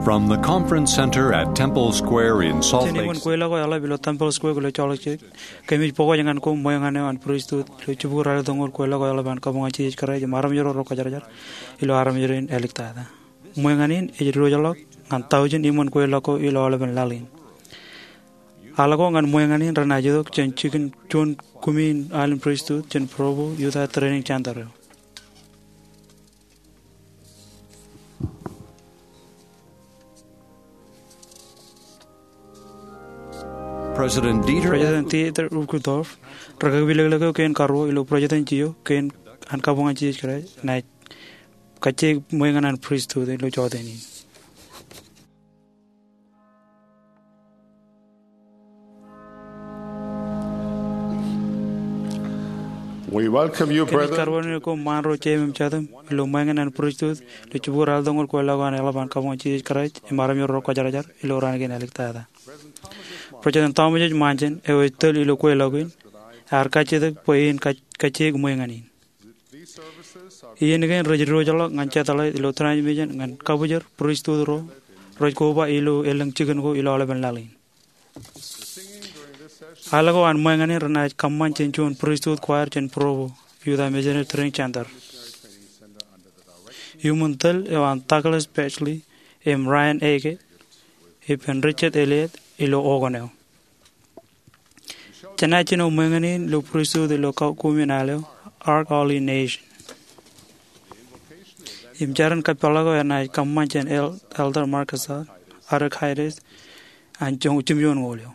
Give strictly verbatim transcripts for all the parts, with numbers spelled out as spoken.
From the Conference Center at Temple Square in Salt Lake City. Jān iṃōn kweilọk ko eḷap ilo Temple Square ilo Salt Lake City, kōmij pokoj ñan koṃ ṃweo ñan eo an pristut ilo jibukwi ralitōñoul kweilọk ko eḷap an Kabuñal Jisōs Kraist im Armej ro ro Kwōjarjar ilo armej rein āliktata. Ṃweo ñan in ej diwōjḷọk ñan taujin iṃōn kweilọk ko ilo aolepen laḷ in. Al ko ñan ṃweo ñan in renaaj itok jān jikin juon kumi in al in pristut jān Provo Utah Training Center eo. President Dieter President Dieter Uchtdorf, ri-kakilōklōk eo kein karuo ilo presidency eo kein an Kabuñal Jisōs Kraist, enaaj kajjioñ ṃweo ñan an pristut ilo jota in. We welcome you, brethren. Kōmij karuwainene koṃ ṃaan ro jeiṃ im jatūṃ ilo ṃweo ñan an pristut ilo jibukwi ralitōñoul kweilọk ko an eḷap an Kabuñal Jisōs Kraist im Armej ro ro Kwōjarjar ilo raan kein āliktata. President Thomas H. Monson, eo ej tōl ilo kweilọk in, ear kajjitōk bwe en kaj-, kajjioñ ṃweo ñan in. Iien kein rej diwōjḷọk ñan satellite ilo transmission ñan kabōjor pristut ro rej koba ilo elōñ jikin ko ilo aolepen laḷ in. Al ko an ṃweo ñan in renaaj kōṃṃan jān juon pristut choir jān Provo Utah Missionary Training Center. Iuṃwin tōl eo an Douglas Batchelor im Ryan Eggett ippān Richard Elliott ilo organ eo. Jenaaj jino ṃweo ñan in ilo pristut ilo kumi in al eo, Ark Ordination. Im jar in kōpeḷḷọk eo enaaj kōṃṃan jān El-, Elder Marcus Arrekides an joñ jimjuonñoul eo.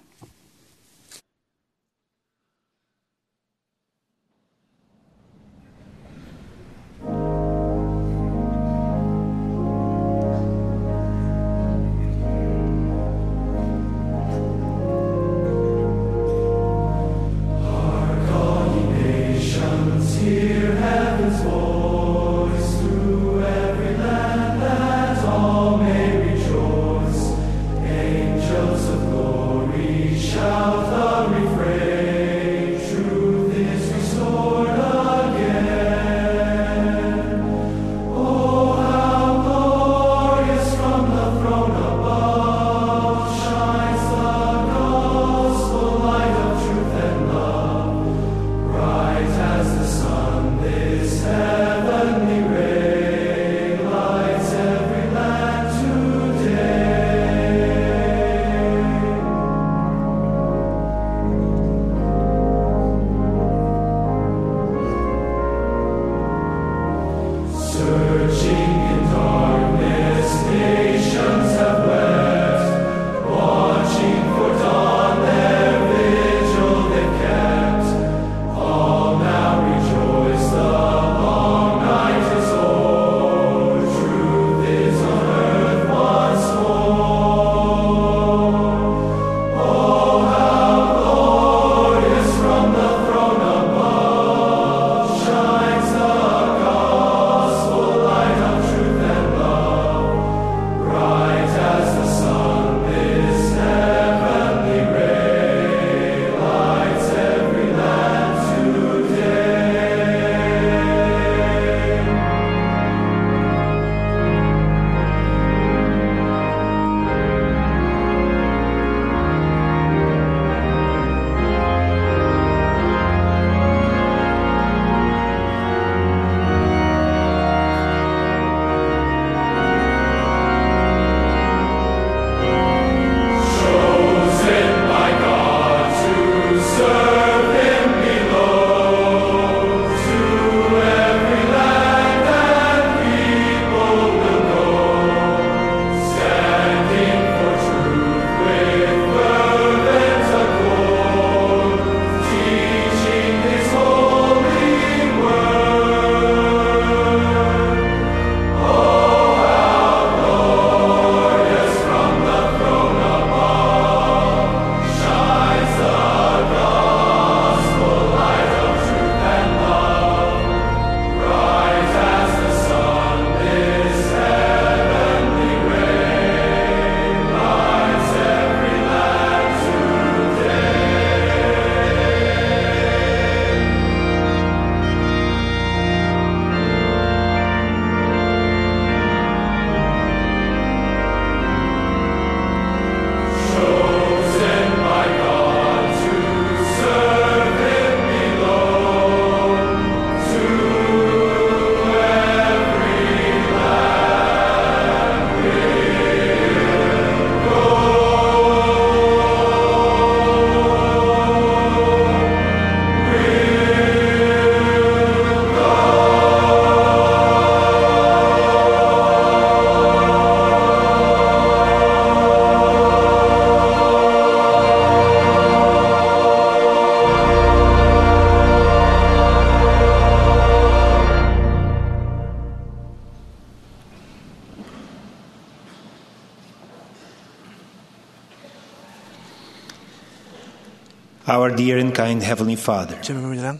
Our dear and kind Heavenly Father, Jemem ilañ,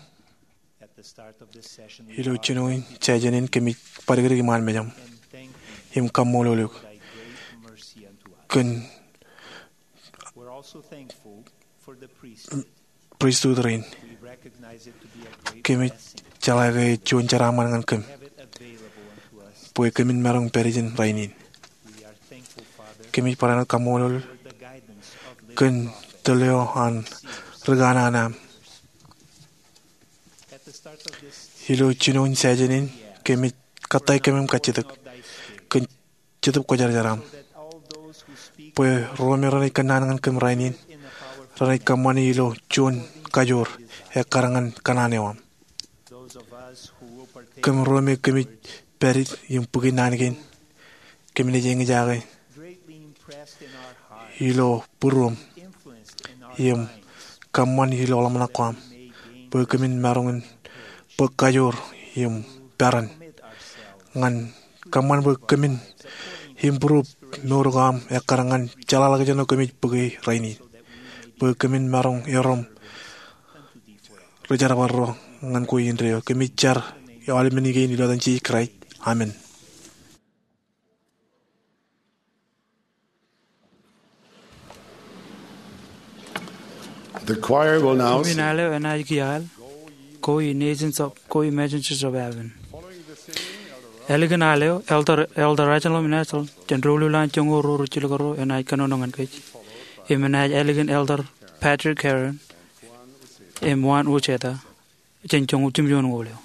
ilo jinoin session in kōmij bōdikdik iṃaan mejaṃ im kaṃṃoolol eok kōn priesthood rein. Kōmij jeḷā ke juon jeraaṃṃan ñan kōm bwe kōmin maroñ pād ijin rainin. Kōmij barāinwōt kaṃṃoolol kōn tōl eo an ri kanaan aṃ. Ilo jinoin session in kōmij kōttāik kōm im kajjitōk kōn Jetōb Kwōjarjar aṃ, bwe ro me renaaj kōnnaan ñan kōm rainin renaaj kōṃṃani ilo juon kajoor ekkar ñan kōṇaan eo aṃ. Kōm ro me kōmij pād im bōki naan kein, kōm naaj eñjake ilo būruōm im kōṃṃan ilo ḷōmṇak ko aṃ bwe kōmin maroñ in bōk kajoor im peran ñan kōṃṃan bwe kōmin improve mour ko aṃ ekkar ñan jeḷāḷọkjeṇ eo kōmij bōke rainin, bwe kōmin maroñ erom ri jerbal ro ñan kwe indeeo. Kōmij jar aolepen kein ilo etan Jisōs Kraist, amen. The choir will now sing. Juon al eo enaaj kiiō al, Go Ye Nations of, Go Ye Messengers of Heaven. Ālikin al eo, Elder, Elder Russell M. Nelson, jān doulul an joñoul ruo rejjeḷọk ruo, enaaj kōnono ñan kōj. Im enaaj ālikin Elder Patrick Heron im Juan Uceta jān joñoul jimjuon ñoul eo.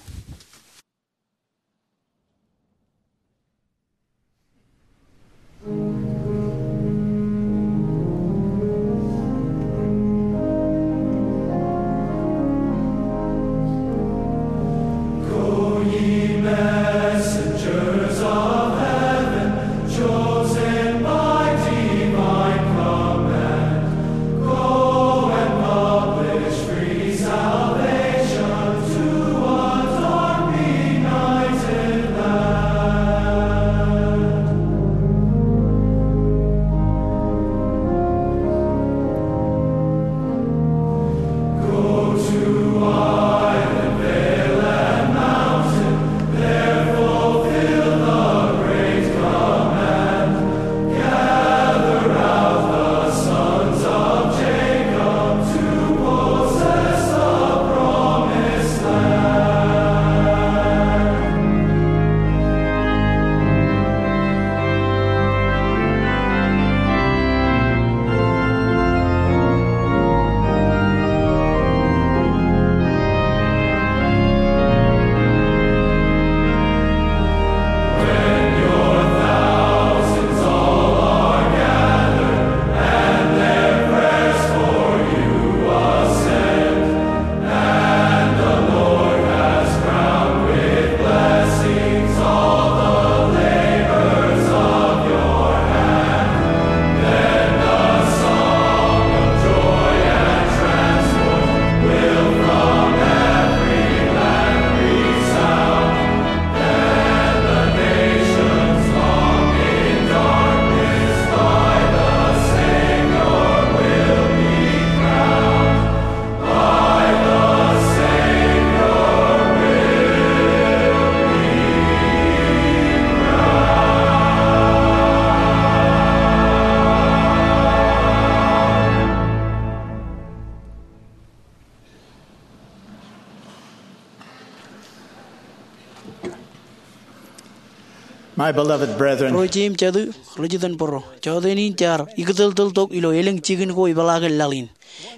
My beloved brethren, ro jeiū im jatū, ro jitōnbōro, jọteen in jaar ikōtōltōl tok ilo elōñ jikin ko epeḷaakin laḷ in.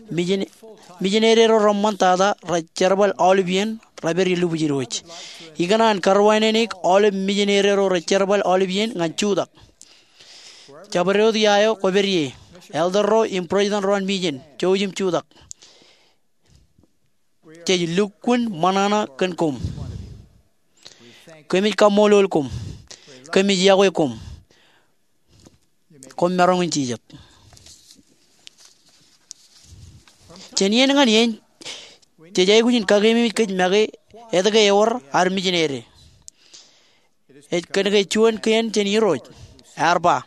Mijin-, mijineri ro reṃṃan tata rej jerbal aolep iien rej pād ie lubwij irooj. Ikōṇaan karwaineneik aolep mijineri ro rej jerbal aolep iien ñan jutak. Jabdewōt ia eo kwōpād ie, elder ro im president ro an mission, jouj im jutak. Jej lukkuun ṃōṇōṇō kōn koṃ. Kōmij kaṃṃoolol koṃ. Kōmij iọkwe koṃ. Koṃ maroñ in jijet. Jān iien ñan iien, jej aikuj in kakeememej kōj make etke ewōr ad mijineri. Ej kōnke juon kein jān Irooj ear ba,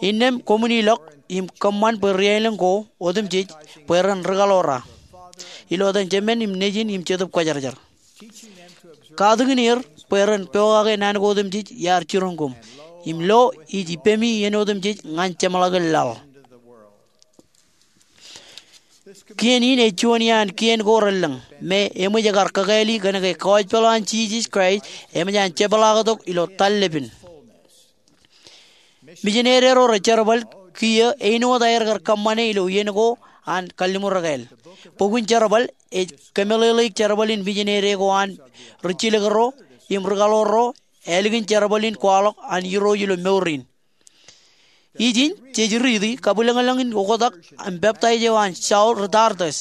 innām koṃwin ilọk im kōṃṃan bwe ri aelōñ ko otemjej bwe ren rikaḷoor aō. ilo etan Jemān im Nejin im Jetōb Kwōjarjar. Katakin er bwe ren pokake naan ko otemjej iar jiroñ koṃ. Im lo, ij ippemi iien otemjej ñan jeṃḷọkin laḷ. Kien in ej juon iaan kien ko relōñ me eṃōj ekar kakāāli kōn ke gospel an Jisōs Kraist eṃōj an jepḷaaktok ilo tallepin. Mijinere ro rejerbal kiiō āinwōt aer kar kōṃṃane ilo iien ko an kalliṃur ekāāl. Bukun jerbal ej kōmeḷeḷeik jerbal in mijinere ko an ri jilkinro im ri kaḷoor ro ālikin jerbal in kwaḷọk an Irooj ilo mour in. Ijin jej riiti kabwilōñlōñ in oktak im peptaij eo an Saul ri Tarsus,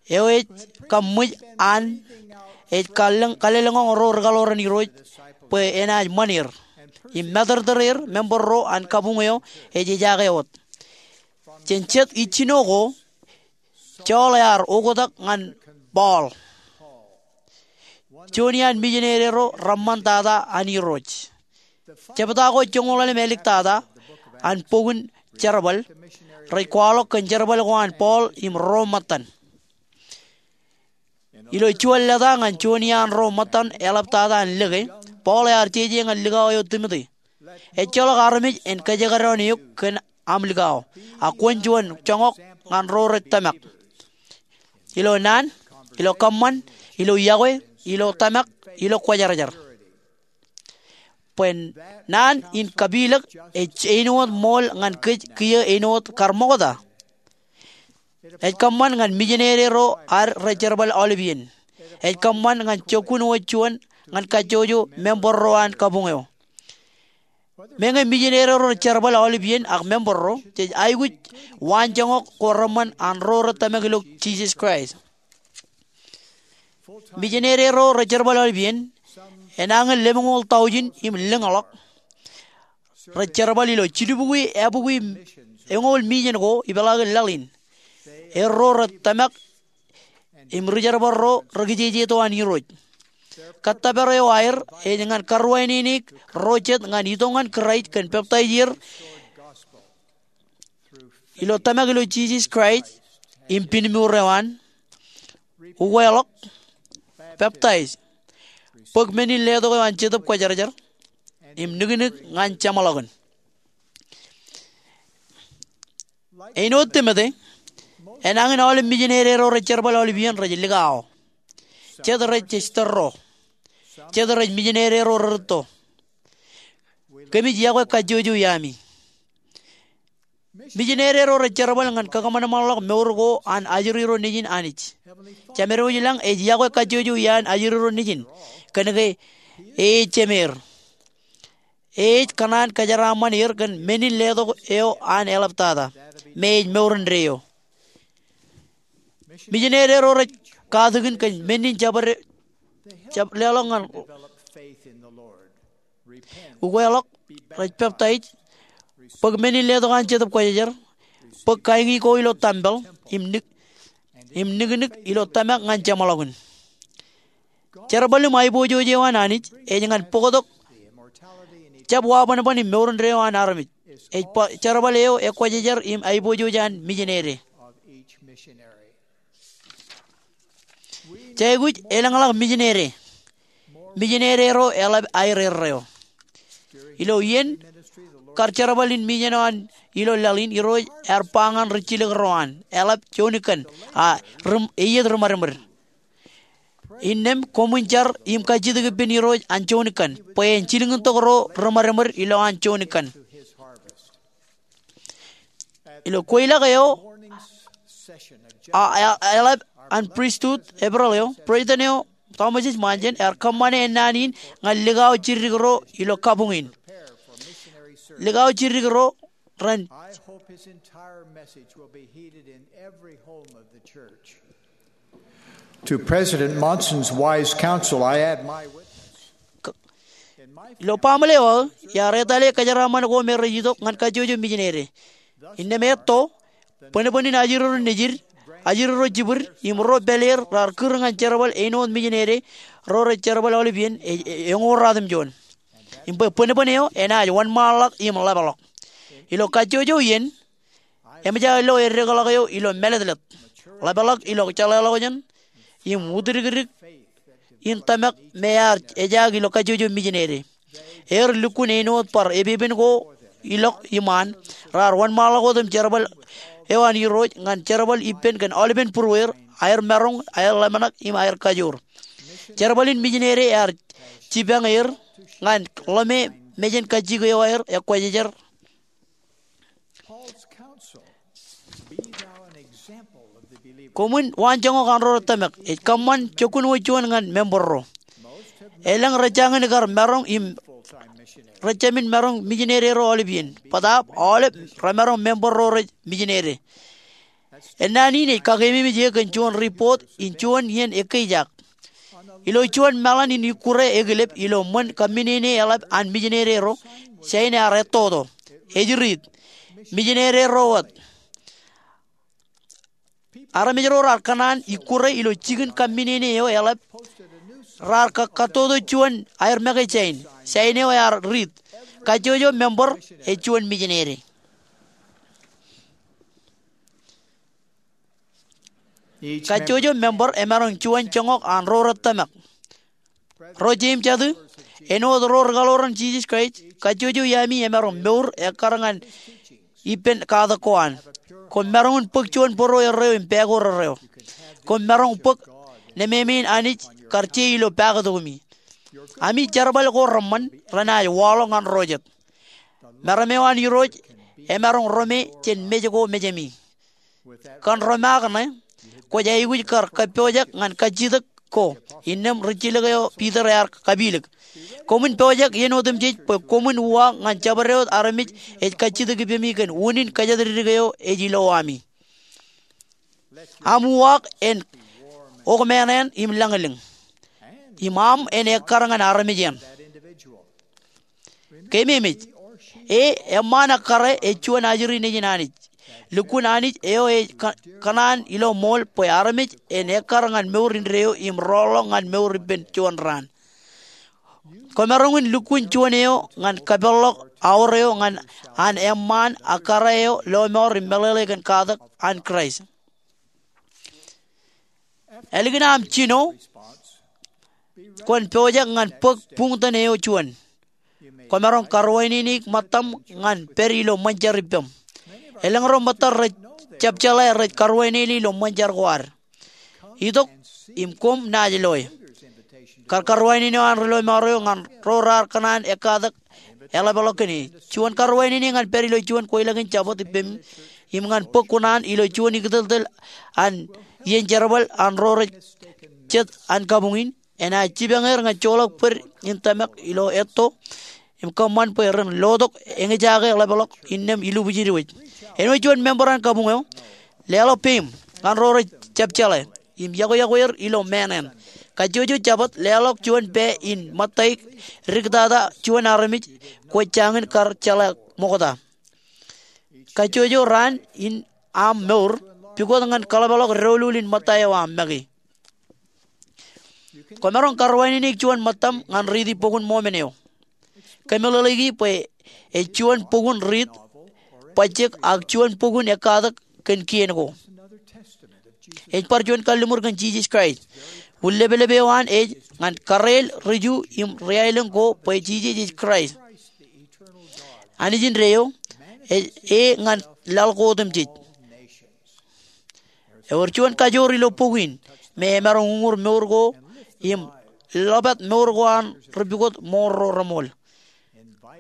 eo ej kaṃṃool an ej kalōñ, kalōñḷọk ro ri kaḷoor in Irooj bwe enaaj ṃan er im matōrtōr er. Member ro an kabuñ eo ej ejaake wōt. Jān jet ijjino ko, Saul ear oktak ñan Paul, juon iaan mijinere ro reṃṃantata an Irooj. Jebta ko joñoul ḷalem āliktata an bok in Jerbal rej kwaḷọk kōn jerbal ko an Paul im ro ṃōttan. Ilo juon leta ñan juon iaan ro ṃōttan eḷaptata an lōke, Paul ear jeje ñan likao eo Timote, ejjeḷọk armej en kajekdọọn eok kōn aṃ likao, a kwōn juon joñak ñan ro rej tōmak ilo naan, ilo kōṃṃan, ilo iọkwe, ilo tōmak, ilo kwōjarjar. Bwe naan in kapilōk ej āinwōt ṃool ñan kōj kiiō āinwōt kar ṃokta. Ej kōṃṃan ñan mijinere ro ad rej jerbal aolep iien. Ej kōṃṃan ñan jokkun wōt juon ñan kajjojo member ro an kabuñ eo. Meñe mijinere ro rej jerbal aolep iien ak member ro, jej aikuj waanjoñak ko reṃṃan an ro rej tōmak ilo Jisōs Kraist. Mijinere ro rej jerbal aolep iien, enañin lemñoul taujin im lōñḷọk, rej jerbal ilo jilubukwi ebukwi eñoul mijen ko ipeḷaakin laḷ in. Er ro rej tōmak im ri jerbal ro rej kijejeto an Irooj. Kōttōpar eo aer ej ñan karuwainene ro jet ñan itok ñan Kraist kōn peptaij er ilo tōmak ilo Jisōs Kraist im pinmuur eo an, ukweḷọk, peptaij, bōk men in letok eo an Jetōb Kwōjarjar, im niknik ñan jeṃḷọkin. Āinwōt Timote, enañin aolep mijinere ro rej jerbal aolep iien rej likao. Jet rej jistōrro. Jet rej mijinere ro rerūtto. Kōmij iọkwe kajjojo iaami. Mijinere ro rej jerbal ñan kakōṃanṃanḷọk mour ko an ajri ro nejin Anij. Jemedwōj ilañ ej iọkwe kajjojo iaan ajri ro nejin kōn ke e ej jemeer. E ej kōṇaan kōjeraaṃṃan er kōn men in letok eo an eḷaptata, me ej mour indeeo. Mijinere ro rej katakin kōn men in jab, jab leḷọk ñan ukweḷọk, rej peptaij, bōk men in letok an Jetōb Kwōjarjar, bōk kaiñi ko ilo tempel, im nik, im niknik ilo tōmak ñan jeṃḷọkin. Jerbal im aiboojoj eo an Anij ej ñan bōktok jab wabanban im mour indeeo an armej. Ej ba jerbal eo ekwōjarjar im aiboojoj an mijinere. Jej aikuj elōñḷọk mijinere. Mijinere ro eḷap aer erreo. Ilo iien kar jerbal in mijen eo an ilo laḷ in, Irooj ear ba ñan ri jilkinro an, eḷap juon ikan, a ri, eiiet ri ṃadṃōd. Innām koṃwin jar im kajjitōk ippān Irooj an juon ikan, bwe en jilkintok ro ri ṃadṃōd ilowaan juon ikan. Ilo kweilọk eo, a, a, eḷap an pristut April eo, President eo Thomas S. Monson ear kōṃṃane ennaan in ñan likao jiddik ro ilo kabuñ in. Likao jiddik ro ren I hope his entire message will be heeded in every home of the church. To President Monson's wise counsel, I add my witness. Ilo baaṃle eo aō, iar etale kōjeraaṃṃan ko me rej itok ñan kajjojo mijinere. Innām etto, bōnbōn in ajri ro nejid, ajri ro jibwid, im ro pāleer raar kūr ñan jerbal āinwōt mijinere ro rej jerbal aolep iien e, e, eñoul ratimjuon. Im bwe bōnbōn eo enaaj wōnṃaanḷọk im ḷapḷọk. Ilo kajjojo iien, eṃōj aō lo eddekḷọk eo ilo mālōtlōt. ḷapḷọk ilo jeḷāḷọkjeṇ im utdikdik in tōmak me ear ejaak ilo kajjojo mijinede. Ear lukkuun āinwōt bar epepen ko ilọk iṃaan, raar wōnṃaanḷọk wōt im jerbal eo an Irooj ñan jerbal ippān kōn aolepen būrueir, aer maroñ, aer ḷōmṇak im aer kajoor. Jerbal in mijinede ear jipañ er ñan ḷōme mejān kajjik eo aer ekwōjarjar. Koṃwin waanjoñak an ro rej tōmak, ej kōṃṃan jokkun wōt juon ñan memberro. Elōñ rej jañin kar maroñ im rej jāmin maroñ mijinede ro aolep iien. Bōtaab aolep remaroñ member ro rej mijinede. Ennaan in ej kakeememej eō kōn juon ripoot in juon iien ekkejak. Ilo juon meḷan in ikkure ekilep ilo ṃōn kōmminene eḷap an mijinede ro, sain ear ettoto. Ej riit, mijinede ro wōt. Armej ro raar kōṇaan ikkure ilo jikin kōmminene eo eḷap raar ka-, kattoto juon aer make sain. Sain eo ear riit, kajjojo member ej juon mijinede. Kajjojo member emaroñ juon joñak an ro rej tōmak. Ro jeiū im jatū, āinwōt ro ri kaḷoran Jisōs Kraist, kajjojo iaami emaroñ mour ekkar ñan ippān katak ko an. Koṃ maroñ in bōk juon bōro erreo im pāākor erreo. Koṃ maroñ bōk nemāmein Anij kar je ilo paaktok eo. Ami jerbal ko reṃṃan renaaj waḷọk ñan ro jet. Meram eo an Irooj emaroñ rome jān mej ko mejāmi. Kōn ro ṃaak ṇe, kwōj aikuj kar kōppojak ñan kajjitōk ko, innām rijjilōk eo Piter ear kapilōk. Koṃwin pojak iien otemjej bwe koṃwin uwaak ñan jabdewōt armej ej kajjitōk ippemi kōn unin kōjatdikdik eo ej ilowami. Aṃ uwaak en okmānān im lañlōñ, im aṃ en ekkar ñan armej eṇ. Keememej, e eṃṃaan ekkare ej juon ajri nejin Anij. Lukkuun Anij eo ej kō-, kōṇaan ilo ṃool bwe armej en ekkar ñan mour indeeo im rọọlḷọk ñan mour ippān juon raan. Kwōmaroñ in lukkuun juon eo ñan kapeḷḷọk aor eo ñan an eṃṃaan ekkare eo lọmọọr im meḷeḷe kōn katak an Kraist. Ālikin aṃ jino, kwōn pojak ñan bōk buñtōn eo juon. Kwōmaroñ karuwaineneik ṃōttaṃ ñan pād ilo ṃōn jar ippām. Elōñ ro ṃōttan rej jab jeḷā rej karuwainene ilo ṃōn jar ko ad. Itok im koṃ naaj loe. Kar karuwainene eo an ri lọmọọr eo ñan ro raar kōṇaan ekkatak eḷapḷọk kōn e. Juon karuwainene ñan pād ilo juon kweilọk in Jabōt ippām im ñan bōk kuṇaan ilo juon ikōtōltōl an iien jerbal an ro rej jet an kabuñ in enaaj jipañ er ñan joḷọk bōd in tōmak ilo etto im kōṃṃan bwe ren lotok eñjake ḷapḷọk innām ilubujej wōj. Āinwōt juon member an kabuñ eo, leḷọk peim ñan ro rej jab jeḷā im yokwe-yokwe er ilo māāṇāṇ. Kajjojo Jabōt leḷọk juon pā in ṃōttaik diktata juon armej kwōj jañin kar jeḷā ṃokta. Kajjojo raan in aṃ mour, pukot ñan kaḷapḷọk doulul in ṃōtta eo aṃ make. Kwōmaroñ karuwaineneik juon ṃōttaṃ ñan riiti bok in Mōmon eo. Kōmeḷeḷeiki bwe ej juon bok in riit, bajjek ak juon bok in ekkatak kōn kien ko. Ej bar juon kalliṃur kōn Jisōs Kraist. Wūn lepelep eo an ej ñan karreel ri-Ju im ri-aelōñ ko bwe Jisōs ej Kraist, Anij indeeo, ej e ñan laḷ ko otemjej. Ewōr juon kajoor ilo bok in me emaroñ uñūr mour ko im ḷōpāt mour ko an ri pukot ṃool ro reṃool.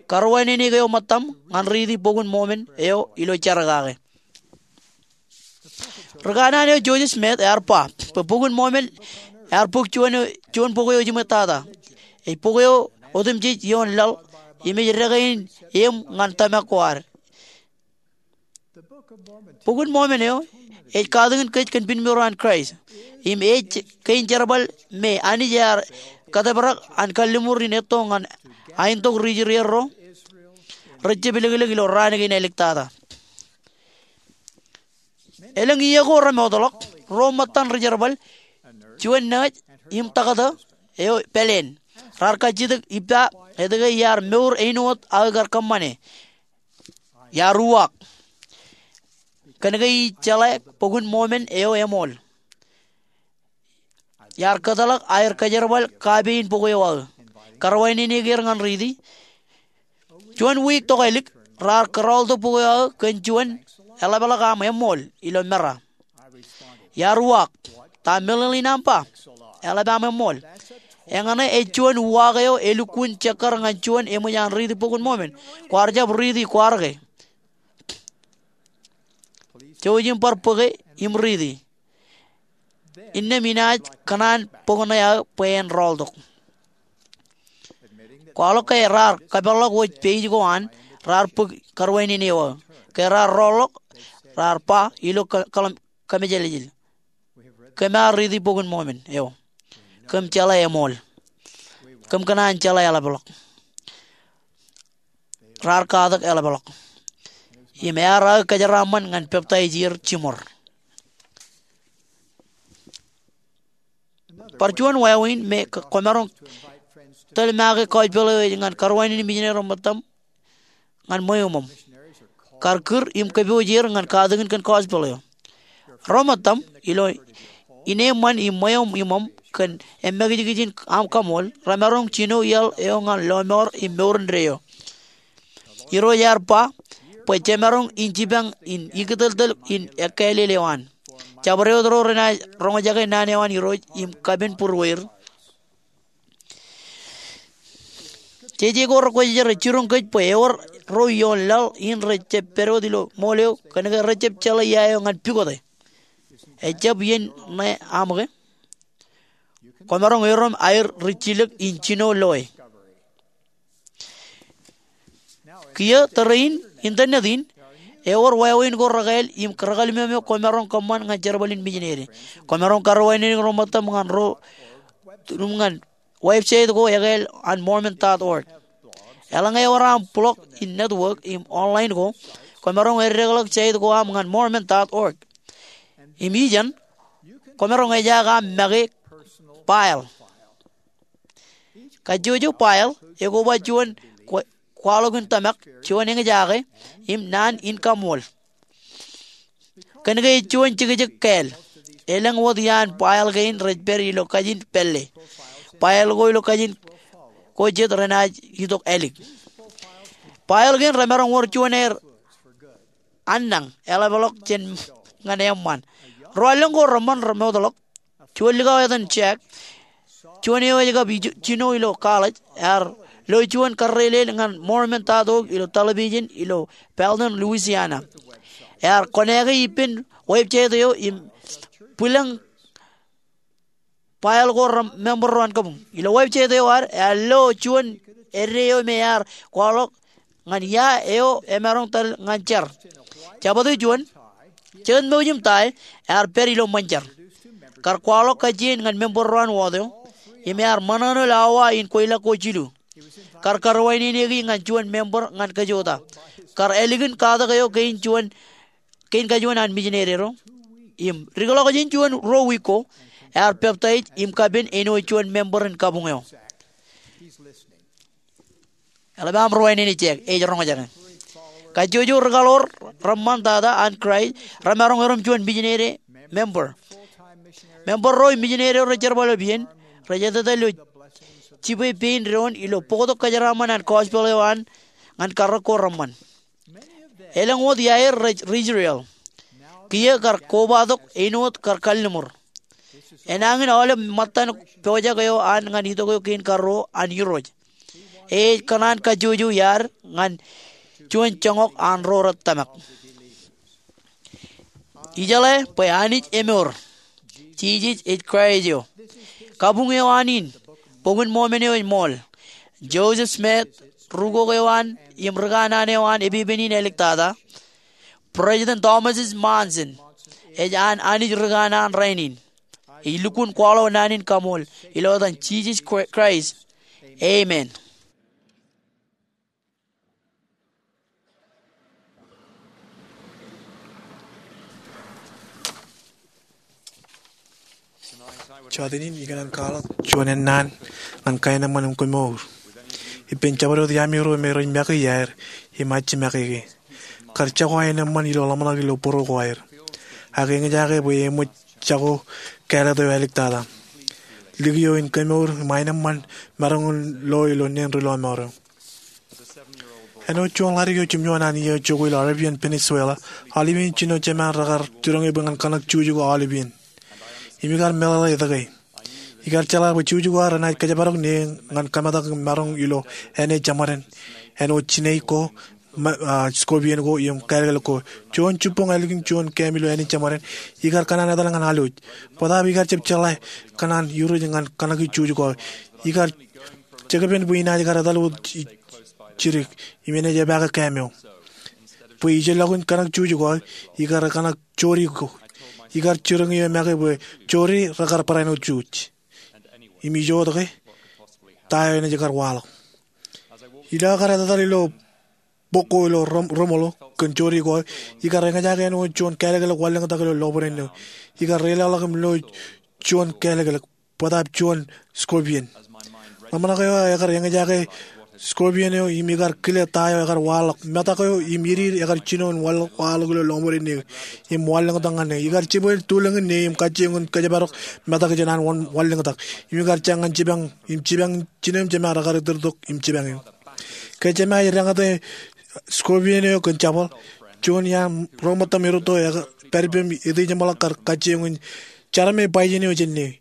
Karuwaineneik eo ṃōttaṃ ñan riiti bok in Mōmon eo ilo jar kake. Ri kanaan eo Joseph Smith ear ba bwe bok in Mōmon ear bok juon, juon bok eo ejiṃwejtata. Ej bok eo otemjej ioon laḷ im ej deke in eṃ ñan tōmak ko ad. Bok in Mōmon eo ej katakin kōj kōn piṃro an Kraist. Im ej kein jerbal me Anij ear kōtōprak an kalliṃur in etto ñan aentok ri Israel ro rej jab ilōklōk ilo raan kein āliktata. Elōñ iiō ko remootḷọk, ruo ṃōttan ri jerbal, juon nōōj im taktō eo pāleen, raar kajjitōk ippa etke iar mour āinwōt aō kar kōṃṃane. Iar uwaak. Kōnke ij jeḷā Bok in Mormon eo eṃool. Iar kōtḷọk aer kōjerbal kaapein bok eo aō. Karuwaineneik er ñan riiti. Juon wiik tokālik raar kōrọọltok bok eo aō kōn juon eḷapḷọk aṃ eṃool ilo mera. Iar uwaak, ta meḷeḷein aṃ ba? Eḷap aṃ eṃool. Eñṇe ej juon uwaak eo elukkuun jekkar ñan juon eṃōj an riiti Bok in Mormon. Kwaar jab riiti kwaar ke? Jouj im bar bōke im riiti. Innām inaaj kōṇaan bok ṇe aō bwe en rọọltok. Kwaḷọk ke raar kōpeḷḷọk wōj page ko an, raar bōk karuwainene eo aō. Ke raar rọọlḷọk, raar ba ilo kō-, kōḷmān kōmejāljāl, kōm ar riiti Bok in Mormon eo. Kōm jeḷā eṃool. Kōm kōṇaan jeḷā eḷapḷọk. Raar katak eḷapḷọk. Im ear aō kōjeraaṃṃan ñan peptaij er jiṃor. Bar juon wāween me k-, kwōmaroñ tōl make gospel eo ej ñan karuwainenein mijineri ro ṃōttaṃ ñan ṃweo iṃōṃ. Kar kūr im kōpooj er ñan katakin kōn gospel eo. Ro ṃōttaṃ, ilo ineeṃṃan im ṃweo iṃōṃ kōn emmakijkijin aṃ kaṃool, remaroñ jino iaḷ eo ñan lọmọọr im mour indeeo. Irooj ear ba bwe jemaroñ in jipañ in ikōtōltōl in ekkāālel eo an. Jabdewōt ro renaaj roñjake naan eo an Irooj im kapen būrueir. Jeje ko rekwōjarjar, ej jiroñ kōj bwe ewōr ro ioon laḷ in rej jab pād wōt ilo ṃool eo kōnke rej jab jeḷā ia eo ñan pukot e. Ejjab iien ṇe aṃ ke? Kwōmaroñ erom aer rijjilōk in jino loe. Kiiō tōre in, internet in, ewōr wāween ko rekāāl im rekāāl ṃweo eo kwōmaroñ kōṃṃan ñan jerbal in mijineri. Kwōmaroñ karuwaineneik ro ṃōttaṃ ñan ro, ñan website ko ekāāl an mormon dot org. Eḷaññe ewōr aṃ blog in network im online ko, kwōmaroñ eddekḷọk site ko aṃ ñan mormon dot org. Im ijeṇ, kwōmaroñ ejaak aṃ make file. Kajjojo file ekoba juon kwa-, kwaḷọk in tōmak, juon eñjake, im naan in kaṃool. Kōnke ej juon jekjek kāāl. Elōñ wōt iaan file kein rej pād ilo kajin pālle. File ko ilo kajin ko jet renaaj itok ālik. File kein remaroñ wōr juon aer annañ eḷapḷọk jān ñan eṃṃan. Ro allōñ ko reṃṃan remootḷọk. Juon likao etan Jack, juon eo ej kab ij-, jino ilo college, ear lo juon karreelel ñan mormon dot org ilo television ilo Belton, Louisiana. Ear kōnke ippān website eo im bwilōñ file ko rej member ro an kabuñ. Ilo website eo ad, ear lo juon eddo eo me ear kwaḷọk ñan ia eo emaroñ tōl ñan jar. Jabōt eo juon, jekōt mouj im tie, ear pād ilo ṃōn jar. Kar kwaḷọk kajjien ñan member ro an wōt eo, im ear ṃōṇōṇō awa in kweilọk ko jilu. Kar karuwaineneiki ñan juon member ñan kajota. Kar ālikin katak eo kein juon kein kajuon an mijineri ro. Im dikḷọk jān juon ruo wiik ko, ear peptaij im kapen āinwōt juon member in kabuñ eo. Eḷap aṃ ruwainene Jack, ej roñjake. Kajjojo ri-kaḷoor reṃṃan tata an Kraist remaroñ erom juon mijineri member. Member ro im mijineri ro rej jerbal eo ippaṃ, rej etetal ilo jibwe pein doon ilo bōktok kōjeraaṃṃan an gospel eo an ñan karōk ko reṃṃan. Elōñ wōt iaer rej ri-Israel. Kiiō kar kobatok āinwōt kar kalliṃur. Enañin aolep ṃōttan pojak eo an ñan itok eo kein karuo an Irooj. Ej kōṇaan kajjojo iaad ñan juon joñak an ro rej tōmak. Ijeḷā bwe Anij emour. Jisōs ej Kraist eo. Kabuñ eo an in, Bok in Mormon eo ej ṃool. Joseph Smith, rūkok eo an im rikanaan eo an epepen in āliktata. President Thomas S. Monson ej an Anij rikanaan rainin. Ij lukkuun kwaḷọk naan in kaṃool ilo etan Jisōs Kra-, Kraist. Amen. Jota in, ikōṇaan kwaḷọk juon ennaan ñan kaenōṃṃan im kemour. Ippān jabdewōt iaami ruo me rej make iaer im ajimake ke. kar jako aenōṃṃan ilo ḷōmṇak ilo būruo ko aer. Ak eñjake bwe eṃōj jako kāālōt eo āliktata. Likio in kemour im aenōṃṃan maroñ in lo ilo neen ri lọmọọr eo. Āinwōt juon ḷadik eo jimjuon an iiō jokwe ilo Arabian Peninsula, aolep iien jino jemān rekar jiroñ e bwe ñan kōṇak juj ko aolep iien. Im ikar meḷeḷe etke. Ikar jeḷā bwe juj ko aer enaaj kōjparok ne ñan kōmetak im maroñ ilo āne jeṃaden, āinwōt snake ko, scorpion ko im kālōklōk ko. Juon jibboñ ālikin juon kām ilo āne jeṃaden, ikar kōṇaan etal ñan alwōj. Bōtaab ikar jab jeḷā kōṇaan iruj ñan kōṇaki juj ko aer. Ikar jekpen bwe inaaj kar etal wōt jidik im enaaj epaake kām eo. Bwe ijellọkin kōṇak juj ko aer, ikar kōṇak jori ko. Ikar jiroñ eō make bwe jori rekar barāinwōt juj. Im ijo wōt ke, ta eo enaaj kar waḷọk. Ilo aō kar etetal ilo bok ko ilo remoḷ kōn jori ko aer, ikar eñjake āinwōt juon kālōklōk wanlōñtak ilo lọpiden eo. Ikar reilaḷọk im lo juon kālōklōk, bōtaab juon scorpion. Ḷōmṇak eo aō ekar eñjake scorpion eo im ikar kile ta eo ekar waḷọk. Metak eo im idiid ekar jino in waḷọk ilo lọpiden eo im wanlōñtak ñan e. Ikar jibwe tulōñin ne im kajjioñ in kōjparok metak jān an wanlōñtak. Im ikar jañ ñan jipañ im jipañ jinem jemān rekar iturtok im jipañ eō. Ke jemān ej deñōte scorpion eo kōn jabōḷ, juon iaan ro ṃōttam erūtto eo pād ippem etijeṃḷọk kar kajjioñ in jarme bajjin eo jān e.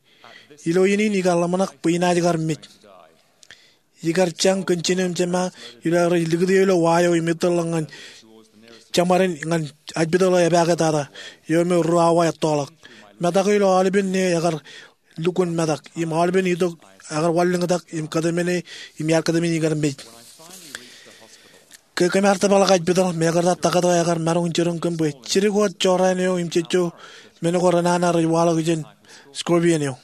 Ilo iien in ikar ḷōmṇak bwe inaaj kar mej. Ikar jañ kōn jinem jemān ilo aō rej likūti ilo wa eo im ettōrḷọk ñan jeṃaden ñan ajpitōḷ eo epaaketata eo me ruo awa ettoḷọk. Metak eo ilo aolepen ne ekar lukkuun metak im aolepen itok ekar wanlōñtak im kōtmāne im iar kōtmāne ikar mej. Ke kōm ar tōprak ajpitōḷ, mekarta taktō ekar maroñ in jiroñ kōm bwe jidik wōt jorrāān eo im jejjo men ko renana rej waḷọk jān scorpion eo.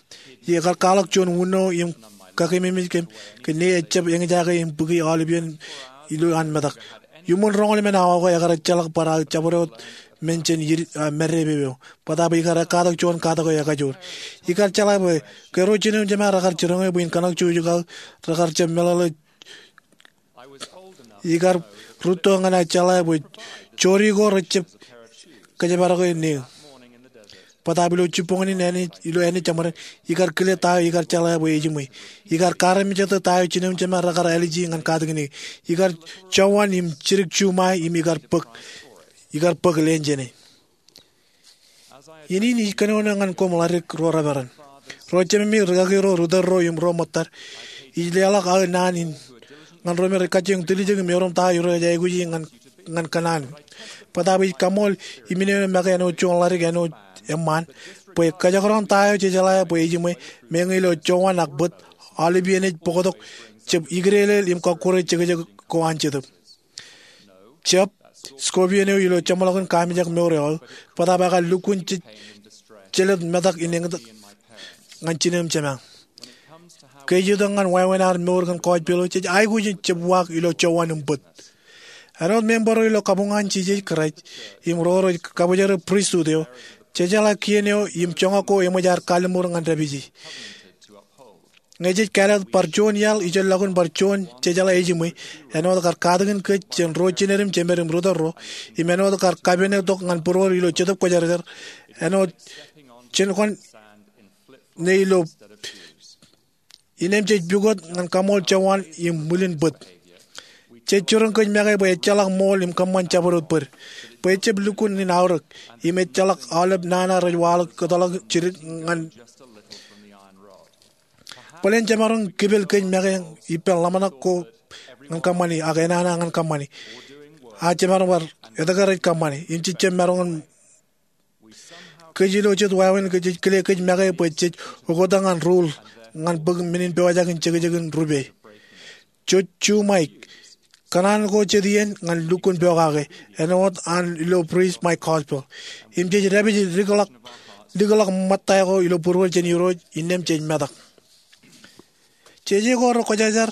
Ekar kwaḷọk juon wūno im kakememej kōm ke ne ejjab eñjake im bōki aolepen ilo an metak. Iuṃwin roñoul emān awa ko ekar ejjeḷọk bar aō jabdewōt men jān madipepe eo. Bōtaab ikar ekkatak juon katak eo ekajoor. Ikar jeḷā bwe ke ro jinem jemān rekar jiroñ e bwe in kōṇak juj ko aō, rekar jab meḷeḷe. Ikar rūtto ñan aō jeḷā bwe jori ko rejjab kōjparok e ne. Bōtaab ilo jibboñin in ilo āne jeṃaden, ikar kile ta eo ikar jeḷā bwe ejiṃwe. Ikar kaarmejete ta eo jinem jemān rekar āliji ñan katakin e. Ikar jowan im jidik juṃae im ikar bōk, ikar bōk leen jān e. Iien in ij kōnono ñan koṃ ḷadik ro reperan. Ro jememi rikaki ro ri tōl ro im ro ṃōttad, ij leḷọk aō naan in ñan ro me rej kajjioñ tiljek im erom ta eo Irooj ej aikuji ñan kōṇaan. Bōtaab ij kaṃool iminene make āinwōt juon ḷadik āinwōt eṃṃaan bwe kōjekdọọn ta eo jejeḷā bwe ejiṃwe, meñe ilo jowan ak bōt, aolep iien ej bōktok jab ikideedeḷ im kọkkure jekjek ko an Jetōb. Jab, scorpion eo ilo jeṃḷọkin kaamijak mour eo aō, bōtaab ekar lukkuun jelōt metak in eñtak ñan jinem jemān. Ke ej itok ñan wāween ad mour kōn gospel eo, jej aikuj in jab uwaak ilo jowan im bōt. Āinwōt member eo ilo kabuñ an Jisōs Kraist im ro rej kabōjrak pristut eo, jejeḷā kien eo im joñak ko eṃōj ad kalliṃur ñan dāpiji. Ñe jej kāālōt bar juon iaḷ ijellọkin bar juon jejeḷā ejiṃwe, āinwōt kar katakin kōj jān ro jined im jemed im ri tōl ro, im āinwōt kar kapene tok ñan būruod ilo Jetōb Kwōjarjar, āinwōt jenkwan ne ilo, innem jej pukot ñan kaṃool jowan im ṃwilin bōt. Jej jiroñ kōj make bwe ejjeḷọk ṃool im kōṃṃan jabdewōt bōd, bwe ejjab lukkuun in aorōk, im ejjeḷọk aolep nana rej waḷọk kōtḷọk jidik ñan Bōlen jemaroñ kipel kōj make ippān ḷōmṇak ko ñan kōṃṃani ak enana ñan kōṃṃani. Ak jemaroñ bar etke rej kōṃṃani im jejjab maroñ in. Kōj ilo jet wāween kōj jej kile kōj make bwe jej oktak ñan rule ñan bōk men in pojak in jekjekin rupe. Jej juṃae kōṇaan ko jet iien ñan lukkuun pokake āinwōt an ilo Preach My Gospel. Im jej dāpij likḷọk, likḷọk ṃōtta ko ilo būruod jān Irooj innām jej metak. Jeje ko rej kwōjarjar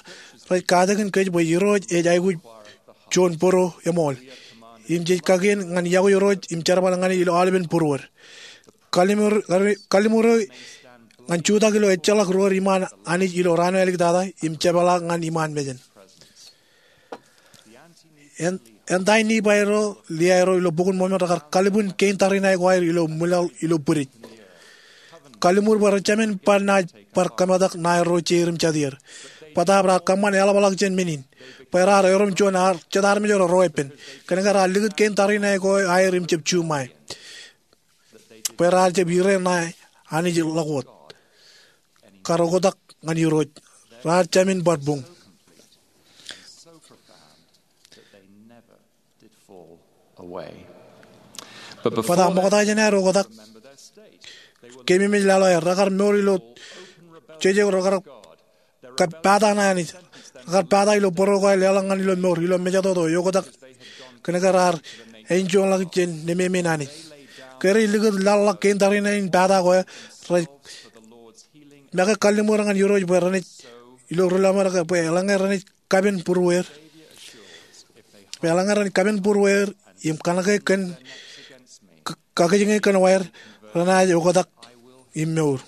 rej katakin kōj bwe Irooj ej aikuj juon bōro eṃool. Im jej kakien ñan yokwe Irooj im jerbal ñan e ilo aolepen būruod. Kalliṃur, kalliṃur ñan jutak ilo ejjeḷọk ro rej iṃaan Anij ilo raan eo āliktata im jepeḷḷọk ñan iṃaan mejān. Ān, Āindein Nifai ro, Liae ro ilo Bok in Mormon rekar kalbwin kein tariṇae ko aer ilo ṃwilaḷ ilo bwidej. Kalliṃur bwe rejāmin bar naaj bar kōmetak ṇae ro jeir im jatier. Bōtaab raar kōṃṃan eḷapḷọk jān men in bwe raar erom juon jet armej ro reweeppān. Kōnke raar likūt kein tariṇae ko aer im jab juṃae bwe raar jab ire ṇae Anij ḷọk wōt. Kar oktak ñan Irooj, raar jāmin bar buñ. Bōtaab ṃokta jān aer oktak, keememej laḷ eo aer, rekar mour ilo jeje, rekar kab pata ṇae Anij. Rekar pata ilo bōro ko aer leḷọk ñan ilo mour ilo mejatoto eoktak, kōnke raar enjoyḷọk jān nemāmein Anij. Ke rej likūt laḷḷọk kein tariṇae in pata ko aer, rej make kalliṃur ñan Irooj bwe renaaj, ilo ri lọmọọr ke, bwe eḷaññe renaaj kapen būruweir, bwe eḷaññe renaaj kapen būruweir im kōṇake kōn, k- kakijiñe kōn waer, renaaj oktak im mour.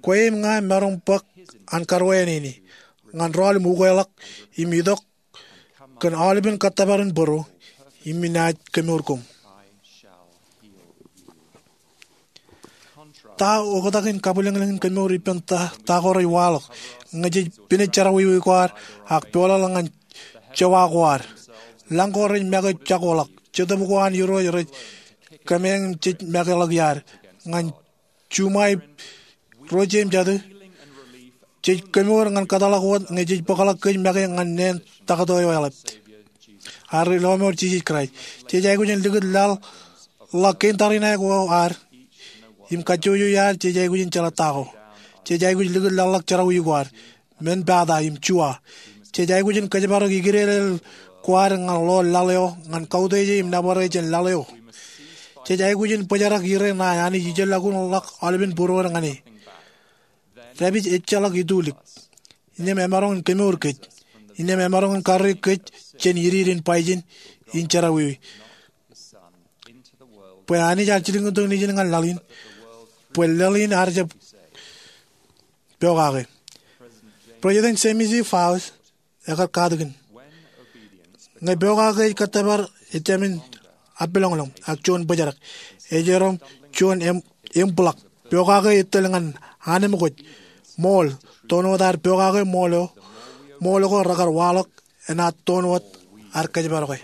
Kwe im ña maroñ bōk an karuwainene ñan rọọl im ukeḷọk im itok kōn aolepen kōttōpar in bōro, im inaaj kemour koṃ. Ta oktak in kabwilōñlōñ in kemour ippān ta, ta ko rej waḷọk ñe jej pinej jerọwiwi ko ad ak peḷḷọk ñan jewa ko ad. Lañ ko rej make jakoḷọk, Jetōb ko an Irooj rej kōmeañ im jej makeḷọk iaad ñan juṃae ro jeiū im jatū. Jej kemour ñan kōtḷọk wōt ñe jej bōkḷọk kōj make ñan neen taktō eo eḷap, ad ri lọmọọr Jisōs Kraist. Jej aikuj in likūt laḷ ḷọk kein tariṇae ko ad im kajjojo iaad. Jej aikuj in jeḷā ta ko. Jej aikuj likūt laḷḷọk jerọwiwi ko ad, men pata im juwa. Jej aikuj in kōjparok ikilelel ko ad ñan ḷoor laḷ eo ñan kautiej im nōbar e jān laḷ eo. Jej aikuj in bōjrak ire ṇae Anij ijellọkuṇ ḷọk aolepen būruod ñan e. Dāpij ejjeḷọk itulik, innām emaroñ in kemour kōj, innām emaroñ in karreoik kōj jān idiid in bajjek in jerọwiwi. Bwe Anij ear jilkintok Nejin ñan laḷ in, bwe laḷ in ear jab pokake. President James E. Faust ekar katakin, ñe pokake ej kōttōpar, ejāmin appeḷọñḷọñ ak juon bōjrak. Ej erom juon im- imbḷọk. Pokake ej tōl ñan anemkwōj, ṃool, toon wōt ad pokake ṃool eo, ṃool ko rekar waḷọk enaaj toon wōt ad kōjparoke.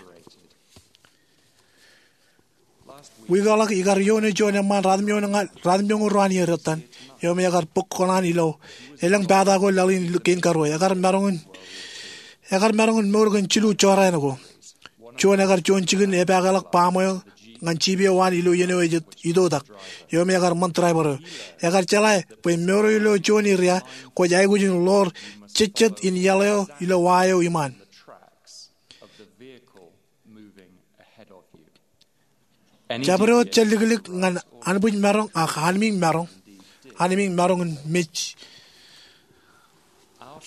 Wiik eo ḷọk ikar ioone juon eṃṃaan ratimjuon ña- ratimjuon ruo an iiō ettan eo me ekar bōk kōṇaan ilo elōñ pata ko laḷ in kein karuo. Ekar maroñ in, ekar maroñ in mour kōn jilu jorrāān ko. Juon ekar juon jikin epaakḷọk baṃ eo ñan jip eo an ilo iien eo ej itoitak, eo me ekar ṃōn driver eo. Ekar jeḷā bwe mour eo ilo juon iria kwōj aikuj in ḷoor jejjet in iaḷ eo ilo wa eo iṃaan. Jabdewōt jelliklik ñan anbwijmaroñ ak anmiiñmaroñ, anmiiñmaroñ in mej.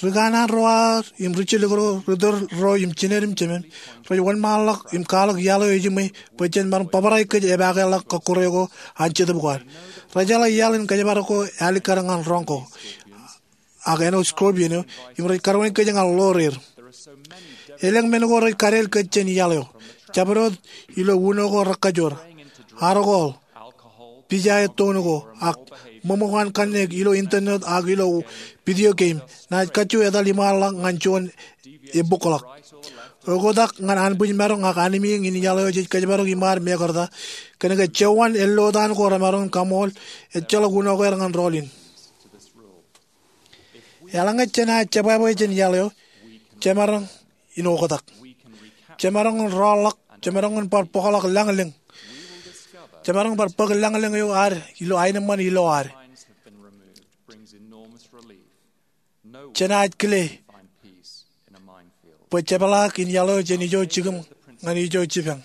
Ri kanaan ro aer im ri jilik ro, ri tōl ro im jined im jemān, rej wōnṃaanḷọk im kwaḷọk iaḷ eo ejiṃwe bwe jen maroñ bōbrae kōj epaakḷọk kọkkure ko an Jetōb ko ad. Rej jeḷā iaḷ in kōjparok ko ālikkar ñan roñ ko ak āinwōt scorpion eo, im rej karuwainene kōj ñan ḷoor er. Elōñ men ko rej kadeel kōj jān iaḷ eo. Jabdewōt ilo uno ko rekkajoor, alcohol, pijae toon ko, ak ṃōṃōkan kanniōk ilo internet ak ilo video game, naaj kajju etal iṃaanḷọk ñan juon ebōkḷọk. Oktak ñan anbwijmaroñ ak anmiiñ in iaḷ eo jej kōjparok iṃaad mekarta, kōnke jewōn ellotaan ko remaroñ in kaṃool, ejjeḷọk uno ko aer ñan rọọl in. Eḷaññe jenaaj jebwābwe jān iaḷ eo, jemaroñ in oktak. Jemaroñ in rọọlḷọk, jemaroñ in bar bōkḷọk lañlōñ. Jemaroñ bar bōk lañlōñ eo ad ilo aenōṃṃan ilo ad. Jenaaj kile bwe jepḷaak in iaḷ eo jān ijo jikin ñan ijo jipañ.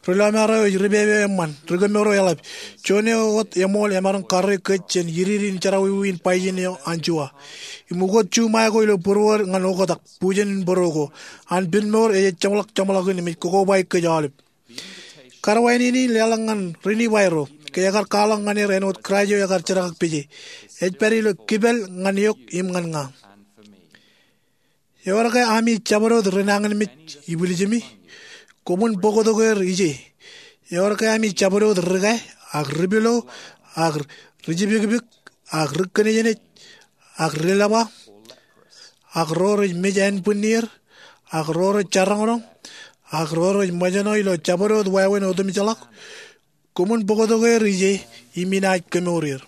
Ri lọmọọr eo ej ripepe eo eṃṃan, ri kemour eo eḷap. Juon eo wōt eṃool emaroñ karreoik kōj jān idiid in jerọwiwi in bajjek eo an juwa. Im ukot juṃae ko ilo būruod ñan oktak, bujen in bōro ko. An pinmour ej ejjeḷọk jeṃḷọkin im ej kokobaik kōj aolep. Karuwainene in leḷọk ñan ri Nifai ro, ke ekar kwaḷọk ñan er āinwōt Kraist eo ekar jerkakpeje. Ej pād ilo kipel ñan eok im ñan ña. Ewōr ke ami jabdewōt ri nañinmej ibwiljimi? Koṃwin bōktok er ije. Ewōr ke ami jabdewōt ri-kāe, ak ri-pilo, ak ri-jipikpik, ak ri-kōnejnej, ak ri-lepa, ak ro rej mej ānbwinnier, ak ro rej jaroñroñ, ak ro rej ṃōjṇọ ilo jabdewōt wāween otemjeḷọk? Koṃwin bōktok er ije im inaaj kemour er.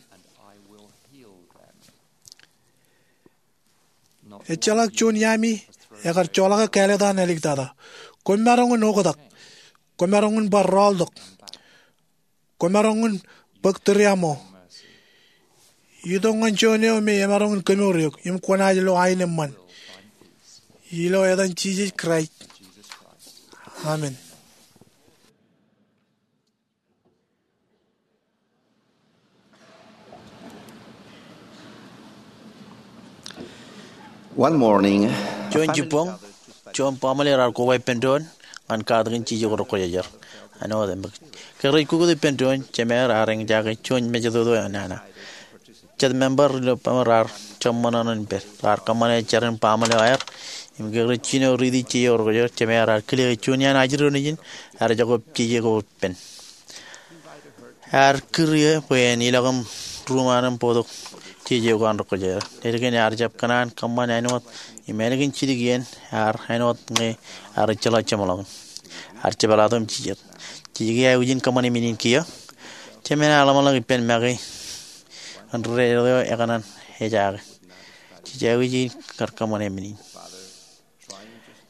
Ejjeḷọk juon iaami ekar joḷọk kāālōt an āliktata. Kwōmaroñ in oktak. Kwōmaroñ in bar rọọltok. Kwōmaroñ in bōk tūriaṃo. Itok ñan juon eo me emaroñ in kemour eok im kwōnaaj lo aenōṃṃan. Ilo etan Jisōs Kraist, amen. One morning, juon jibboñ, juon baaṃle raar koba ippān doon ñan katakin jeje ko rekwōjarjar. Āinwōt im ke rej kukot ippān doon, jemāer ear eñjake juon mejatoto eo nana. Jet member ilo baaṃle raar jab ṃōṇōṇō in pād. Raar kōṃṃane jar in baaṃle eo aer. Im ke rej jino riiti jeje ko rekwōjarjar, jemāer ear kile juon iaan ajri eo nejin ear jokwe jeje ko ippān. Ear kūr eō bwe en ilọk im ruuṃ an im bōktok jeje ko an rekwōjarjar. Ledik in ear jab kōṇaan kōṃṃan āinwōt im ālikin jidik iien ear āinwōt ñe ear ejjeḷọk jeṃḷọkin. Ear jepḷaaktok im jijet. Jej aikuj in kōṃṃane men in kiiō. Jemān ear ḷōmṇak ippān make in ri-deḷọñ eo ekōṇaan ejaake. Jej aikuj in kar kōṃṃane men in.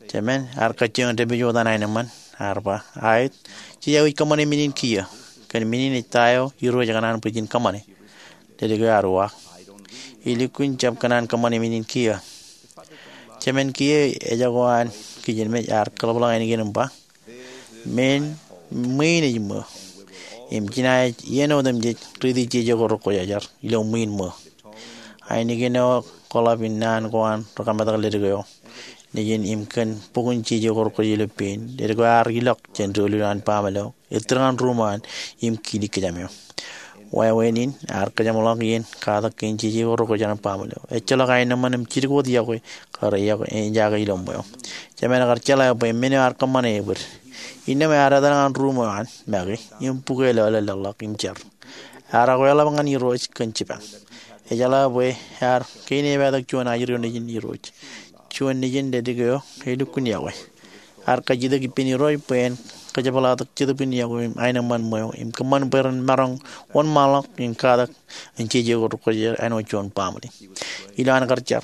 Jemān ear kajjioñ dāpij wōt an aenōṃṃan, ear ba, aet, jej aikuj kōṃṃane men in kiiō. Kōn men in ej ta eo Irooj ekōṇaan bwe jen kōṃṃane? Ledik eo ear uwaak, ilukkuun jab kōṇaan kōṃṃane men in kiiō. Jemān kiiō ejako an kijenmej ear kōḷapḷọk āinwōt in ba, men, ṃwiin ej ṃōo. Im jenaaj iien otemjej riiti jeje ko rekwōjarjar ilo ṃwiin ṃōo. Ainikien eo kōḷap in naan ko an rekametak ledik eo nejin im kōn bok in jeje ko rekwōjarjar ilo pein, ledik eo ear ilọk jān doulul an baaṃle eo, ettōr ñan ruuṃ an im kiilik kōjām eo. Wāween in ear kōjeṃḷọk iien katak kein jeje ko rekwōjarjar an baaṃle eo. Ejjeḷọk aenōṃṃan im jidik wōt iọkwe kar ejaake ilo ṃweo. Jemān ekar jeḷā bwe men eo ear kōṃṃane ebōd. Innām ear etal ñan ruuṃ eo an make im bukwe lọleḷḷọk im jar. Ear akweḷap ñan Irooj kōn jipañ. Ejeḷā bwe ear kein epatak juon ajri eo nejin Irooj. Juon nejin ledik eo elukkuun iọkwe. Ear kajjitōk ippān Irooj bwe en kajepḷaaktok Jetōb in iọkwe im aenōṃṃan ṃweo im kōṃṃan bwe ren maroñ wōnṃaanḷọk in katak in jeje ko rekwōjarjar āinwōt juon baaṃle. Ilo an kar jar,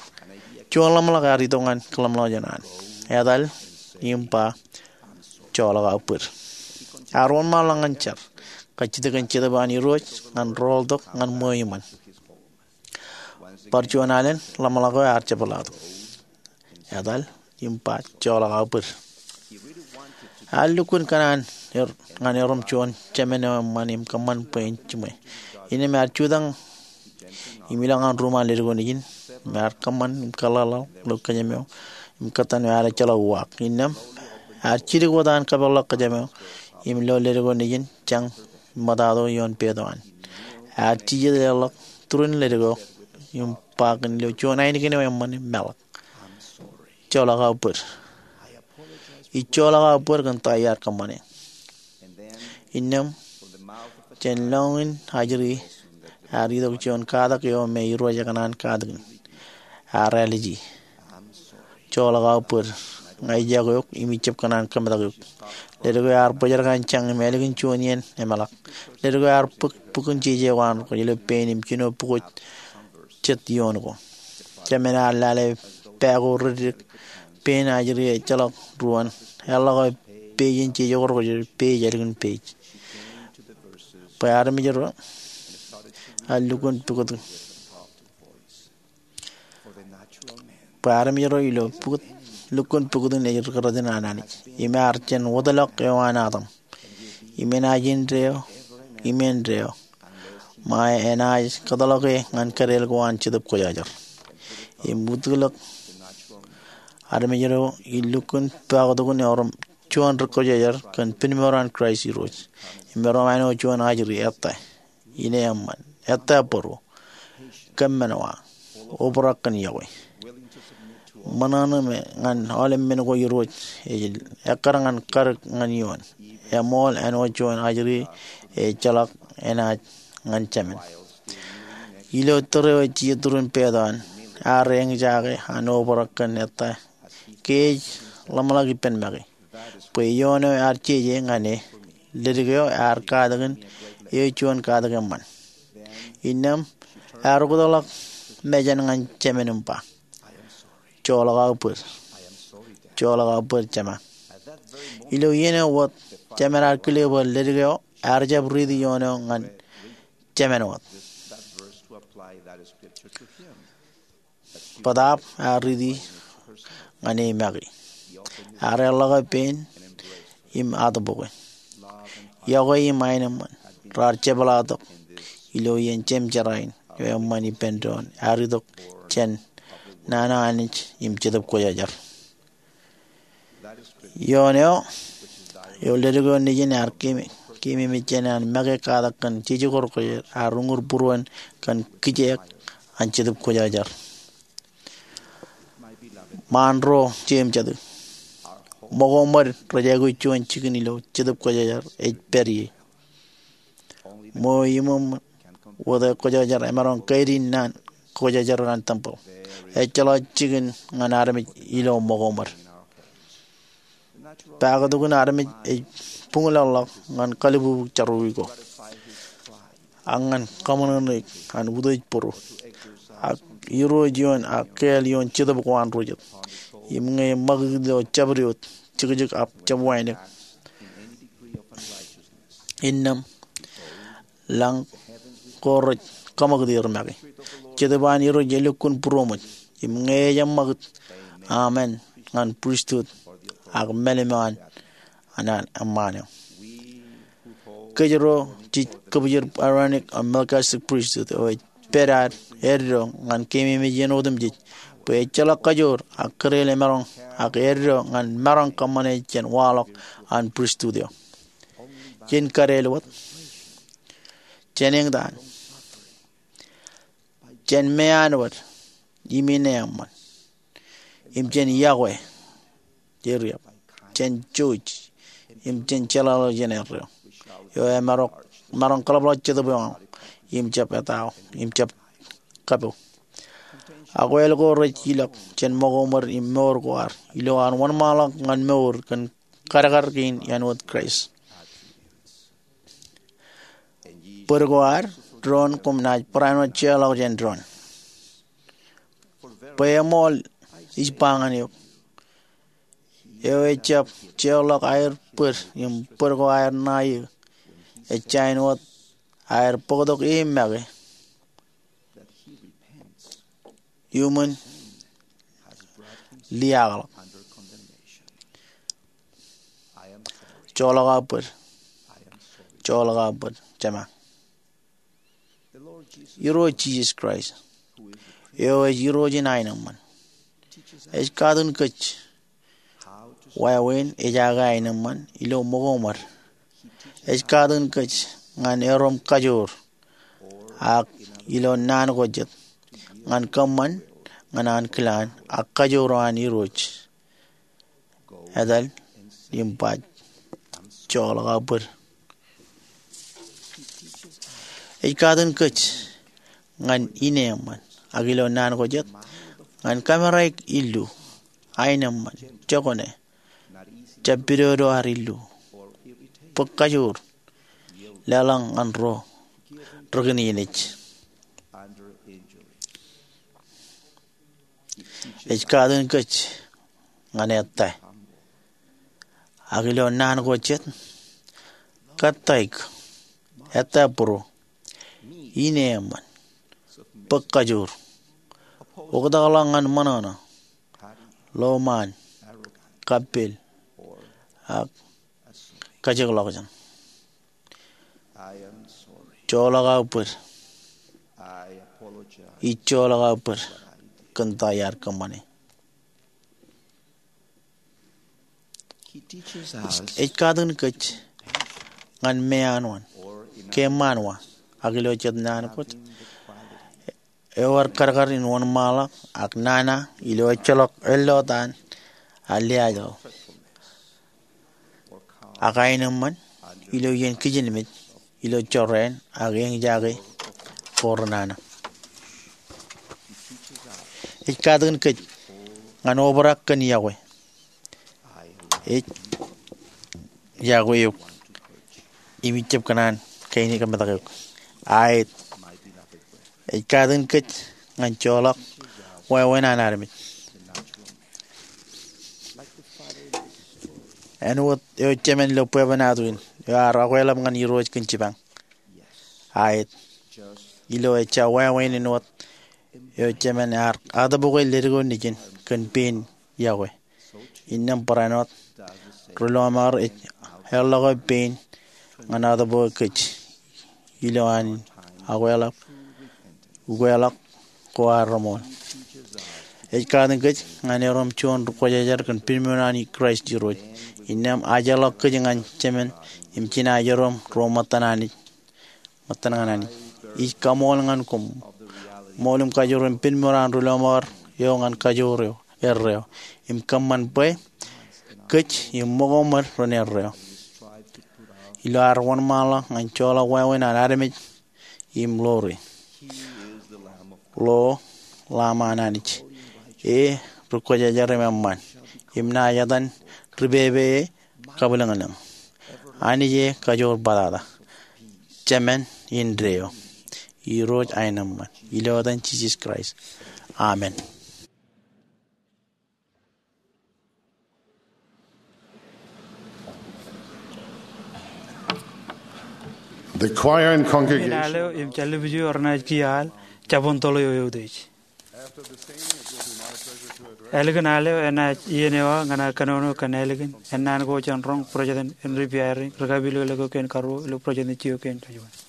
juon ḷōmṇak ear itok ñan kōḷmānḷọkjeṇ an, etal im ba, joḷọk aō bōd. Ear wōnṃaanḷọk ñan jar, kajjitōk kōn Jetōb an Irooj ñan rọọltok ñan ṃweo iṃōn. Bar juon alen ḷōmṇak eo ear jepḷaaktok, etal im ba, joḷọk aō bōd. Ear lukkuun kōṇaan er ñan erom juon jemān eo eṃṃan im kōṃṃan bwe en jiṃwe. Innām ear jutak im ilọk ñan ruuṃ an ledik eo nejin im ear kōṃṃan im kōḷḷaḷḷaḷ ilo kōjām eo im kōttan eo ear ejjeḷọk uwaak. Innām ear jidik wōt an kapeḷḷọk kōjām eo im lo ledik eo nejin jañ ṃōtato ioon peto an. Ear jijet leḷọk turin ledik eo im ba kōn ilo juon ainikien eo eṃṃan im meḷọk, joḷọk aō bōd. Ij joḷọk aō bōd kōn ta iar kōṃṃane. Innām jān lọñiin ajri ear itok juon katak eo me Irooj ekōṇaan katakin. Ear āliji, joḷọk aō bōd. Ña ij iọkwe eok im ij jab kōṇaan kōmetak eok. Ledik eo ear bōjrak an jañ im ālikin juon iien emeḷọk. Ledik eo ear bōk bok in jeje ko an rekwōjarjar ilo pein im jino bukwe jet ioon ko. Jemān ear lale pā ko reddik, pein ajri ejjeḷọk ruōn. Eḷḷọk eo page in jeje ko rekwōjarjar, page ālikin page. Bwe armej ro ear lukkuun pukot, bwe armej ro ilo pukot, lukkuun pukot in ej ri kōrā in an Anij. Im ear jān wōtlọk eo an Adam. Im enaaj indeeo im indeeo. Ṃae enaaj kōtḷọke ñan kōdeel ko an Jetōb Kwōjarjar. Im wūtiḷọk armej ro ej lukkuun pukot in erom juon ri kwōjarjar kōn pinmour an Kraist Irooj. Im erom āinwōt juon ajri ettā, ine eṃṃan, ettā bōro, kōmmeañ wa, obrak kōn iọkwe. Ṃōṇōṇō me ñan aolepān ko Irooj ej ekkar ñan karōk ñan ioon. Eṃool āinwōt juon ajri ejjeḷọk enaaj ñan jemān. Ilo tōre eo ej iturūṃ peet an, ear eñjake an obrak kōn ettā ke ej ḷōmṇak ippān make. Bwe ioon eo ear jeje ñan e, ledik eo ear katakin eo juon katakin eṃṃan. Innām ear oktakḷọk mejān ñan jemān im ba, joḷọk aō bōd. Joḷọk aō bōd jema. Ilo iien eo wōt, jemān ear kile bwe ledik eo ear jab riiti ioon eo ñan jemān wōt. Bōtaab ear riiti ñan e make. Ear eḷḷọke pein im atōpake. Iọkwe im aenōṃṃan raar jepḷaaktok ilo iien jemjeraain eo eṃṃan ippān doon ear itok jān nana Anij im Jetōb Kwōjarjar. Ioon eo, eo ledik eo nejin ear keememej jān an make katak kōn jejukor kwōjarjar, ear uñūr būruon kōn kijeek an Jetōb Kwōjarjar. Ṃaan ro jeim jatū, ṃōko ṃōd rej aikuj juon jikin ilo Jetōb Kwōjarjar ej pād ie. Ṃweo iṃōṃ wōt e kwōjarjar emaroñ kaidiin naan kwōjarjar an tempeḷ. Ejjeḷọk jikin ñan armej ilo ṃōko ṃōd. Paktok in armej ej buñlọkḷọk ñan kalbubu jerọwiwi ko, ak ñan kaṃōṇōṇōik an utiej būru, ak irooj ioon ak kāāl ioon jetōb ko an ro jet. Im ñe ṃakūt ilo jabdewōt, jekjek ak jab wānōk, innām lañ ko rej kaṃakūt er make. Jetōb an Irooj elukkuun būroṃōj. Im ñe ejab ṃakūt, amen ñan pristut ak mālim eo an an eṃṃaan eo. Kōj ro jej kōbjej Aaronic ak Melchizedek pristut eo ej pād ad eddo ñan keememej iien otemjej, bwe ejjeḷọk kajoor ak kōreel emaroñ ak eddo ñan maroñ kōṃṃane jān waḷọk an pristut eo. Jen kadeel wōt jān eñtaan, jān meaan wōt im ineeṃṃan, im jān iọkwe, jān jouj, im jān jeḷāḷọkjeṇ erreo, eo emaroñ, maroñ kaḷapḷọk jetōb eo aṃ, im jab etao, im jab kapo. Ak wāween ko rej ilọk jān ṃōko ṃōd im mour ko ad, ilo an wōnṃaanḷọk ñan mour kōn kadkad kein āinwōt Kraist. Bōd ko ad doon koṃ naaj barāinwōt jeorḷọk jān doon. Bwe eṃool ij ba ñan eok, eo ejab jeorḷọk aer bōd im bōd ko aer ṇae eō, ejjañin wōt aer bōktok e make iuṃwin liaakḷọk. Joḷọk aō bōd. Joḷọk aō bōd jema. Irooj Jisōs Kraist, eo ej Irooj in aenōṃṃan, ej katin kōj wāween ejaake aenōṃṃan ilo ṃōko ṃōd. Ej katin kōj ñan erom kajoor ak ilo naan ko jet, ñan kōṃṃan ñan ankilaañ ak kajoor eo an Irooj. Etal im ba, joḷọk aō bōd. Ej katin kōj ñan ineeṃṃan ak ilo naan ko jet, ñan kameraik illu, aenōṃṃan, jokwane, jab pidodo ad illu, bōk kajoor, leḷọñ ñan ro rekineneej. Ej katin kōj ñan ettā, ak ilo naan ko jet, kōttāik, ettā būru, ineeṃṃan, bōk kajoor, oktakḷọk ñan ṃōṇōṇō, lọmọọr, kappel, ak kajekḷọkjeṇ. Joḷọk aō bōd. Ij joḷọk aō bōd kōn ta iar kōṃṃane. Ej katin kōj ñan meanwaan, ke ṃaanwa, ak ilo jet naan ko jet, ewōr kadkad in wōnṃaanḷọk ak nana ilo ejjeḷọk ellotaan aliaajḷọk ak aenōṃṃan ilo iien kijenmej ilo jorrāān ak eñjake ko renana. Ej katakin kōj ñan obrak kōn iọkwe. Ej iọkwe eok im ij jab kōṇaan kain in kōmetak eok. Aet, ej katakin kōj ñan joḷọk wāween an armej. Āinwōt eo jemān ilo bwebwenato in eo ear okweḷap ñan Irooj kōn jipañ. Aet, ilo ejja wāween āinwōt eo jemān ear atōpoke leddik eo nejin kōn pein iọkwe, innām barāinwōt ri-lọmọọr ej eḷḷọk eo pein ñan atōpoke kōj ilo an okweḷap, ukweḷọk ko arrōṃool. Ej katakin kōj ñan erom juon ri-kwōjarjar kōn pinmuṇōṇō an Kraist Irooj. Innām ajḷọk kōj ñan jemān im jinaaj erom ro ṃōttan Anij, ṃōttan ñan Anij. Ij kaṃool ñan koṃ ṃool im kajoor im pinmuṇōṇō an ri-lọmọọr eo ñan kajoor eo, erreo, im kōṃṃan bwe kōj im ṃōko ṃōd ren erreo ilo ad wōnṃaanḷọk ñan joḷọk wāween an armej im ḷoore. Ḷo Lamb an Anij, e ri-kwōjarjar im eṃṃan, im naaj etan ri-pepe e kabwilōñlōñ. Anij e kajoor bōtata, jemān indeeo, Irooj aenōṃṃan. Ilo etan Jisōs Kraist, amen. The choir and congregation. Āleo im jaljibuji eo renaaj kiiō al, jabōn toḷ eo eutiej. Ālikin āleo enaaj iien eo aō ñan aō kōnono kōn ālikin ennaan ko jān roñ bōjjāān in ri-pairin, ri-kapilōklōk eo kein karuo ilo bōjjāān in jio kein kajuon.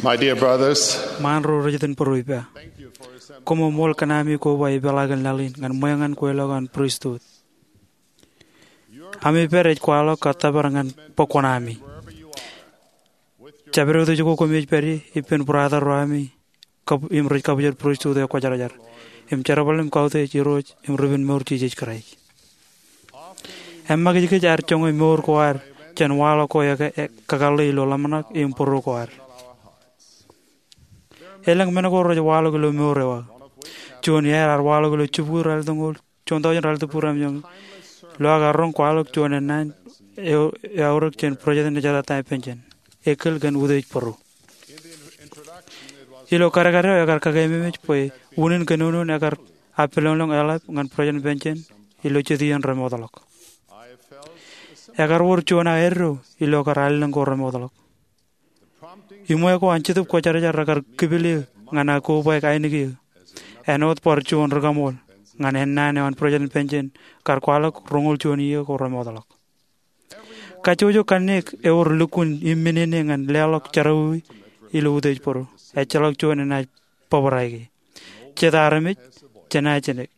My dear brothers, ṃaan ro rej iten būruō ippa, koṃṃool kōn ami koba ipeḷaakin laḷ in ñan ṃweeñan kweilọk an pristut. Ami pād ej kwaḷọk kab tōpar ñan bōk kuṇaami. Jabdewōt ej ko koṃij pād ie ippān brother ro ami im rej kabwilōñ pristut eo kwōjarjar im jerbal im kautiej Irooj im Ri-pād mour Jisōs Kraist. Eṃṃakijkij ear joñe mour ko ad jān waḷọk ko ekakōḷḷe ilo ḷōmṇak im būruō ko ad. Elōñ men ko rej waḷọk ilo mour eo aō. Juon iaer ear waḷọk ilo jibukwi ralitōñoul, juon taujin ralitōñoul jimjuonñoul. Ilo aō roñ kwaḷọk juon ennaan eo eaorōk jān President Ezra Taft Benson, eklin kōn utiej bōro. Ilo kadkad eo ekar kakeememej bwe unin kōnono in ekar appilōñlōñ eḷap ñan President Benson ilo jet iien remootḷọk. Ekar wōr juon aō eddo ilo kar allōñ ko remootḷọk. Iṃwe ko an Jetōb Kwōjarjar rekar kipil eō ñan aō kobaik ainikien āinwōt bar juon rikaṃool ñan ennaan eo an President Benson kar kwaḷọk roñoul juon iiō ko remootḷọk. Kajjojo kanniōk ewōr lukkuun imminene ñan leḷọk jerọwiwi ilo utiej bōro. Ejjeḷọk juon enaaj bōbrae ke. Jet armej, jenaaj jenek.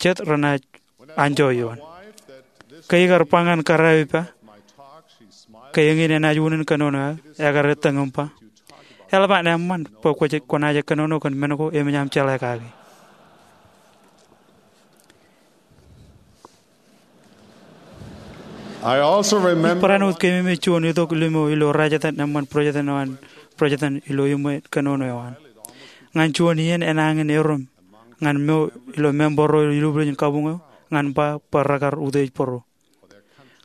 Jet renaaj anjọ ioon. Ke ikar ba ñan kōrā eo ippa ke eñin enaaj unin kōnono aō, ekar ettōñ im ba, eḷap an eṃṃan bwe kwōnaaj kōnono kōn men ko emōj aṃ jeḷā kake. Ij barāinwōt keememej juon itok limo ilo rājtōn eṃṃan President eo an, President ilo iṃwe kōnono eo an. Ñan juon iien enañin erom ñan mo ilo member ro ilo ilubwiljin kabuñ eo ñan ba bwe rekar utiej bōro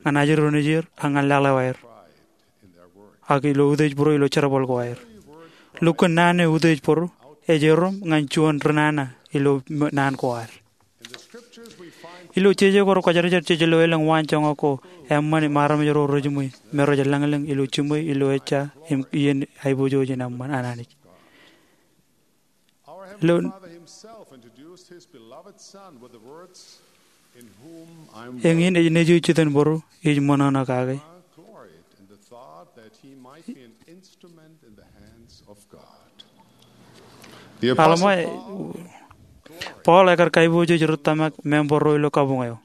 ñan ajri ro nejier ak ñan laḷ eo aer ak ilo utiej bōro ilo jerbal ko aer. Lukkuun naan eo utiej bōro ej erom ñan juon ri nana ilo naan ko ad. Ilo jeje ko rekwōjarjar jej lo elōñ waanjoñak ko eṃṃan im armej ro rejiṃwe me rej lañlōñ ilo jiṃwe ilo ejja im iien aiboojoj in eṃṃan an Anij. Ilo eñin ej Nejū jitōnbōro, ij ṃōṇōṇō kake. Alma, Paul ekar kaiboojoj ri tōmak member ro ilo kabuñ eo.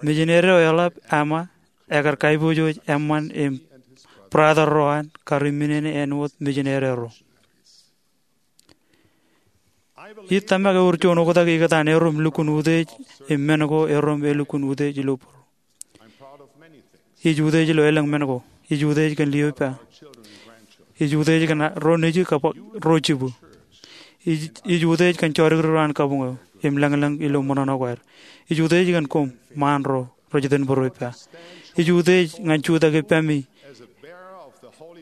Mijineri eo eḷap Alma ekar kaiboojoj eṃṃan im brother ro an kar imminene āinwōt mijineri ro. Ij tōmak ewōr juon oktak ikōtaan erom lukkuun utiej im men ko erom elukkuun utiej ilo bōro. Ij utiej ilo elōñ men ko. Ij utiej kōn lio ippa. Ij utiej kōn ro nejū kab ro jibū. Ij utiej kōn jodikdik ro an kabuñ eo im lañlōñ ilo ṃōṇōṇō ko aer. Ij utiej kōn koṃ ṃaan ro rej itōn būruō ippa. Ij utiej ñan jutak ippemi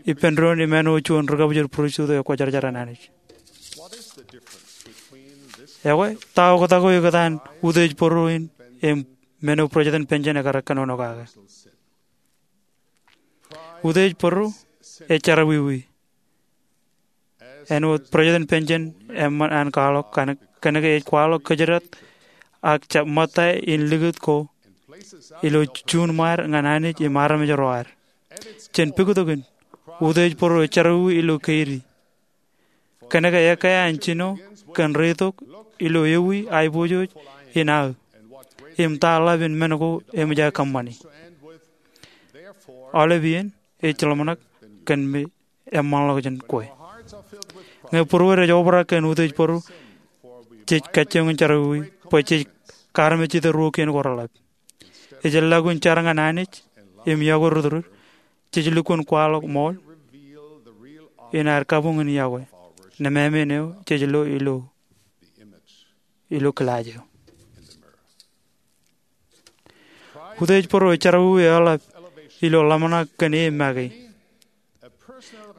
ippān doon im āinwōt juon ri-kabwilōñ pristut eo kwōjarjar an Anij. Ekwe, ta oktak eo ikōtaan utiej bōro in im men eo President Benson ekar kōnono kake? Utiej bōro ej jerọwiwi. Āinwōt President Benson eṃṃan an kwaḷọk, kōnke ej kwaḷọk kōjdat ak jab ṃōtta in likūt ko ilo juon ṃaad ñan Anij im armej ro ad. Jān pukot in, utiej bōro ej jerọwiwi ilo keidi. Kōnke ekkā an jino kōn reitok ilo ewi aiboojoj in aō im ta ḷap in men ko eṃōj aō kōṃṃani. Aolep iien ej jeḷḷọk kōn me eṃṃanḷọk jān kwe. Ñe būruod ej obrak kōn utiej bōro, jej kajjioñ in jerọwiwi bwe jej kaarmejjete ruo kien ko reḷap. Ej lukkuun jar ñan Anij im iọkwe rūtdrūd, jej lukkuun kwaḷọk ṃool in ad kabuñ in iọkwe nōṃṃan eo jej lo ilo kilaaj eo. Utiej bōro ej jerọwiwi eḷap ilo ḷōmṇak kōn e make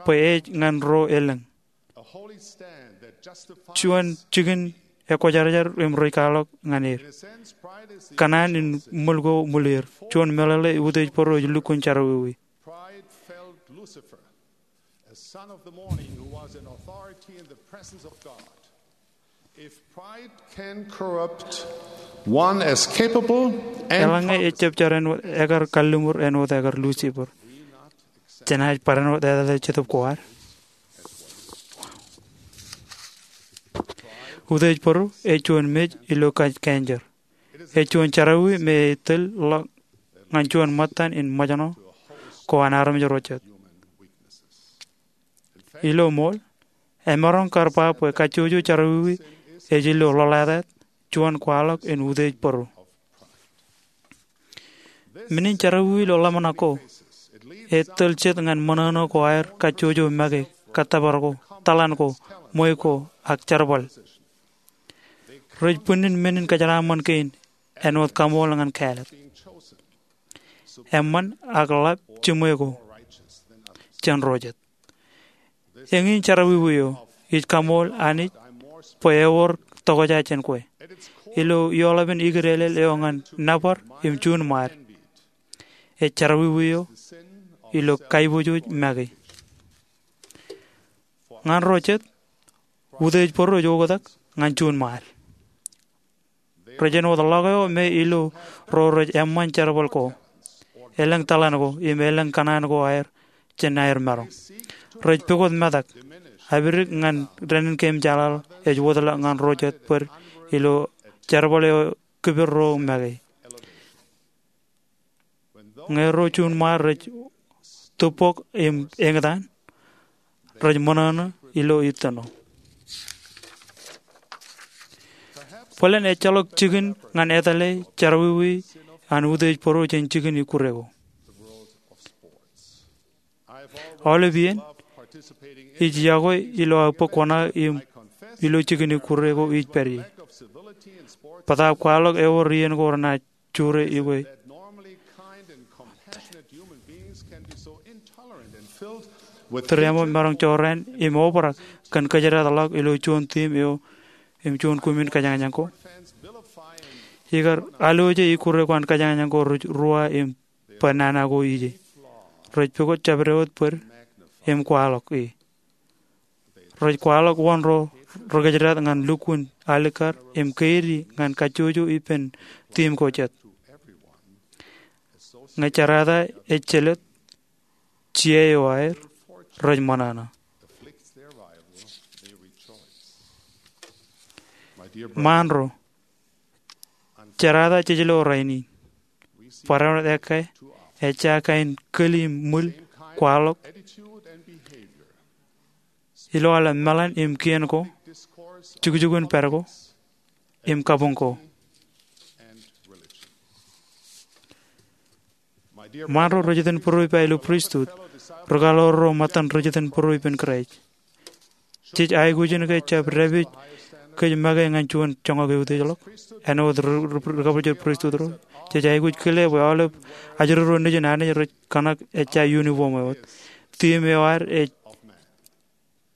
bwe ej ñan ro elōñ. Juon jikin ekwōjarjar im rej kwaḷọk ñan er. Kōṇaan in ṃwil ko ṃwil er. Juon meḷeḷe, utiej bōro ej lukkuun jerọwiwi. Pride felled Lucifer, a son of the morning who was in authority in the presence of God. If pride can corrupt one as capable and Eḷaññe ejab jar āinwōt ekar kalliṃur āinwōt ekar Lucifer, Jenaaj barāinwōt etal eo Jetōb ko ad. Utiej bōro ej juon mej ilo kōn kanjer. Ej juon jerọwiwi me ej tōl ḷọk ñan juon ṃōttan in ṃōjṇọ ko an armej ro jet. Ilo ṃool, emaroñ kar ba bwe kajjojo jerọwiwi ej ilo ḷōḷātāt juon kwaḷọk in utiej bōro. Menin jerọwiwi ilo ḷōmṇak ko ej tōl jet ñan ṃōṇōṇō ko aer kajjojo make, kōttōpar ko, tōḷan ko, ṃweiuk ko, ak jerbal. Rej bwinnin menin kōjeraaṃṃan kein āinwōt kaṃool ñan kāālōt, eṃṃan ak ḷap jiṃwe ko jān ro jet. Eñin jerọwiwi eo ij kaṃool Anij bwe ewōr tokjān jān kwe. Ilo eoḷapān ikidālel eo ñan nōbar im juunṃaad, ej jerọwiwi eo ilo kaiboojoj make. Ñan ro jet, utiej bōro ej oktak ñan juunṃaad. Rej āinwōt ḷọk eo me ilo ro rej eṃṃan jerbal ko, elōñ tōḷan ko im elōñ kōṇaan ko aer jān aer maroñ. Rej pukot metak, apidik ñan dānnin keememjeḷāḷọk ej wōtlọk ñan ro jet bōd ilo jerbal eo kipel ro make. Ñe ro juunṃaad rej tūbok im eñtaan, rej ṃōṇōṇō ilo ittino. Bōlen ejjeḷọk jikin ñan etale jerọwiwi an utiej bōro jān jikin ikkure ko. Aolep iien, ij yokwe ilo aō bōk kuṇaō im ilo jikin ikkure ko ij pād ie. Bōtaab kwaḷọk ewōr iien ko renaaj jure ikwe. Tūriaṃo maroñ jorrāān im obrak kōn kōjdat ḷọk ilo juon tiim eo im juon kumin kajañjañ ko. Ikar alwōje ikkure ko an kajañjañ ko rej ruwa im bwe nana ko ije. Rej pukot jabdewōt bōd im kwaḷọk e. Rej kwaḷọk wōn ro rekōjdat ñan lukkuun alikkar im keidi ñan kajjojo ippān tiim ko jet. Ñe jerata ej jelōt, jiae eo aer rej ṃōṇōṇō. Ṃaan ro, jerata jejlo rainin, barāinwōt ekkā ejja kain kōl im ṃwil kwaḷọk ilo aolep meḷan im kien ko, jukjukun pād ko, im kabuñ ko. Ṃaan ro ri-jitōnbōro ippa ilo pristut, ri-kaḷoor ro ṃōttan ri-jitōnbōro ippān Kraist, jej aikuj in ke jab dāpij kōj make ñan juon joñak eutiejḷọk āinwōt ri-, ri-, ri-kabwilōñlōñ pristut ro. Jej aikuj kile bwe aolep ajri ro nejin Anij rej kōṇak ejja uniform eo wōt. Tiim eo ad ej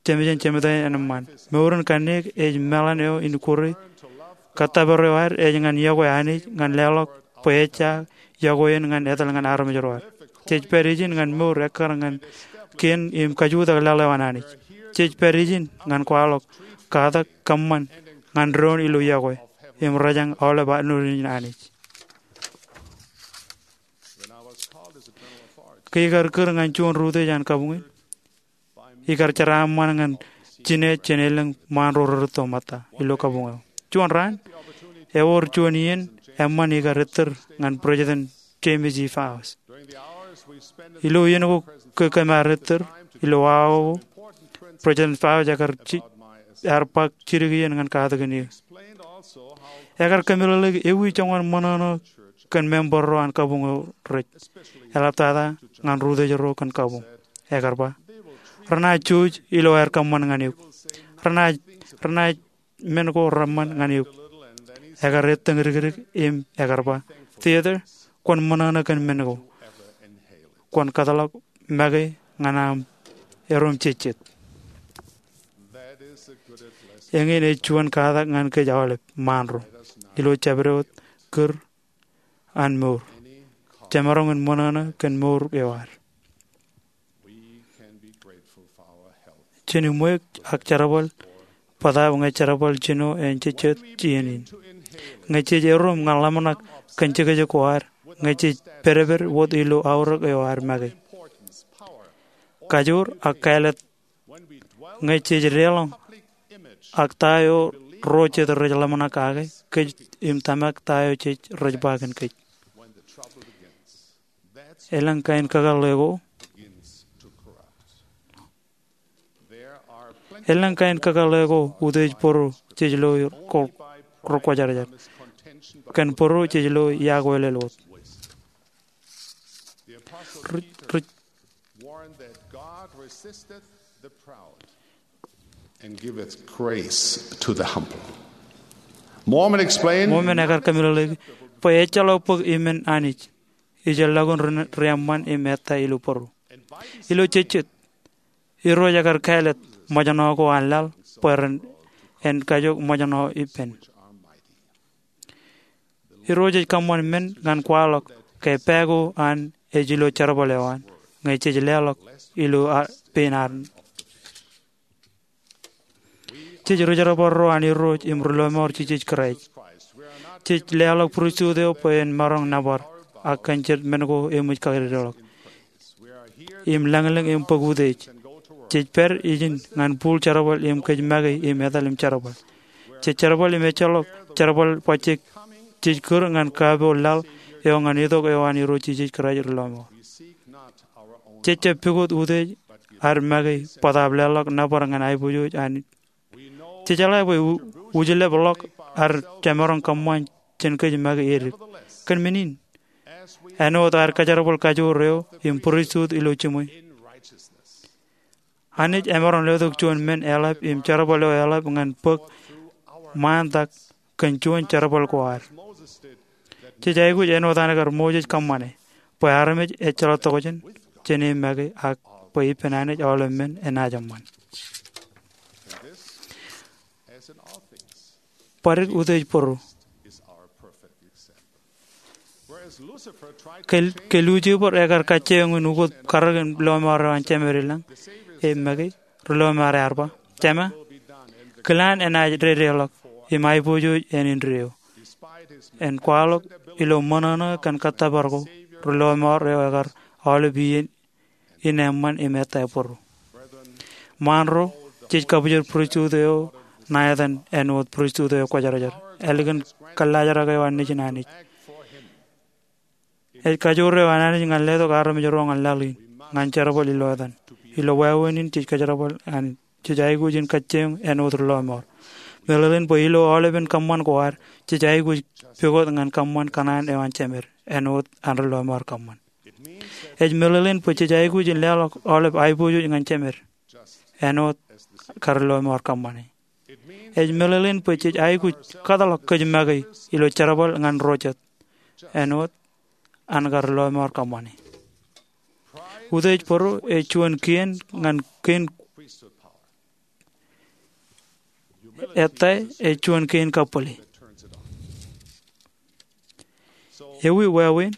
jemān, jemān, jemān eṃṃan. Mour in kanniōk ej meḷan eo in kure. Kōttōpar eo ad ej ñan iọkwe Anij ñan leḷọk bwe ejja iọkwe in ñan etal ñan armej ro ad. Jej pād ijin ñan mour ekkar ñan kien im kajutak leḷọk an Anij. Jej pād ijin ñan kwaḷọk katak kōṃṃan ñan doon ilo iọkwe im rōjañ aolep annoinnein Anij. Ke ikar kūr ñan juon ri-utiej an kabuñ in, ikar jeraaṃṃan ñan jine jān elōñ ṃaan ro rerūtto ṃōtta ilo kabuñ eo. Juon raan, ewōr juon iien eṃṃan ikar ettōr ñan President James E. Faust. Ilo iien ko ke kōm ar ettōr, ilo awa ko, President Faust ekar ji-, ear bōk jidik iien ñan katakin eō. Ekar kōmeḷeḷeik ewi joñan ṃōṇōṇō kōn member ro an kabuñ eo rej, eḷaptata ñan ri-utiej ro kōn kabuñ. Ekar ba, renaaj jouj ilo aer kōṃṃan ñan eok. Renaaj, renaaj men ko reṃṃan ñan eok. Ekar ettōñ dikdik im ekar ba, Theodore, kwōn ṃōṇōṇō kōn men ko. Kwōn kōtḷọk make ñan aṃ erom jejjet. Eñin ej juon katak ñan kōj aolep ṃaan ro ilo jabdewōt kūr an mour. Jemaroñ in ṃōṇōṇō kōn mour eo ad. Jen im ṃweiuk ak jerbal bōtaab ñe jerbal jino en jejjet iien in. Ñe jej erom ñan ḷōmṇak kōn jekjek ko ad, ñe jej pedped wōt ilo aorōk eo ad make. kajoor ak kāālōt ñe jej deḷọñ ak ta eo ro jet rej ḷōmṇak kake kōj im tōmak ta eo jej rej ba kōn kōj. Elōñ kain kakōḷḷe ko, elōñ kain kakōḷḷe ko utiej bōro jej lo ko rekwōjarjar. Kōn bōro jej lo iọkwe lel wōt. Ri- ri- warned that God resisteth the proud and giveth grace to the humble. Mormon explained, Mormon ekar kōmeḷeḷeiki bwe ejjeḷọk bōk iṃaan Anij ijellọkun ri- reeṃṃan im ettā ilo bōro. Ilo jejjet, Irooj ekar kāālōt ṃōjṇọ ko an laḷ bwe ren en kajook ṃōjṇọ ippān. Irooj ej kōṃṃan men ñan kwaḷọk ke pā ko an ej ilo jerbal eo an ñe jej leḷọk ilo a- pein an. Jej rijerbal ro an Irooj im ri lọmọọr Jisōs Kraist. Jej leḷọk pristut eo bwe en maroñ nōbar ak kōn jet men ko eṃōj kadedeḷọk im lañlōñ im bōk utiej. Jej pād ijin ñan bul jerbal im kōj make im etal im jerbal. Jej jerbal im ejjeḷọk jerbal bajjek jej kūr ñan kapo laḷ eo ñan itok eo an Irooj Jisōs Kraist ri lọmọọr. Jej jab pukot utiej ad make bōtaab leḷọk nōbar ñan aiboojoj an Jej jeḷā bwe u- ujlepḷọk ad jemaroñ kōṃṃan jān kōj make edik. Kōn men in, āinwōt ad kōjerbal kajoor eo im pristut ilo jiṃwe, Anij emaroñ letok juon men eḷap im jerbal eo eḷap ñan bōk ṃaantak kōn juon jerbal ko ad. Jej aikuj āinwōt an kar Moses kōṃṃane bwe armej ejjeḷọk tokjān jān e make ak bwe ippān Anij aolep men enaaj eṃṃan. Bōdik utiej bōro. Ke, ke Lucifer ekar kajjioñ in ukot karōk in lọmọọr eo an Jemād ilañ e make, ri lọmọọr ear ba, Jema, kilaan enaaj dedeḷọk im aiboojoj āne indeeo. En kwaḷọk ilo ṃōṇōṇō kōn kōttōpar ko, ri lọmọọr eo ekar aolep iien in eṃṃan im ettā bōro. Ṃaan ro, jej kabwijin pristut eo ṇa etan āinwōt pristut eo kwōjarjar, ālikin kōllaajrak eo an Nejin Anij. Ej kajoor eo an Anij ñan letok armej ro ñan laḷ in, ñan jerbal ilo etan. Ilo wāween in jej kōjerbal Anij, jej aikuj in kajjioñ āinwōt ri lọmọọr. Meḷeḷein bwe ilo aolepen kōṃṃan ko ad, jej aikuj pukot ñan kōṃṃan kōṇaan eo an Jemād, āinwōt an ri lọmọọr kōṃṃan. Ej meḷeḷein bwe jej aikuj in leḷọk aolep aiboojoj ñan Jemād, āinwōt kar ri lọmọọr kōṃṃane. Ej meḷeḷein bwe jej aikuj kōtḷọk kōj make ilo jerbal ñan ro jet, āinwōt an kar ri lọmọọr kōṃṃane. Utiej bōro ej juon kien ñan kein ettā ej juon kein kabwilōñ. Ewi wāween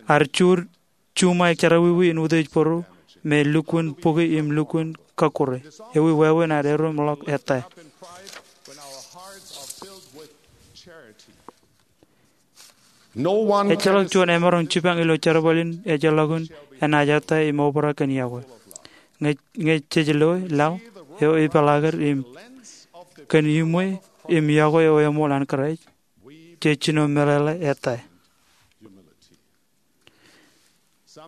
ad juur juṃaik jerọwiwi in utiej bōro me lukkuun bukwi im lukkuun kọkkure? Ewi wāween ad erom ḷọk ettā? Ejjeḷọk juon emaroñ jipañ ilo jerbal in ejjeḷọkin enaaj ettā im obrak kōn yokwe. Ñe, ñe jej loe laḷ eo epeḷaaker im kōn iṃwe im yokwe eo eṃool an Kraist, jej jino meḷeḷe ettā.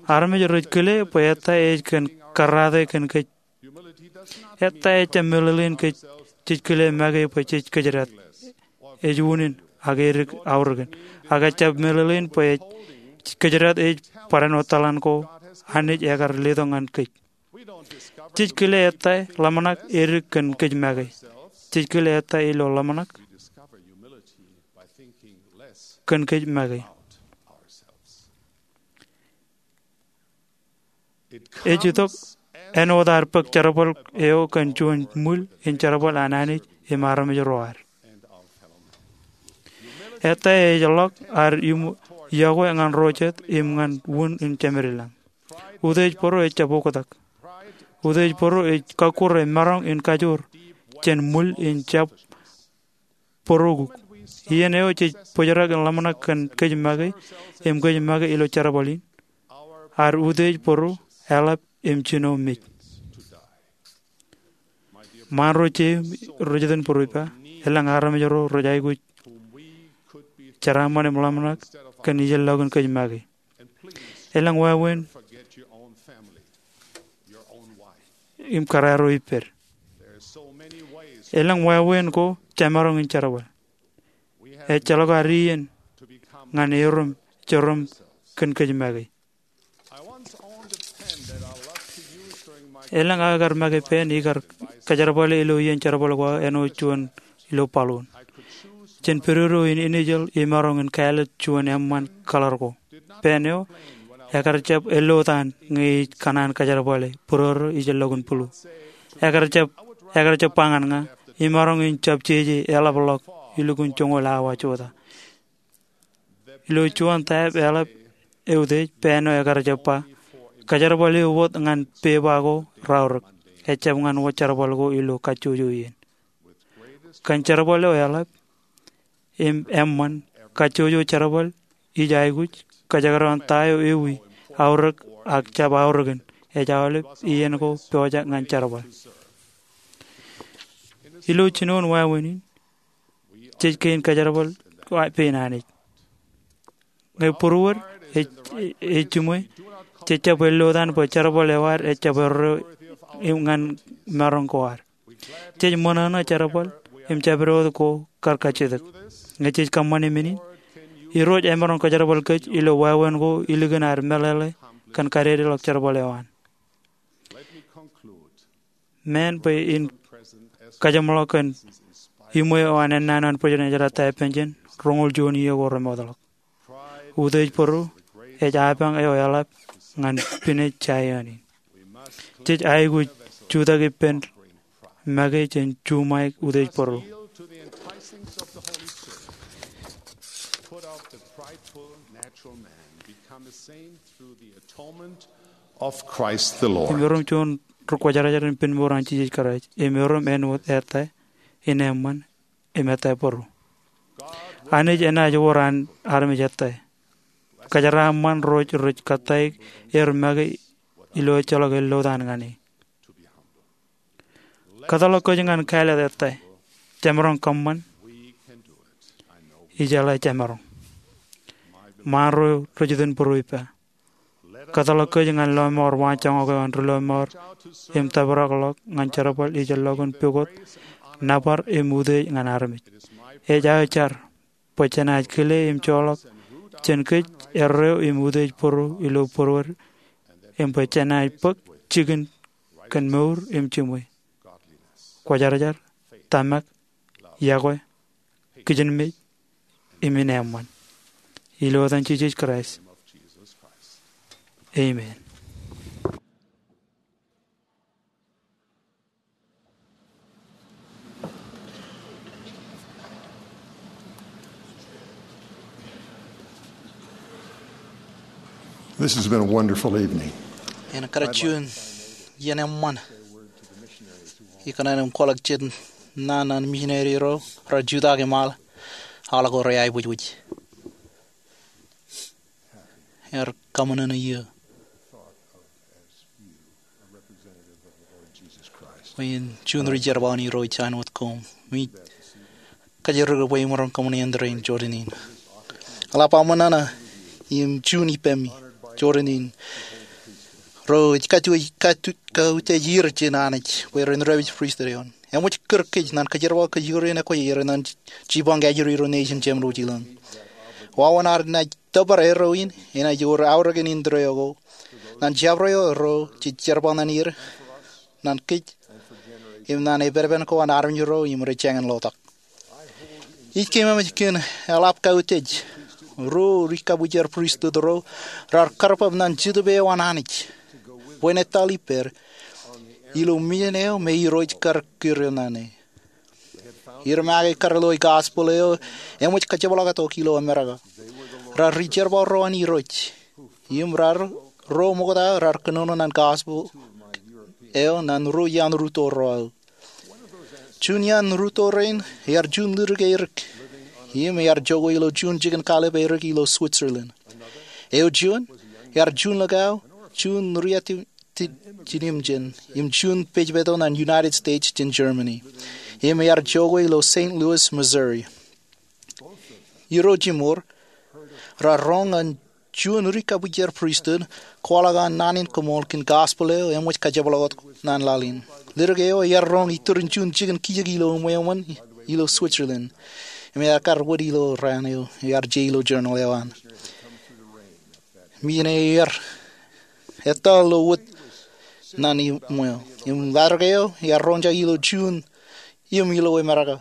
Armej rej kile bwe ettā ej kōn karrate kōn kōj. Ettā ejjab meḷeḷein kōj jej kile make bwe jej kōjdat. Ej unin ak edik aorōkin. Ak ejjab meḷeḷein bwe ej kōjdat ej barāinwōt tōḷan ko Anij ekar letok ñan kōj. Jej kile ettā ḷōmṇak edik kōn kōj make. Jej kile ettā ilo ḷōmṇak kōn kōj make. Ej itok āinwōt ad bōk jerbal eo kōn juon ṃwil in jerbal an Anij im armej ro ad. Ettā ej ḷọk ad im yokwe ñan ro jet im ñan wūn in Jemād ilañ. Utiej bōro ejjab oktak. Utiej bōro ej kọkkure maroñ in kajoor jān ṃwil in jab bōrokuk. Iien eo jej bōjrak in ḷōmṇak kōn kōj make im kōj make ilo jerbal in, ad utiej bōro eḷap im jino mej. Ṃaan ro jeiū rej iten būruipa, elōñ armej ro rej aikuj jeraaṃṃan im ḷōmṇak kōn ijellọkin kōj make. Elōñ wāween im kōrā ro ippād. Elōñ wāween ko jemaroñ in jerbal. Ejjeḷọk ad iien ñan erom jerom kōn kōj make. Elōñ aō kar make pen ikar kōjerbale ilo iien jerbal ko aō āinwōt juon ilo baḷuun. Jen pedodo in ijin imaroñ in kāālōt juon eṃṃan kaḷar ko. Pen eo, ekar jab ellotaan ñe ij kōṇaan kōjerbale būrōrō ijellọkin būḷu. Ekar jab, ekar jab ba ñan ña, imaroñ in jab jeje eḷapḷọk ilukkuun joñoul awa jota. Ilo juon taab eḷap eutiej, pen eo ekar jab ba, kōjerbal eo wōt ñan pepa ko raorōk, ejjab ñan wōt jerbal ko ilo kajjojo iien. Kōn jerbal eo eḷap im eṃṃan, kajjojo jerbal ij aikuj kōjekdọọn ta eo ewi aorōk ak jab aorōkin, ej aolep iien ko pojak ñan jerbal. Ilo jinoin wāween in, jej kein kōjerbal pein Anij. Ñe būruod ej, ej jiṃwe, jej jab ellotaan bwe jerbal eo ad ejjab erreo ñan maroñ ko ad. Jej ṃōṇōṇō jerbal im jabdewōt ko kar kajjitōk. Ñe jej kōṃṃane men in, Irooj emaroñ kōjerbal kōj ilo wāween ko ilikin ad meḷeḷe kōn kadedeḷọk jerbal eo an. Meḷeḷe bwe in kajeṃḷọk kōn iṃwe eo an ennaan eo an Bwidjen ej jeḷā ta ippān jān roñoul juon iiō ko remootḷọk. Utiej bōro ej apañ eo eḷap ñan pinej Jaion in. Jej aikuj jutak ippān make jān juṃaik utiej bōro. Im erom juon ri kwōjarjar in pen mour an Jisōs Kraist, im erom āinwōt ettā in eṃṃan im ettā bōro. Anij enaaj wōr an armej ettā. Kōjeraaṃṃan ro rej kōttāik er make ilo ejjeḷọk ellotaan ñan e. Kōtḷọk kōj ñan kāālōt ettā. Jemaroñ kōṃṃan. Ijeḷā jemaroñ. Ṃaan ro rej iten būruipa, kōtḷọk kōj ñan lọmọọr waanjoñak eo an ri lọmọọr im tōprakḷọk ñan jerbal ijellọkin pukot, nōbar im utiej ñan armej. Ej aō jar bwe jenaaj kile im joḷọk jān kōj erreo im utiej bōro ilo būruod, im bwe jenaaj bōk jikin kōn mour im jiṃwe, kwōjarjar, tōmak, yokwe, kijenmej, im ineeṃṃan. Ilo etan Jisōs Kraist. Amen. This has been a wonderful evening. Eṇ kar juon iien eṃṃan ikōṇaan im kwaḷọk jet naan ñan misineri ro rej jutak im aḷ, aḷ ko rej aebwijbwij. Ear kaṃōṇōṇō iiō bwe in juon ri jerbal in Irooj āinwōt koṃ. Im ij kōjro bwe imaroñ kōṃṃan āindein Jordan in. Eḷap aṃōṇōṇō im juon ippemi, Jordan in, ro ej katu, katu, kautiej er jān Anij bwe ren dāpij pristut eo an. Eṃōj kūr kōj ñan kōjerbal kōj ioon ekwōj er ñan jipañ kajjitōk ilo nejin jeṃḷọk ilo an. Wāween ad naaj tōpar erreo in enaaj wōr aorōkin indeeo ko ñan jabdewōt ro jej jerbal ñan er, ñan kōj, im ñan epenpen ko an armej ro im rej jañin lotak. Ij keememej kōn eḷap kautiej ro ri kabwijer pristut ro raar kar bōk ñan Jetōb eo an Anij bwe en etal ippād ilo mejān eo me Irooj kar kūr er ñan e. Er make kar lo gospel eo eṃōj kajepḷaaktok ilo Amerika. Raar ri jerbal ro an Irooj. Im raar ro ṃokta raar kōnono ñan gospel eo ñan ruo iaan rūtto ro aō. Juon iaan rūtto rein ear juon lutōk erik. Im ear jokwe ilo juon jikin kallib erik ilo Switzerland. Eo juon ear juon likao, juon ri-āti jiljilimjuon im juon pejpeto ñan United States jān Germany. Im ear jokwe ilo Saint Louis, Missouri. Irooj im ur raar roñ an juon ri kabwijer pristut kwaḷọk an naan in koṃṃool kōn gospel eo eṃōj kajepḷaaktok ñan laḷ in. Ledik eo ear roñ iturin juon jikin kijek ilo ṃweo eo an ilo Switzerland. Im ear kar wōt ilo raan eo ear je ilo journal eo an. Menin ear etal ilo wōt ñan ṃweo. Im ledik eo ear roñjake ilo Juun im ilo Amerika.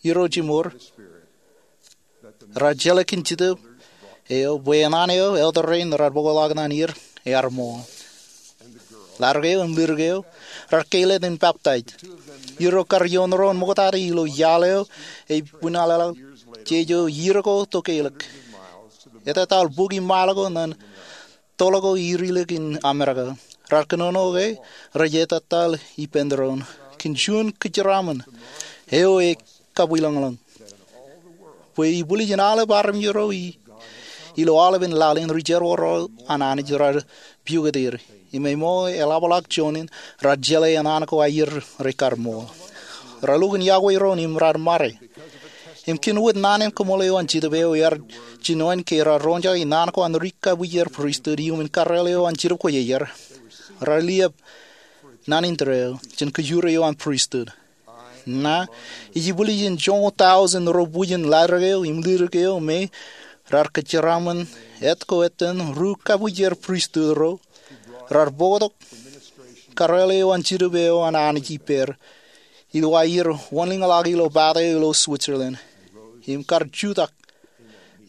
Irooj im ur raar jeḷā kōn Jitōb eo bwe enana eo elder rein raar bōkḷọk ñan er ear ṃool. Ledik eo im ledik eo raar keilōk in baptize. Irooj kar ioon ro in ṃoktata ilo iaḷ eo ej buñaḷaḷ jeje iien ko to keilōk. Etetal bukwi mile ko ñan tōl ko irilōk in Amerika. Raar kōnono ke rej etetal ippān doon kōn juon kōjeraaṃṃan eo ej kabwilōñlōñ bwe ibwiljin aolep armej ro ilo aolepen laḷ in ri jerbal ro an Anij raar piukot er. Im eo eḷapḷọk juon in raar jeḷā enana ko aier rej kar ṃool. Raar lukkuun iọkwe doon im raar ṃare. Im kōn wōt naan in koṃṃool eo an Jitōb eo ear jinoin ke raar roñjake naan ko an ri kabwijer pristut iuṃwin karreoḷ eo an Jetōb Kwōjarjar, raar liab naan in tōre eo jān kajjojo eo an pristut. Ña ij ibwiljin joñoul tọujin ro bwijin ledik eo im ledik eo me raar kōjeraaṃṃan etko etan ri kabwijer pristut ro raar bōktok karreoḷ eo an Jetōb eo an Anij ippāer ilo aier wōnlōñḷọk ilo pata eo ilo Switzerland im kar jutak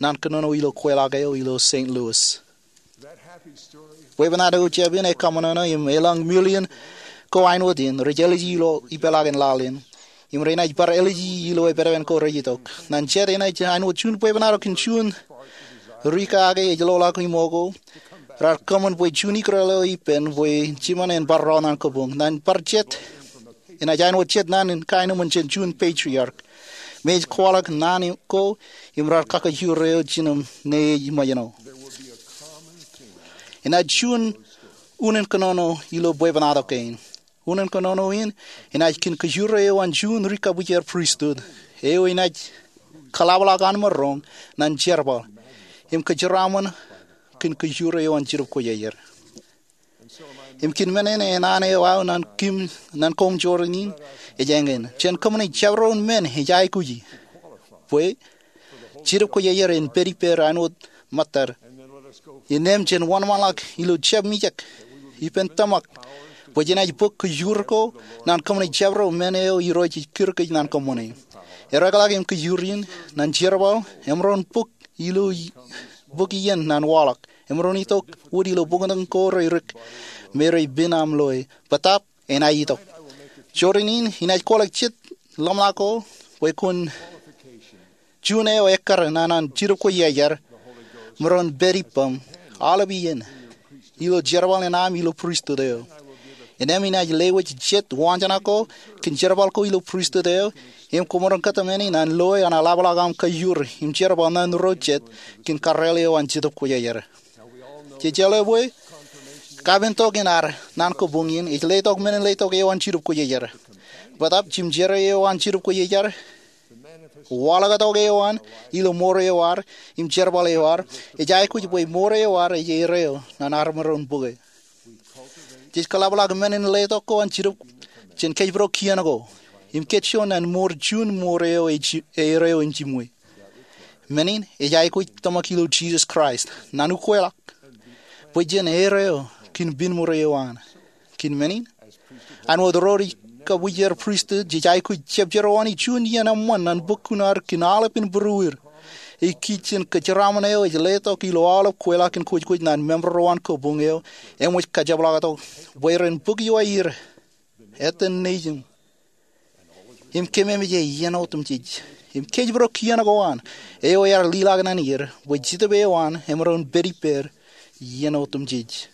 ñan kōnono ilo kweilọk eo ilo Saint Louis. Bwebwenato jab in ekaṃōṇōṇō im elōñ million ko āinwōt in rej āliji ilo ipeḷaakin laḷ in im renaaj bar āliji ilo epedped ko rej itok. Ñan jet enaaj āinwōt juon bwebwenato kōn juon ri kake ej loḷọk iṃo ko raar kōṃṃan bwe juon ikōrọọl eo ippān bwe jiṃan en bar rọọl ñan kōboñ. Ñan bar jet enaaj āinwōt jet ñan kaenōṃṃan jān juon patriarch me ej kwaḷọk naan ko im raar kakajoor eo jinem ñe ej ṃōjṇọ. Enaaj juon unin kōnono ilo bwebwenato kein. Unin kōnono in enaaj kōn kōjro eo an juon ri kabwijer pristut eo enaaj kōḷapḷọk an maroñ ñan jerbal im kōjeraaṃṃan kōn kōjro eo an Jetōb Kwōjarjar. Im kōn men in enana eo aō ñan koṃ jorrāān in ej eñin. Jān kōṃṃane jabdewōt men ej aikuji bwe Jetōb Kwōjarjar en pād ippād āinwōt ṃōttad. Innām jen wōnṃaanḷọk ilo jab mijak ippān tōmak bwe jenaaj bōk kōjro ko ñan kōṃṃane jabdewōt men eo Irooj ej kūr kōj ñan kōṃṃane. Erekḷọk im kōjro in ñan jerbal emaroñ bōk ilo bōk iien ñan waḷọk. Emaroñ itok wōt ilo bōktok ko rerik me rej pen aṃ loe. Bōtaab enaaj itok. Jorrāān in enaaj kwaḷọk jet ḷōmṇak ko bwe kwōn juon eo ekkar ñan an Jetōb Kwōjarjar maroñ pād ippaṃ aolep iien ilo jerbal in aṃ ilo pristut eo. Innām enaaj lewōj jet waanjoñak ko kōn jerbal ko ilo pristut eo im kwōmaroñ kōtmāne ñan loe an eḷapḷọk aṃ kajjojo im jerbal ñan ro jet kōn karreoḷ eo an Jetōb Kwōjarjar. Jej jeḷā bwe kapentok in ad ñan kōboñ in ej letok men in letok eo an Jetōb Kwōjarjar. Bōtaab jimjerā eo an Jetōb Kwōjarjar, waḷọktok eo an ilo mour eo ad im jerbal eo ad, ej aikuj bwe mour eo ad ej erreo ñan armej ro in bōke. Jej kōḷapḷọk men in letok ko an Jetōb jān kōjparok kien ko im kōjro ñan mour juon mour eo ej erreo im jimwe. Men in ej aikuj tōmak ilo Jisōs Kraist ñan ukweḷọk bwe jen erreo kōn pen mour eo an. Kōn men in, āinwōt ro ri kabwijer pristut jej aikuj jebjerwōj juon iien eṃṃan ñan bōk kuṇaad kōn aolepen būruod. Ej kij jān kōjeraaṃṃan eo ej letok ilo aolep kweilọk in kwōjkwōj ñan member ro an kōboñ eo eṃōj kajepḷaaktok bwe ren bōk iowaer, etan nejūṃ im kememej iien otemjej im kōjparok kien ko an eo ear liḷọk ñan er bwe Jetōb eo an emaroñ pād ippād iien otemjej.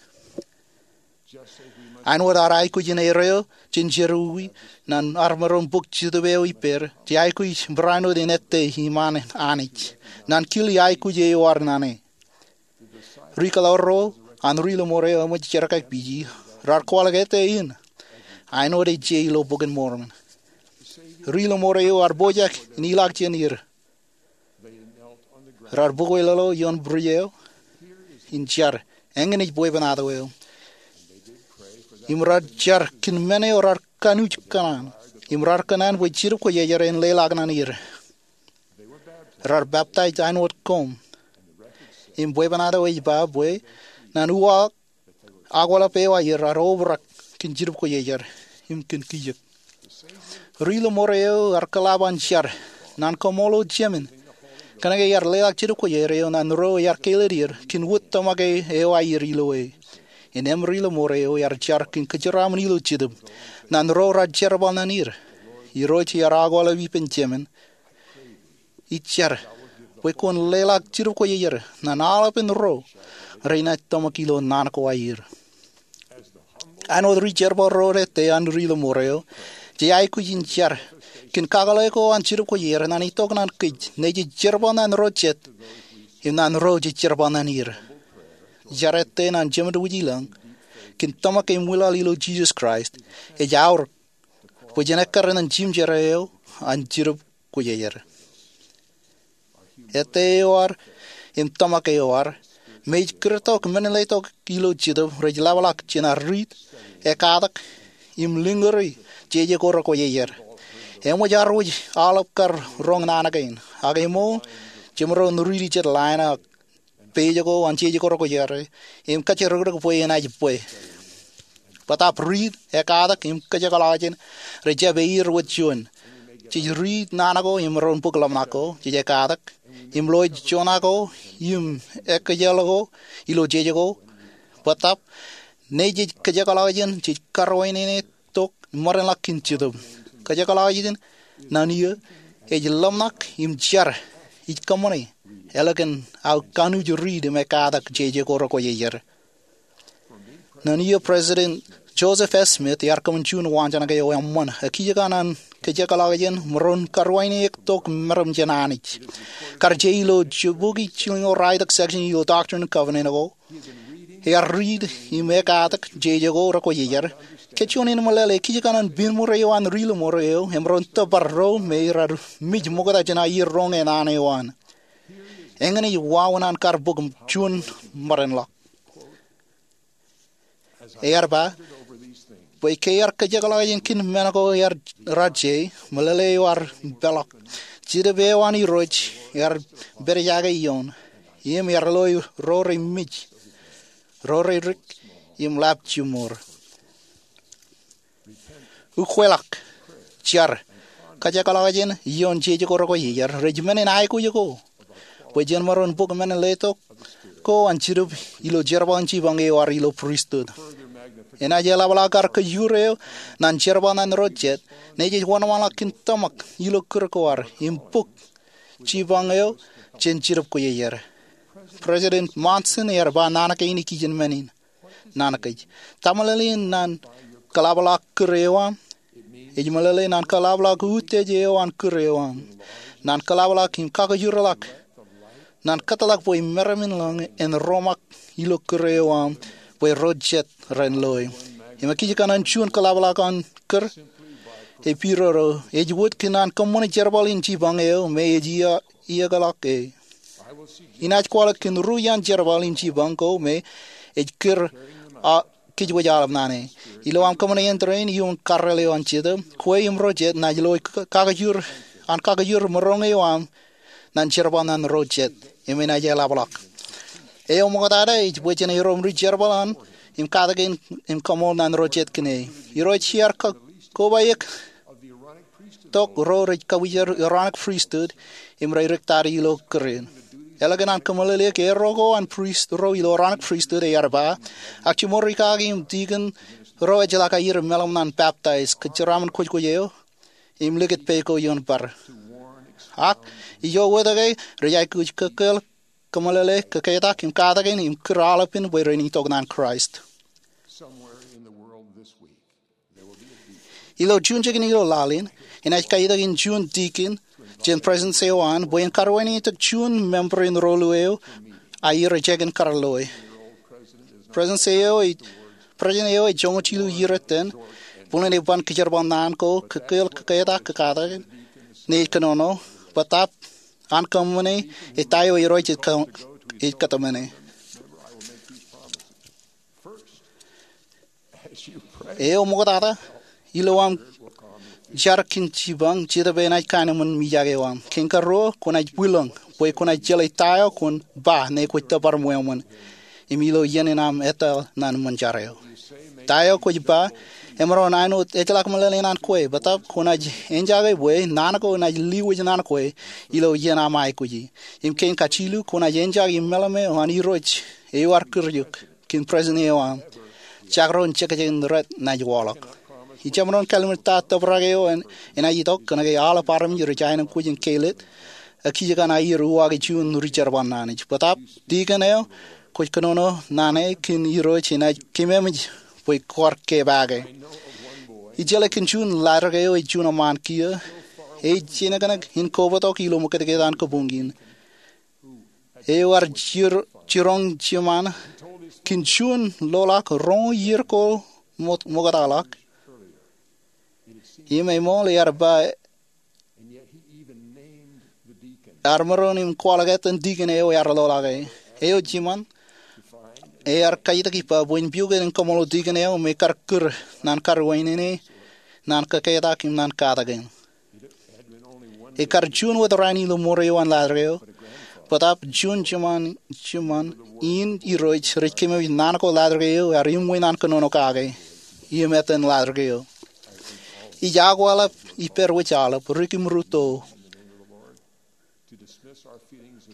Āinwōt ad aikuj in erreo jān jerọwiwi ñan armej ro in bōk Jetōb eo ippād, jej aikuj barāinwōt in ettā iṃaan Anij ñan kile aikuj eo ad ñan e. Ri kōḷauro an ri-lōṃoor eo eṃōj jerkakpeje raar kwaḷọk ete in āinwōt ej je ilo Bok in Mormon. Ri-lōṃoor eo ear pojak in ilọk jān er. Raar bōk wōtlọk ioon bwij eo in jar eñin ej bwebwenato eo, im raar jar kōn men eo raar kanooj kōṇaan, im raar kōṇaan bwe Jetōb Kwōjarjar en leḷọk ñan er. Raar peptaij āinwōt koṃ. Im bwebwenato ej ba bwe ñan uwaak akwālep eo aer raar obrak kōn Jetōb Kwōjarjar im kōn kijōk. Ri-lōṃoor eo ear kōḷap an jar ñan koṃṃool jemān kōnke ear leḷọk Jetōb Kwōjarjar eo ñan ro ear kāālōt er kōn wūtōmak eo aer ilo e. Innām ri-lōṃoor eo ear jar kōn kōjeraaṃṃan ilo Jetōb ñan ro raar jerbal ñan er. Irooj ear akwālep ippān jemān. Ij jar bwe kwōn leḷọk Jetōb Kwōjarjar ñan aolepen ro renaaj tōmak ilo naan ko aer. Āinwōt ri-jerbal ro ete an ri-lōṃoor eo, jej aikuj in jar kōn kakōḷḷe ko an Jetōb Kwōjarjar ñan itok ñan kōj nejū jej jerbal ñan ro jet im ñan ro jej jerbal ñan er. Jar ete ñan Jemedwōj Ilọñ kōn tōmak im wilaḷ ilo Jisōs Kraist ej aorōk bwe jen ekkar ñan jimjer eo an Jetōb Kwōjarjar. Ete eo ad im tōmak eo ad, me ej kūrtok men letok ilo Jetōb, rej ḷapḷọk jān ad riit, ekatak, im liñuri jeje ko rekwōjarjar. Eṃōj ad wōj aolep kar roñ naan kein, ak ṃool jemaroñ riiti jet line ak page ko an jeje ko rekwōjarjar im kōjjirikdik bwe enaaj bwe. Bōtaab riit, ekatak im kōjekḷọkjeṇ rej jab eir wōt juon. Jej riit naan ko im maroñ bōk ḷōmṇak ko, jej ekatak im loe joñak ko im ekkejel ko ilo jeje ko. Bōtaab, ñe jej kōjekḷọkjeṇ jej karwainenetok im ṃōdenḷọk kōn Jetōb. Kōjekḷọkjeṇ ñan eō ej ḷōmṇak im jar ij kōṃṃane ālikin aō kanooj riit im ekatak jeje ko rekwōjarjar. Ñan eō President Joseph F. Smith ear kōṃṃan juon waanjoñak eo eṃṃan ekijjien an kōjekḷọkjeṇ maroñ karwainenetok meram jān Anij. Kar je ilo jibukwi jilñoul ralitōk section ilo Doctrine and Covenants ko, ear riit im ekatak jeje ko rekwōjarjar. Kōj juon in meḷeḷe ekijjien an piñmur eo an ri-lōṃoor eo emaroñ tōpar ro me raar mej ṃokta jān aier roñe naan eo an. Eñin ej wāween an kar bōk juon ṃōdenḷọk. Ear ba bwe ke ear kōjekḷọkjeṇ kōn men ko raar je, meḷeḷe eo ear peḷọk. Jetōb eo an Irooj ear pedejake ioon, im ear loe ro rej mej, ro rej dik, im ḷap jiṃor. Ukweḷọk, jar, kōjekḷọkjeṇ ioon jeje ko rekwōjarjar rej men in aikuj ko bwe jen maroñ bōk men letok ko an Jetōb ilo jerbal in jipañ eo ad ilo pristut. Enaaj eḷapḷọk ad kōjur eo ñan jerbal ñan ro jet ñe jej wōnṃaanḷọk kōn tōmak ilo kūr ko ad im bōk jipañ eo jān Jetōb Kwōjarjar. President Monson ear ba naan kein ikijjien men in. Naan kōj. Ta meḷeḷein ñan kōḷapḷọk kūr eo aṃ? Ej meḷeḷe ñan kōḷapḷọk utiej eo an kūr eo aṃ, ñan kōḷapḷọk im kakōjurḷọk, ñan kōtḷọk bwe meram in ḷōñ en roṃak ilo kūr eo aṃ bwe ro jet ren loe. Im ekijjien an juon kōḷapḷọk an kūr epidodo ej wōt kōn an kōṃṃane jerbal in jipañ eo me ej iiō, iiōkḷọk e. Inaaj kwaḷọk kōn ru iaan jerbal in jipañ ko me ej kūr, a, kōjwōj aolep naan e. Ilo aṃ kōṃṃane āindein iuṃwin karreel eo an Jetōb, kwe im ro jet naaj loe k-, kakōjur, an kakōjur maroñ eo aṃ ñan jerbal ñan ro jet, im enaaj eḷapḷọk. Eo ṃoktata ej bwe jen erom ri-jerbal an, im katakin, im kaṃool ñan ro jet kōn e. Irooj ear ko-, kobaik tok ro rej kabwijer Aaronic Priesthood im rej riktata ilo kūr in. Ālikin an kōmeḷeḷeik erro ko an prist ro ilo Aaronic Priesthood ear ba, ak jiṃor rikaki im tikin ro ejjeḷọk aier meḷeḷe ñan peptaij, kōjeraaṃṃan kwōjkwōj eo, im likūt pād ko ioon bar. Ak ijo wōt ke rej aikuj kōkkeḷ, kōmeḷeḷe, kōketak im katakin im kūr aolepān bwe ren itok ñan Kraist. Ilo juon jikin ilo laḷ in, enaaj kaitak in juon tikin jān president eo an bwe en karwainenetok juon member in ro lu eo aier ejākin kar loe. President eo ej joñoul jilu iiō iten, bōlen ej ban kōjerbal naan ko, kōkkeeḷ kōketak kōkatak, naaj kōnono, bōtab an kōṃṃane, ej ta eo Irooj ej kōtmāne. Eo ṃoktata, ilo aṃ jar kōn jipañ, Jetōb enaaj kaenōṃṃan mijak eo aṃ. Kein karuo, kwōnaaj bwilōñ bwe kwōnaaj jeḷā ta eo kwōn ba ñe kwōj tōpar ṃweo ṃōn, im ilo iien in aṃ etal ñan ṃōn jar eo. Ta eo kwōj ba emaroñ āinwōt ejjeḷọk meḷeḷe in an kwe, bōtab kwōnaaj enjake bwe naan ko enaaj lewōj ñan kwe ilo iien aṃ aikuji. Im kein kajilu, kwōnaaj enjake im meḷeḷe eo an Irooj eo ear kūr eok kōn president eo aṃ. Jakro in jekjek in rej naaj waḷọk. Ij jemaroñ kallim̧ur ta tōprak eo enaaj itok kōnke aolep armej rej aenōṃṃan kōj in kāālōt, ak kijjien aier uwaak juon ri jerbal naan ej. Bōtab, dikon eo kwōj kōnono naan e kōn Irooj enaaj kememej bwe kwaar kōpeake. Ij jeḷā kōn juon ḷaddik eo ej juon eṃṃaan kiiō, ej jinōknōk in kobatok ilo ṃōkajkōj an kabuñ in. Eo ear jiroñ jiṃaan kōn juon loḷọk roñoul iiō ko ṃoktaḷọk. Im eṃool ear ba ear maroñ im kwaḷọk etan dikon eo ear loḷọk e. Eo jiṃaan ear kajjitōk ippa bwe en piukot in kaṃṃoolol dikon eo me kar kūr ñan kar wāween e ñan kōketak im ñan katakin. Ekar juon wōt raan ilo ṃoor eo an ḷaddik eo, bōtab juon jiṃaan in Irooj rej kememej naan ko ḷaddik eo ear iṃwe ñan kōnono kake im etan ḷaddik eo. Ij akwāḷọk ippād wōj aolep, dik im rūtto,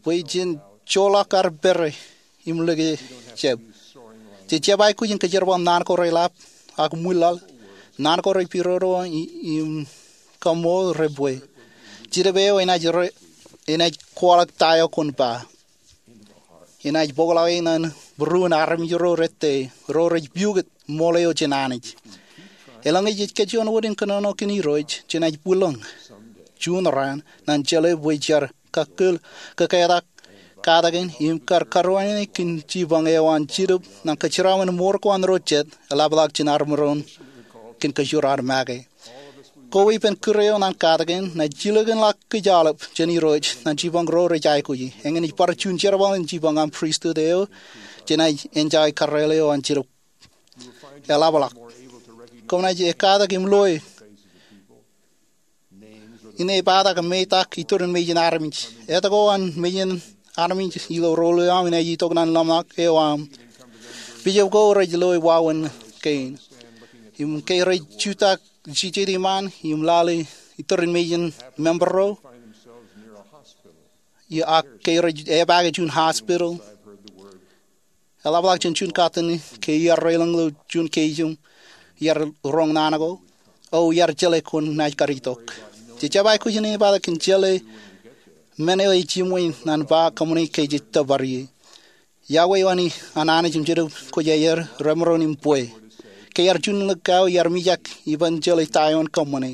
bwe jen joḷọk ad pād im lōke jab. Jej jab aikuj in kōjerbal naan ko reḷap ak ṃwilaḷ, naan ko repidodo im kaṃṃool rej bwe. Jetōb eo enaaj kwaḷọk ta eo kwōn ba. Enaaj bōkḷọk e ñan būruon armej ro rej tōl, ro rej piukot ṃool eo jān Anij. Eḷaññe jej kōjjuon wōt in kōnono kōn Irooj, jenaaj bwilōñ juon raan ñan jeḷā bwe jar kōkkeeḷ kōketak katakin im kar kar wāween e kōn jipañ eo an Jetōb ñan kōjeraaṃṃan ṃoor ko an ro jet eḷapḷọk jān ad maroñ kōn kōjro ad make. Koba ippān kūr eo ñan katakin, ña jilkinḷọk kōj aolep jān Irooj ñan jipañ ro rej aikuji. Eñin ej bar juon jerbal in jipañ aṃ pristut eo jenaaj enjake karreoḷ eo an Jetōb eḷapḷọk. Koṃ naaj ekkatak im loe in epatak metak iturin mejān armej. Etto ko an mejān armej ilo rool eo aṃ enaaj itok ñan ḷōmṇak eo aṃ. Bishop ko rej loe wāween kein. Im ke rej jutak jijet iṃaan im lale iturin mejān member ro, ak ke rej epaake juon hospital, eḷapḷọk jān juon katten ke iar reiḷọñ ilo juon keij im iar roñ naan ko, o iar jeḷā kwōn naaj kar itok. Jej jab aikuj in epatak kōn jeḷā men eo ej iṃwe ñan ba kōṃṃane ke jej tōpar ie. Iọkwe eo an Anij im Jetōb kwōj aer remaroñ im bwe. Ke iar juon likao iar mijak ippān jeḷā ta eo en kōṃṃane.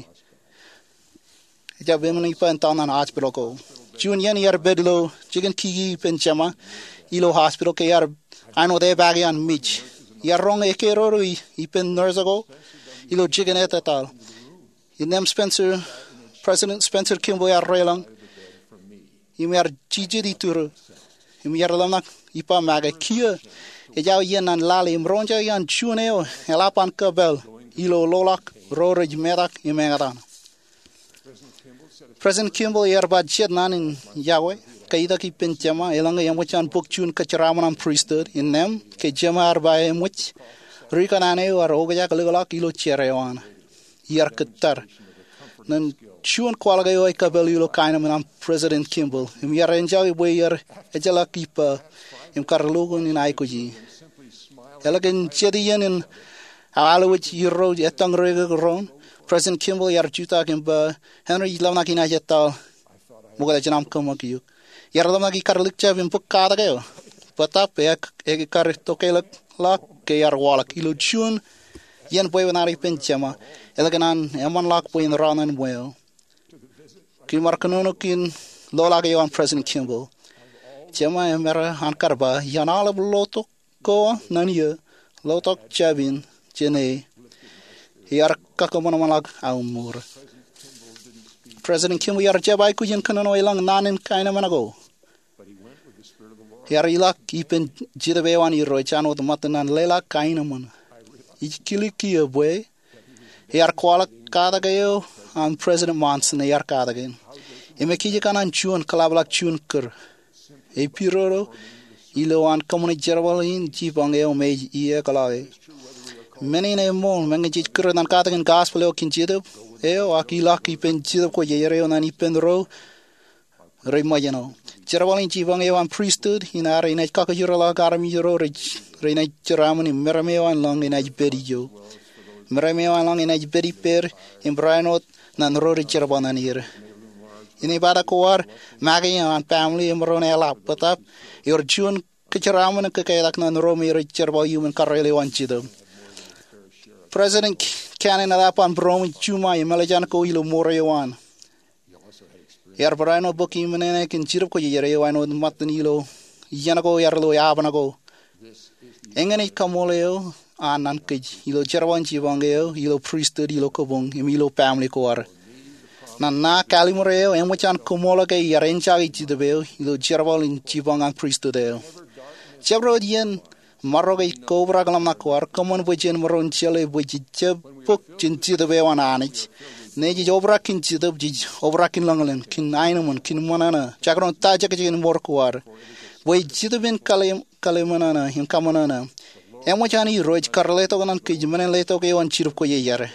Ejjab eṃṃan ippa in tōl ñan hospital ko. Juon iien iar pād ilo jikin kiki ippān Jema ilo hospital ke iar āinwōt epaake an mej. Iar roñ ekkā dodo ippān nurse ko ilo jikin etetal. Innām Spencer, President Spencer Kimball ear reiḷọñ im ear jijet iturū im ear ḷōmṇak ippa make, kiiō ejja iien ñan lale im roñjake an juon eo eḷap an kōpel ilo loḷọk ro rej metak im eñtaan. President Kimball ear ba jet naan in iọkwe, ke itok ippān Jema, eḷaññe eṃōj an bōk juon kōjeraaṃṃan aṃ pristut, innām ke Jema ear ba eṃōj, ri kanaan eo ear okjak likḷọk ilo jar eo an. Iar kōttar ñan juon kwaḷọk eo ekōpel ilo kaenōṃṃan an President Kimball im iar enjake bwe iar ejjeḷọk ippa im kar lukkuun in aikuji. Eḷak in jet iien in aō alwōj irooj ettōñ ro ekōk roon, President Kimball ear jutak im ba, Henry, ij ḷōmṇak inaaj etal ṃokta jān aṃ kōṃṃakūt eok. Iar ḷōmṇak ikar likjab im bōk katak eo, bōtab ekar tokālikḷọk ke iar waḷọk. Ilo juon iien bwebwenato ippān Jema, eḷak in an eṃṃanḷọk bwe en rọọl ñan ṃweo. Kiiō ij bar kōnono kōn loḷọk eo an President Kimball. Jema emaroñ kar ba, iaan aolep lotok ko naan eo, lotok jab in jān e, iar kakaṃanṃanḷọk aō mour. President Kimball ear jab aikuj in kōnono elōñ naan in kaenōṃṃan ko. Ear ilọk ippān Jetōb eo an Irooj an wōt ṃōttan an leḷọk kaenōṃṃan. Ij kile kiiō bwe ear kwaḷọk katak eo an President Monson ear katak in. Im ekijjien an juon kōḷapḷọk juon kūr. Ej pidodo ilo an kōṃṃane jerbal in jipañ eo me ej iiōkḷọke. Men in eṃṃool, meñe jej kūr ñan katakin gospel eo kōn Jetōb eo, ak ilọk ippān Jetōb Kwōjarjar eo ñan ippān ro rej ṃōjṇọ. Jerbal in jipañ eo an pristut in ad enaaj kakajoorḷọk armej ro rej, renaaj jeraaṃṃan im meram eo an lañ enaaj pād ijo. Meram eo an lañ enaaj pād ippād im barāinwōt ñan ro rej jerbal ñan er. Inepata ko ad make eo an family emaroñ eḷap bōtab, ewōr juon kōjeraaṃṃan kōketak ñan ro me rej jerbal iuṃwin karreel eo an Jetōb. President Cannon eḷap an būroṃōj juṃae im ālikin ko ilo mour eo an. Ear barāinwōt bōk iṃōṇōṇō kōn Jetōb Kwōjarjar eo an wōt ṃōttan ilo iien ko ear lo eapen ko. Eñin ej kaṃool eo an ñan kōj ilo jerbal in jipañ eo, ilo pristut, ilo kabuñ, im ilo family ko ad. Ñan ṇa kallimur eo, eṃōj an kaṃool ke iar enjake Jetōb eo ilo jerbal in jipañ an pristut eo. Jabdewōt iien marok ej kobrak ḷōmṇak ko ad, kōṃṃan bwe jen maroñ jeḷā bwe jej jab bōk jān Jetōb eo an Anij. Ñe jej obrak kōn Jetōb, jej obrak kōn lañlōñ, kōn aenōṃṃan, kōn ṃōṇōṇō, jekdọọn ta jekjek in mour ko ad. Bwe Jetōb en kale, kaleṃōṇōṇō im kaṃōṇōṇō. Eṃōj an Irooj kar letok ñan kōj men in letok eo an Jetōb Kwōjarjar.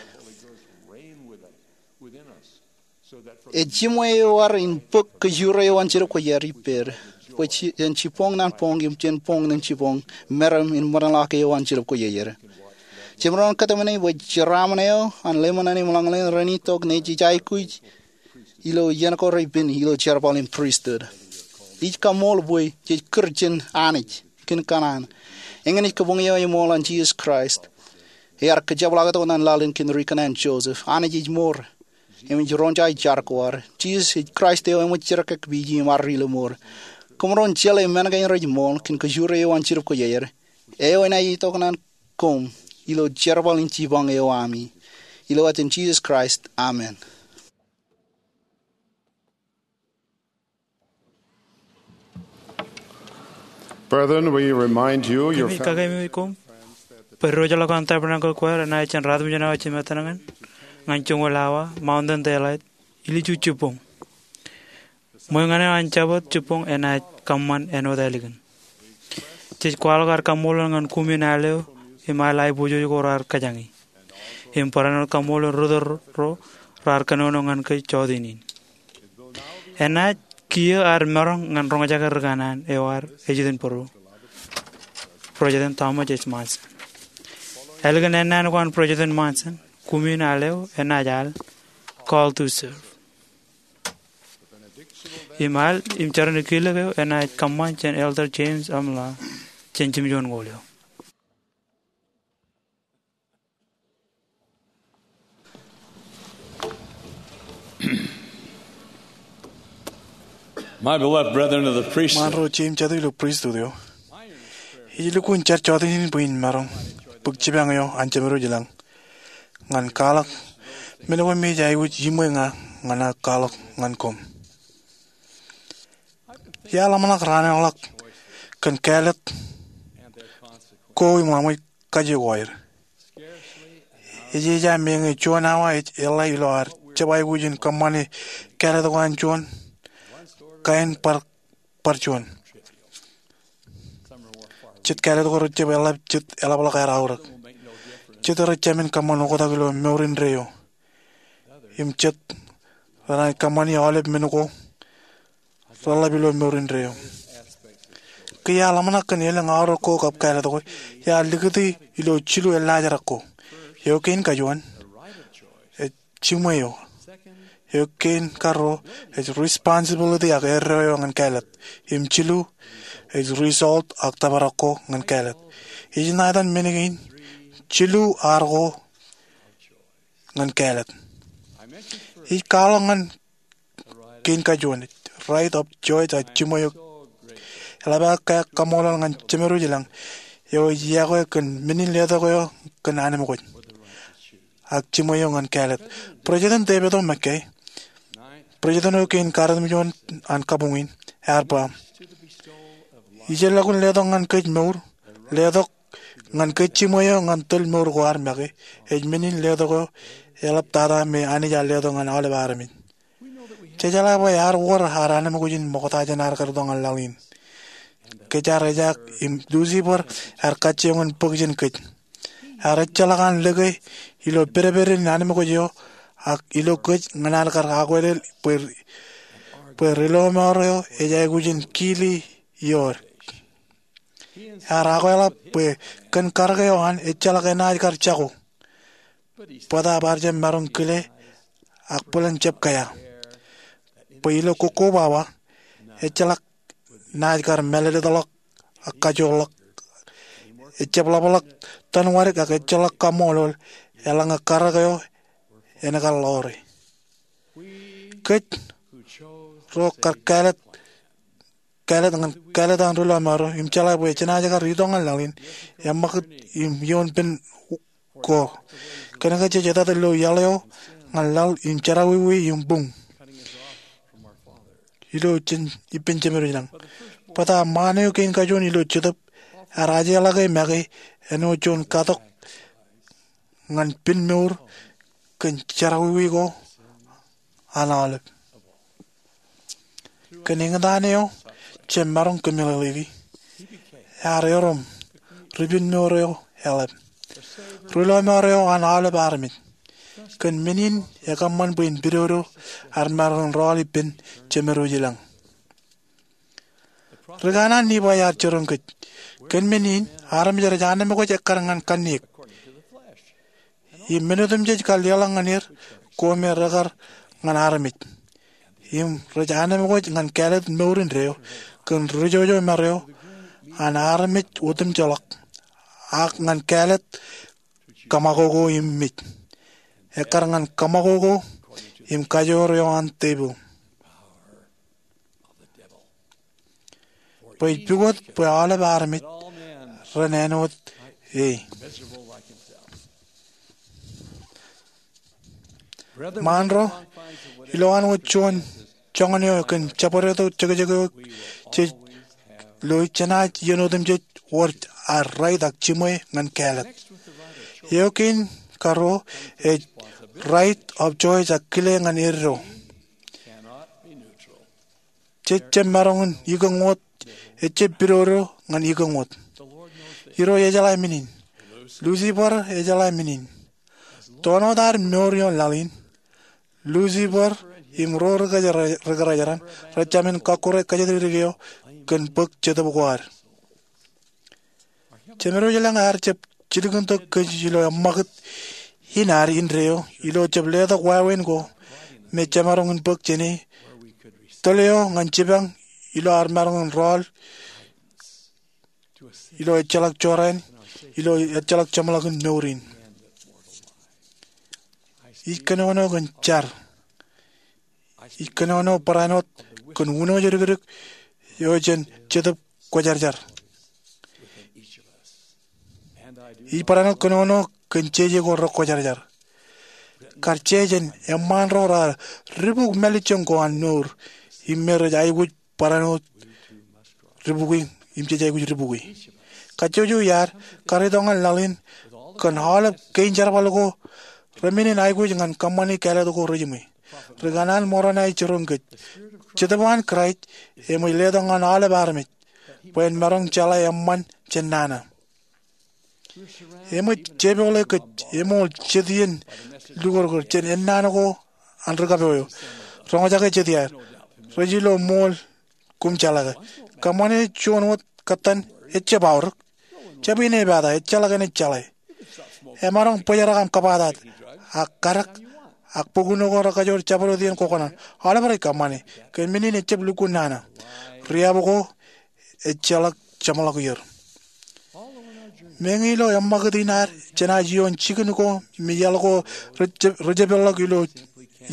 Ej jiṃwe eo ad in bōk kajoor eo an Jetōb Kwōjarjar ippād, bwe jān jiboñ ñan boñ im jān boñ ñan jiboñ, meram in ṃōṇōṇō eo an Jetōb Kwōjarjar. Jemaroñ kōtmāne bwe jeraaṃṃan eo an lemñan im lañlōñ renaaj itok ñe jej aikuj ilo iien ko repen ilo jerbal in pristut. Ij kaṃool bwe jej kūr jān Anij kōn kōṇaan. Eñin ej kabuñ eo eṃool an Jisōs Kraist. Ear kōjepḷaaktok ñan laḷ in kōn ri kōṇaan Joseph. Anij ej mour. Im ej roñjake jar ko ad. Jisōs ej Kraist eo eṃōj jerkakpeje im arro ilo mour. Koṃ maroñ jeḷā men kein rej ṃool kōn kajoor eo an Jetōb Kwōjarjar. Eo enaaj itok ñan koṃ ilo jerbal in jipañ eo ami. Ilo etan Jisōs Kraist, amen. Brethren, we remind you, your Kōmij families, kakememej koṃ bwe diwōjḷọk an tabernacle choir enaaj jān ratimjuon awa jimettan ñan, ñan joñoul awa, Mountain Daylight, ilju jibboñ. Ṃweo ñan eo an Jabōt jibboñ enaaj kōṃṃan āinwōt ālikin. Jej kwaḷọk ad kaṃṃoolol ñan kumin al eo im al aiboojoj ko raar kōjañi. Im barāinwōt kaṃṃoolol ri-tōl ro raar kōnono ñan kōj jọteen in. Enaaj kiiō ad maroñ ñan roñjake ri kōṇaan eo ad ejitōnbōro, President Thomas H. Monson. Ālikin ennaan ko an President Monson, kumin al eo enaaj al Call to Serve. Im al im jeran kilōk eo enaaj kōṃṃan jān Elder James M. Law jān jimjuon ñoul eo. My beloved brethren of the priesthood. Ṃaan ro jeiū im jatū ilo pristut eo. Ij lukkuun jar jọteen in bwe in maroñ bōk jipañ eo an Jemedwōj ilañ ñan kwaḷọk men ko me ej aikuj iṃwe ña ñan aō kwaḷọk ñan koṃ. Iar ḷōmṇak raan eo ḷọk kōn kāālōt ko im ḷaṃōj kaje ko aer. Ej ej meñe juon awa ej eḷḷā ilo ad jab aikuj in kōṃṃane kāālōt ko an juon kain bar, bar juon. Jet kāālōt ko rej jab eḷḷā, jet eḷapḷọk aer aorōk. Jet rej jāmin kōṃṃan oktak ilo mour indeeo. Im jet renaaj kōṃṃani aolep men ko reḷap ilo mour indeeo. Ke iar ḷōmṇak kōn elōñ aorōk ko kab kāālōt ko, iar likūti ilo jilu eḷḷājerrak ko. Eo kein kajuon, ej jiṃwe eo. Eo kein karuo, ej responsibility ak erreo eo ñan kāālōt. Im jilu, ej result ak tōprak ko ñan kāālōt. Ij ṇa etan men kein, jilu ar ko ñan kāālōt. Ij kwaḷọk ñan kein kajuon, Right of Choice, ak jiṃwe eo. Eḷap aō kaṃṃoolol ñan Jemedwōj ilañ. eo ej yokwe kōn men in letok eo kōn anemkwōj ak jiṃwe eo ñan kāālōt. President David O. McKay, president eo kein karutimjuon an kabuñ in, ear ba, ijellọkun letok ñan kōj mour, letok ñan kōj jiṃwe eo ñan tōl mour ko ad make, ej men in letok eo eḷaptata me Anij ear letok ñan aolep armej. Jej jeḷā bwe ear wōr ad anemkwōj in ṃokta jān ad kar itok ñan laḷ in. Kōj ar ejaak im Lucifer ear kajjioñ in bōk jān kōj. Ear ejjeḷọk an lōke ilo pedped in anemkwōj eo ak ilo kōj ñan ad kar akwālel bwe, bwe ri-lọmọọr eo ej aikuj in kili iood. Ear akwālōt bwe kōn karōk eo an ejjeḷọk enaaj kar jako. Bōtaab ear jab maroñ kile ak bōlen jab kea bwe ilo kokkobaba ejjeḷọk naaj kar mālōtlōtḷọk ak kajoorḷọk. Ejjab ḷapḷọk tanwadik ak ejjeḷọk kaṃṃoolol eḷaññe karōk eo en kar ḷoori. Kōj ro kar kāālōt, kāālōt ñan kāālōt an ri-lọmọọr eo im jeḷā bwe jenaaj kar itok ñan laḷ in, eṃṃakūt im ioon pen ko. Kōnke jej etata ilo iaḷ eo ñan laḷ im jerọwiwi im buñ ilo jān ippān Jemedwōj ilañ. Bōtaab ṃaan eo kein kajuon ilo Jetōb ear ajeḷọke make āinwōt juon katok ñan pen mour kōn jerọwiwi ko an aolep. Kōn eñtaan eo jemaroñ kōmeḷeḷeiki, ear erom ri-penmour eo eḷap, ri-lọmọọr eo an aolep armej. Kōn men in ekōṃṃan bwe en pidodo ad maroñ in rọọl ippān Jemedwōj ilañ. Ri kanaan Nifai ear jiroñ kōj. Kōn men in armej rej anemkwōj ekkar ñan kanniōk, im men otemjej kar leḷọk ñan er ko me rekar ñan armej. Im rej anemkwōj ñan kāālōt mour indeeo kōn ri-jojo ṃare eo an armej otemjeḷọk, ak ñan kāālōt kōṃakoko im mej, ekkar ñan kōṃakoko im kajoor eo an tepil. Bwe ej pukot bwe aolep armej ren āinwōt e. Ṃaan ro, ilowaan wōt juon joñan eo kōn jabdewōt jekjek eo jej lo, jenaaj iien otemjej wōr ad right ak jiṃwe ñan kāālōt. Eo kein karuo ej right of choice ak kile ñan eddo. Jej jab maroñ in ikōñ wōt, ejjab pidodo ñan ikōñ wōt. Irooj ejeḷā men in. Lucifer ejeḷā men in. Toon wōt ad mour ioon laḷ in, Lucifer im ro ri kōjeraaṃṃan rej jāmin kọkkure kōjatdikdik eo kōn bōk Jetōb ko ad. Jemedwōj ilañ ear jab jilkintok kōj ilo eṃṃakūt in ad indeeo ilo jab letok wāween ko me jemaroñ in bōk jāne, tōl eo ñan jipañ ilo ad maroñ in rọọl ilo ejjeḷọk jorrāān, ilo ejjeḷọk jeṃḷọkin mour in. Ij kōnono kōn jar. Ij kōnono barāinwōt kōn wūnooj dikdik eo jān Jetōb Kwōjarjar. Ij barāinwōt kōnono kōn jeje ko rekwōjarjar. Kar jeje jān eṃṃaan ro raar dibuk mālejjoñ ko an mour im me rej aikuj barāinwōt dibukwi im jej aikuj dibukwi. Kajjojo iaad kar itok ñan laḷ in kōn aolep kein jerbal ko remenin aikuj ñan kōṃṃani kāālōt ko rejiṃwe. Ri kanaan Moronai jiroñ kōj. Jetōb an Kraist eṃōj letok ñan aolep armej bwe en maroñ jeḷā eṃṃan jān nana. Eṃōj jepoḷe kōj eṃool jet iien lukōrkōr jān ennaan ko an ri kapo eo. Roñjake jet iaad. Rej ilo ṃool koṃ jeḷā ke. Kōṃṃane juon wōt kōttan, ejjab aorōk. Jab inepata, ejjeḷọk enaaj jeḷā. Emaroñ bōjrak aṃ kōbatat, ak kadek, ak bukun ko rekajoor jabdewōt iien kwōkōṇaan. Aolep rej kōṃṃane. Kōn men in ejjab lukkuun nana. Riab ko ejjeḷọk jeṃḷọk er. Meñe ilo eṃṃakūt in ad jenaaj ioon jikin ko me iaḷ ko rej-, rejepeḷḷọk ilo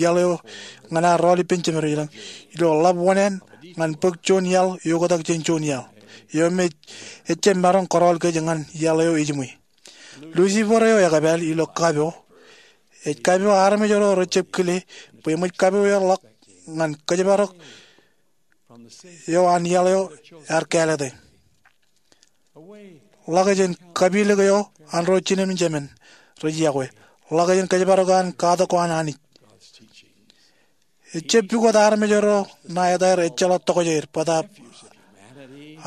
iaḷ eo ñan ad rọọl ippān Jemedwōj ilañ, ilo ḷap wōṇāān ñan bōk juon iaḷ eoktak jān juon iaḷ. eo me ejjab maroñ kōrọọl kōj ñan iaḷ eo ejiṃwe. Lucifer eo ekōpāl ilo kapo ej kapio armej ro rejjab kile bwe eṃōj kapo eḷak ñan kōjparok eo an iaḷ eo ear kāālōte. Ḷak jān kapilōk eo an ro jinen im jemān rej yokwe. Ḷak jān kōjparok an katak ko an Anij. Ejjab pukot armej ro ṇa etaer ejjeḷọk tokjāer bōtaab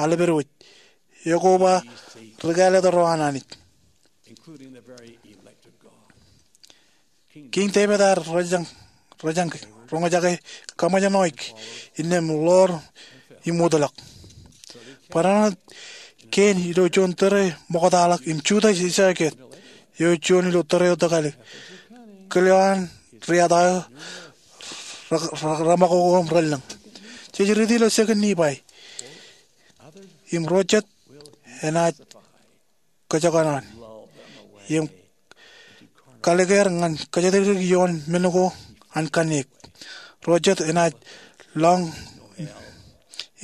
aḷap er wōj. Eo ko ba ri kāālōt ro an Anij. Kiiñ Devid ear rōjañ, rōjañ roñjake kaṃōjṇọ innām ḷoor im wōtlọk. Barāinwōt kein ilo juon tōre ṃoktaḷọk im Judas Iskariot eo juon ilo tōre eo tokālik, kile eo an riata eo, re, re, reṃakoko im relōñ. Jej riiti ilo Second Nephi im ro jet enaaj kōjkan an im kalikkar ñan kōjatdikdik ioon men ko an kanniōk. Ro jet enaaj lọñ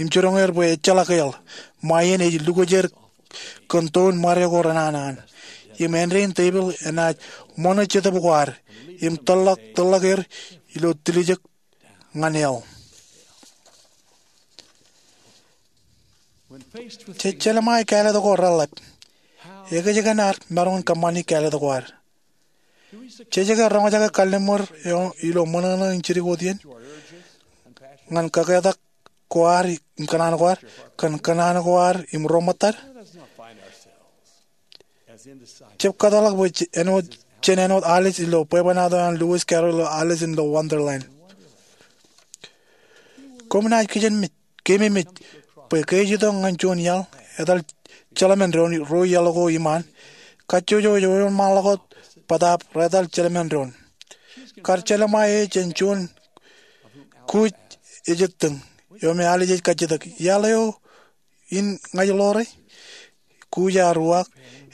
im jiroñ er bwe ejjeḷọk eḷ. Ṃae iien ej lukwōj er kōn toon ṃare ko renana an. Im āindein tepiḷ enaaj ṃōṇō jetōb ko ad im tōllọk, tōllọk er ilo tiljek ñan eḷ. Jej jelṃae kāālōt ko reḷap, ekōjkan ad maroñ in kōṃṃani kāālōt ko ad? Jej ke roñjake kalliṃur eo ilo ṃōṇōṇō in jidik wōt iien ñan kaketak ko ad im kōṇaan ko ad, kōn kōṇaan ko ad im ro ṃōttad? Jab kōtḷọk bwe āinwōt, jān āinwōt Alice ilo bwebwenato an Lewis Carroll ilo Alice in the Wonderland. Koṃ naaj kijenmej, keememej bwe ke ej itok ñan juon iaḷ etal jeleṃaandoon ro iaḷ ko iṃaan. Kajjojo ej wōnṃaanḷọk wōt bōtaab rej etal jeleṃaandoon. Kar jelṃae e jān juon kuuj ej ettōñ eo me Alice ej kajjitōk. Iaḷ eo in ña ij ḷoore, kuuj ear uwaak,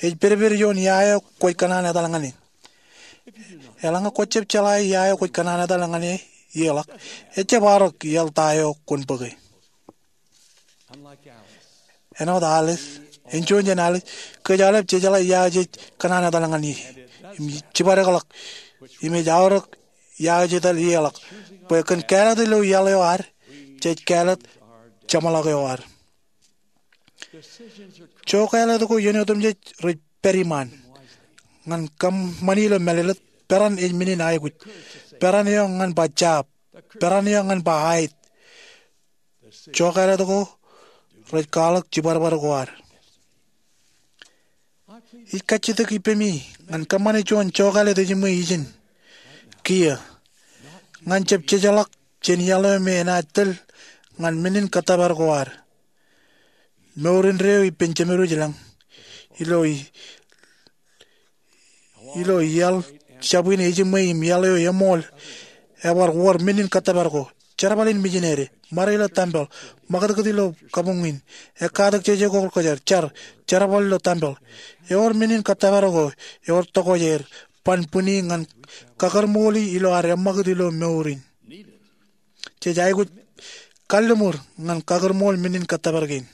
ej pedped ioon ia eo kwōj kōṇaan etal ñan e. Eḷaññe kwōjab jeḷā ia eo kwōj kōṇaan etal ñan e iiō ḷọk, ejjab arok iaḷ ta eo kwōn bōke. Āinwōt Alice, en juon jān Alice, kōj aolep jejeḷā ia eo jej kōṇaan etal ñan e im jibadekḷọk im ej aorōk ia eo jej etal iiō ḷọk. Bwe kōn kāālōt ilo iaḷ eo ad, jej kāālōt jeṃḷọk eo ad. Jokālōt ko iien otemjej rej pād iṃaan. Ñan kōṃṃani ilo mālōtlōt, peran ej men in aikuj. Peran eo ñan ba jab. Peran eo ñan ba aet. Jokālōt ko rej kwaḷọk jibadbad ko ad. Ij kajjitōk ippemi ñan kōṃṃane juon jokālōt ejiṃwe ijin kiiō ñan jab jejeḷọk jān iaḷ eo me enaaj tōl ñan men in kōttōpar ko ad. Mour indeeo ippān jemed wōj lañ. Ilo i, ilo iaḷ jab in ejiṃwe im iaḷ eo eṃool, ebar wōr men in kōttōpar ko. Jerbal in mijinede, ṃare ilo tempel, ṃakūtkūt ilo kabuñ in, ekkatak jeje ko kwōjarjar, jar, jerbal ilo tempel. Ewōr men in kōttōpar ko, ewōr tokjāer, ban bwini ñan kakūrṃooli ilo ad eṃṃakūt ilo mour in. Jej aikuj kalliṃur ñan kakūrṃool men in kōttōpar kein.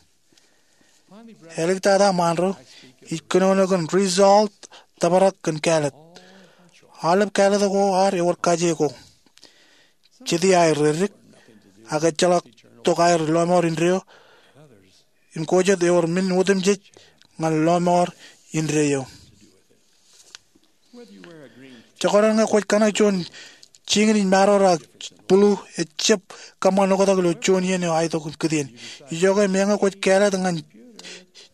Āliktata ṃaanro, ij kōnono kōn result tōprak kōn kāālōt. Aolep kāālōt ko ad ewōr kaje ko. Jete aer reddik, ak ejjeḷọk tok aer lọmọọr indeeo, im ko jet ewōr men otemjej ñan lọmọọr indeeo. Jekdọọn ñe kwōj kōṇak juon jikin in maroor ak bulu, ejjab kōṃṃan oktak ilo juon iien eo aetok in kūtien. Ijoke meñe kwōj kāālōt ñan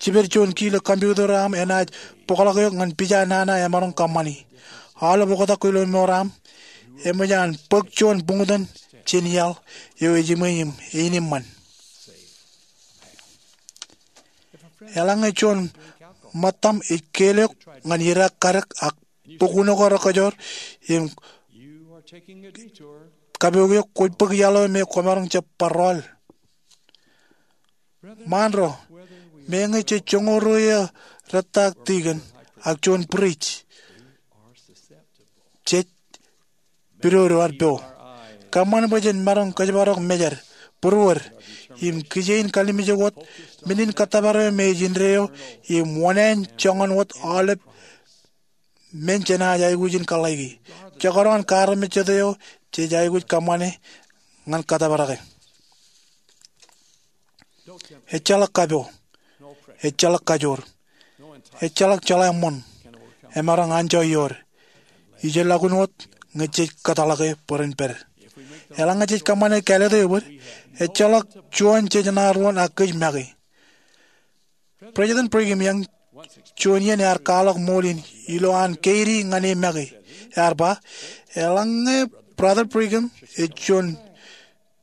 jiped juon key ilo computer eo aṃ, enaaj bōkḷọk eok ñan pija nana emaroñ kōṃṃani. Aolep oktak ko ilo mour aṃ, eṃōj an bōk juon buñtōn jān iaḷ eo ejiṃwe im einiṃṃan. Eḷaññe juon ṃōttaṃ ej keelok ñan idaak kadek ak bōk uno ko rekajor im kapook eok, kwōj bōk iaḷ eo me kwōmaroñ jab bar rọọl. Ṃaanro, meñe jej joñoul ruo iiō rettaak tikōn ak juon priest, jej pidodo ad po. Kōṃṃan bwe jen maroñ kōjparok mejed, būruod, im kije in kalimjek wōt, men in kōttōpar eo me ej indeeo im wōṇāān joñan wōt aolep men jenaaj aikuj in kōḷḷāiki. Jekdọọn kaarmejjet eo jej aikuj kōṃṃane ñan kōttōparake. Ejjeḷọk kapo. Ejjeḷọk kajoor. Ejjeḷọk jeḷā ṃoṇ emaroñ anjọ iood. Ijellọkun wōt ñe jej kōtḷọke bwe ren pād. Eḷaññe jej kōṃṃane kāālōt eo ebōd, ejjeḷọk juon jej ṇa ruon ak kōj make. President Brigham Young juon iien ear kwaḷọk ṃool in ilo an keidi ñan e make. Ear ba, eḷaññe Brother Brigham ej juon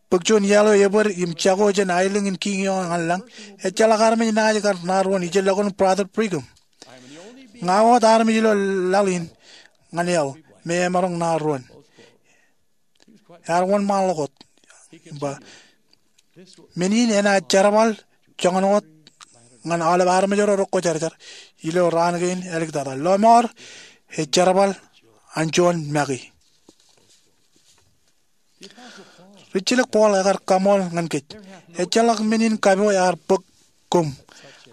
bōk juon iaḷ eo ebōd im jako jān aelōñ in kiiñ eo ñan lañ, ejjeḷọk armej naaj kar ṇa ruon ijellọkun Brother Brigham. Ña wōt armej ilo laḷ in ñan iaḷ me emaroñ ṇa ruon. Ear wōnṃaanḷọk wōt. Im ba, men in enaaj jerbal joñan wōt ñan aolep armej ro rekwōjarjar ilo raan kein āliktata. Lọmọọr, ej jerbal an juon make. Rijjilōk Paul ekar kaṃool ñan kōj, ejjeḷọk men in kapo ear bōk koṃ,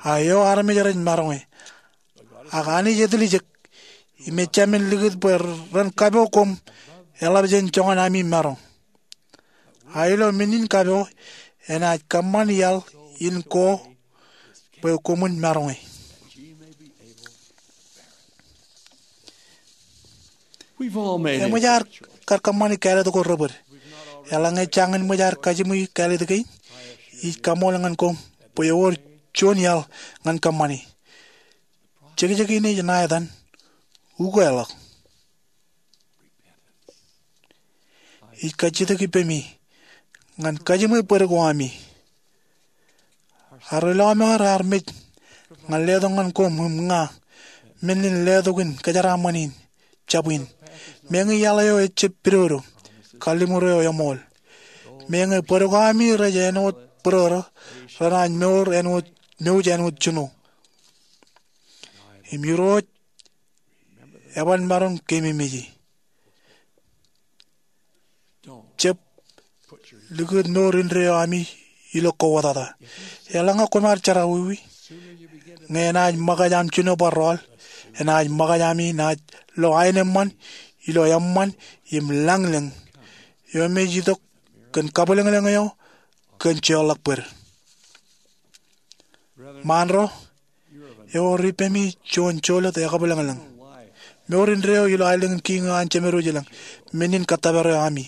a eo armej rej maroñe. Ak Anij etiljek, im ejāmin likūt bwe ren kapo koṃ eḷap jān joñan ami maroñ. A ilo men in kapo enaaj kōṃṃan iaḷ in ko bwe koṃwin maroñe. Eṃōj ad kar kōṃṃani kāālōt ko rebōd. Eḷaññe jañin ṃōj ad kajiṃwe kāālōt kein, ij kaṃool ñan koṃ bwe ewōr juon iaḷ ñan kōṃṃani. Jekjek in ej ṇa etan, ukeḷọk. Ij kajjitōk ippemi ñan kajiṃwe bōd ko ami. Ad ri lọmọọr ear mej ñan letok ñan koṃ im ña men in letok in kōjeraaṃṃan in, jab in. Meñe iaḷ eo ejjab pidodo, kalliṃur eo eṃool. Meñe bōd ko ami rej āinwōt bōrōrō, renaaj mour āinwōt, mouj āinwōt jino. Im Irooj eban maroñ keememej e. Jab likūt mour indeeo ami ilo kowōtata. Eḷaññe koṃ ar jerọwiwi, ñe enaaj ṃōkaj aṃ jino bar rọọl, enaaj ṃōkaj ami naaj lo aenōṃṃan ilo eṃṃan im lañlōñ eo me ej itok kōn kabwilōñlōñ eo kōn jeorḷọk bōd. Ṃaanro, ewōr ippemi juon jolōt ekabwilōñlōñ. Mour indeeo ilo aelōñ in kiiñ eo an Jemedwōj i lañ, men in kōttōpar eo ami.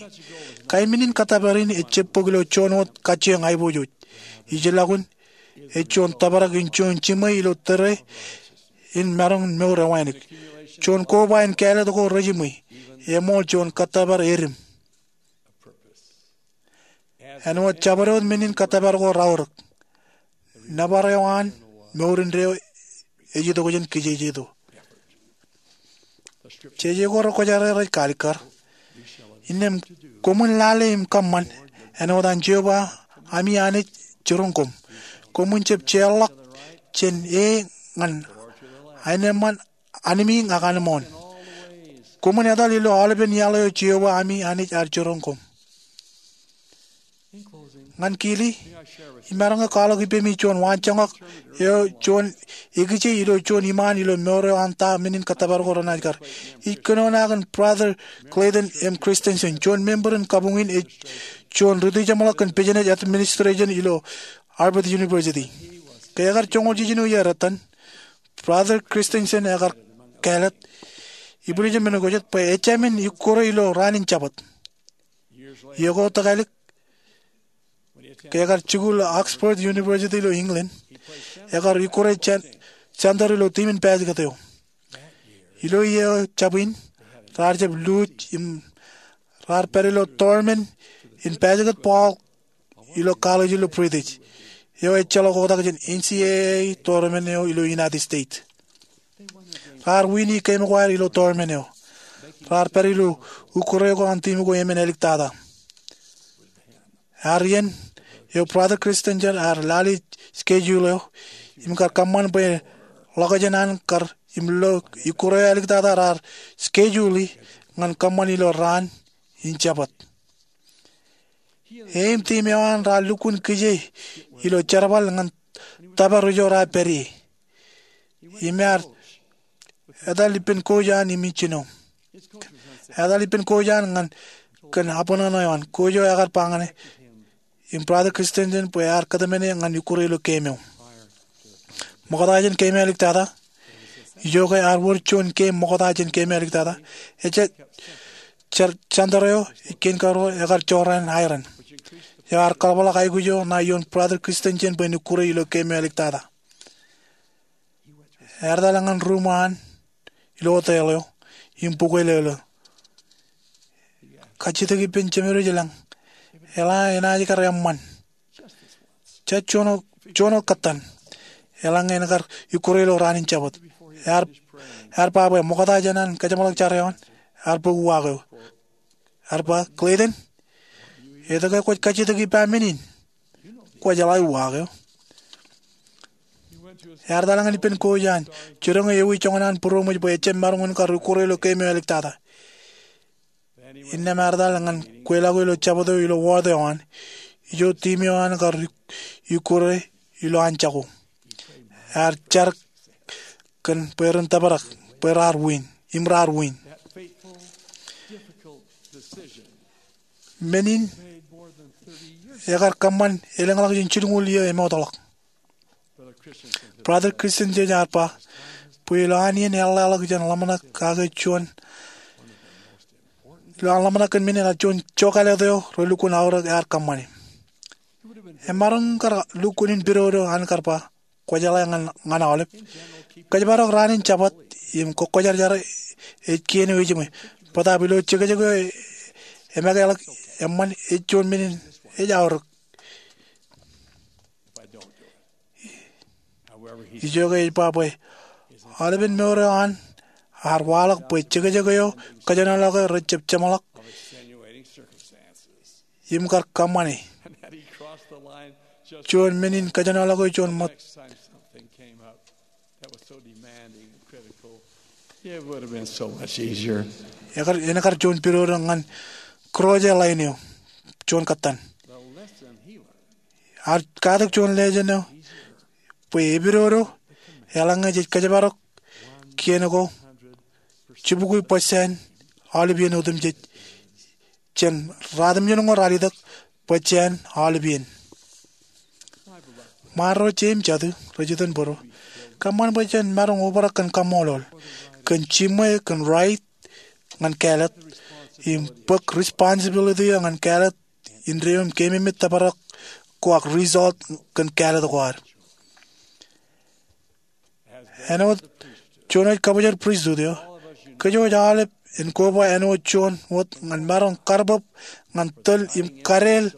Kain men in kōttōpar in ejjab bōk ilo juon wōt kajjioñ aiboojoj. Ijellọkun, ej juon tōprak in juon jiṃwe ilo tōre in maroñ in mour ewānōk. Juon koba in kāālōt ko rejiṃwe, eṃool juon kōttōpar edim. Āinwōt jabdewōt men in kōttōpar ko raorōk, nōbar eo an mour indeeo ej itok jān kijejeto. Jeje ko rekwōjarjar ej kaalikkar, innām koṃwin lale im kōṃṃan āinwōt an Jeova ami Anij jiroñ koṃ. Koṃwin jab jeorḷọk jān e ñan aenōṃṃan anmiiñ ak anmooṇ. Koṃwin etal ilo aolepen iaḷ eo Jeova ami Anij ear jiroñ koṃ. Ñan kili, imaroñ ke kwaḷọk ippemi juon waanjoñak eo juon ekije ilo juon iṃaan ilo mour eo an ta men in kōttōpar ko renaaj kar. Ij kōnono kōn Brother Clayton M. Christensen, juon member in kabuñ in ej juon rūtijeṃḷọk kōn business administration ilo Harvard University. Ke ekar joñoul jiljino iiō rot etan, Brother Christensen ekar kāālōt, ibwiljin men ko jet, bwe ejāmin ikkure ilo raan in Jabōt. Iiō ko tōkālik, ke ekar jikuuḷ Oxford University ilo England, ekar ikkure jān, center ilo tiim in basketball eo. Ilo iiō jab in, raar jab luuj im raar pād ilo tournament in basketball ilo college ilo British, eo ejjeḷọk oktak jān N C A A tournament eo ilo United States. Raar win e game ko ad ilo tournament eo. Raar pād ilo ikkure ko an tiim ko emān āliktata. Ear iien eo Brother Christensen ear lale schedule eo im kar kōṃṃan bwe ḷọkjeṇ an kar im lo ikkure eo āliktata raar schedule e ñan kōṃṃan ilo raan in Jabōt. E im tiim eo an raar lukkuun kije ilo jerbal ñan tōpar ijo raar pād ie. Im ear etal ippān kouj an im ijjino. Etal ippān kouj an ñan kōn abṇōṇō eo an. Kouj eo ekar ba ñane, im Brother Christensen bwe ear kōtmāne ñan ikkure ilo game eo. Ṃokta jān game eo āliktata, ijoke ear wōr juon game ṃokta jān game eo āliktata, ejja, jar, jantōr eo ej kein karuo ekar jorrāān aeran. Eo ear kaḷapḷọk aikuj eo ṇae ioon Brother Christensen bwe en ikkure ilo game eo āliktata. Ear etal ñan ruuṃ an ilo hotel eo im bukwelōlō. Kajjitōk ippān Jemedwōj ilañ, eḷaññe enaaj kar eṃṃan, jab juon wōt, juon wōt kōttan, eḷaññe en kar ikkure ilo raan in Jabōt. Ear, ear ba bwe ṃokta jān an kajeṃḷọk jar eo an, ear bōk uwaak eo. Ear ba, Clayton, etke kwōj kajjitōk ippa men in? Kwōj jeḷā uwaak eo. Ear etal ñan ippān kouj an, jiroñ e ewi joñan an būroṃōj bwe ejjab maroñ in kar ikkure ilo game eo āliktata. Innām ear etal ñan kweilọk ilo Jabōt eo ilo ward eo an, ijo tiim eo an kar ikkure ilo an jako. Ear jar kōn bwe ren tōprak, bwe raar win, im raar win. Men in ekar kōṃṃan elōñḷọk jān jilñuul iiō emootḷọk. Brother Christensen ear ba bwe ilo an iien eḷḷāḷọk jān ḷōmṇak kake juon, ilo an ḷōmṇak kōn men in, ear juon jokālet eo relukkuun aorōk ear kōṃṃane. Emaroñ kar lukkuun in pidodo an kar ba, kwōjeḷā ñan, ñan aolep. Kōjparok raan in Jabōt im kōkkwōjarjar ej kien eo ejiṃwe. Bōtaab ilo jekjek eo e, emākeḷọk eṃṃan ej juon men in ej aorōk. Ijoke ej ba bwe aolepen mour eo an ear waḷọk bwe jekjek eo kōjenolọke rejjab jeṃḷọk im kar kōṃṃane. Juon men in kōjenolọke juon ṃōt. Ekar, en kar juon pidodo ñan kūroje ḷain eo juon kōttan. Ear katak juon lessōn eo bwe epidodo eḷaññe jej kōjparok kien ko jibukwi percent aolep iien otemjej jān ratimjuonñoul ralitōk bwe jān aolep iien. Ṃaanro, je im jatū rej iten bōro, kōṃṃan bwe jen maroñ obrak kōn kaṃṃoolol, kōn jiṃwe, kōn right ñan kāālōt, im bōk responsibility eo ñan kāālōt indeeo im keememej tōprak ko ak result kōn kāālōt ko ad. Āinwōt juon eo ej kabōjrak pristut eo, kōj wōj aolep en koba āinwōt juon wōt ñan maroñ karbōb ñan tōl im kadeel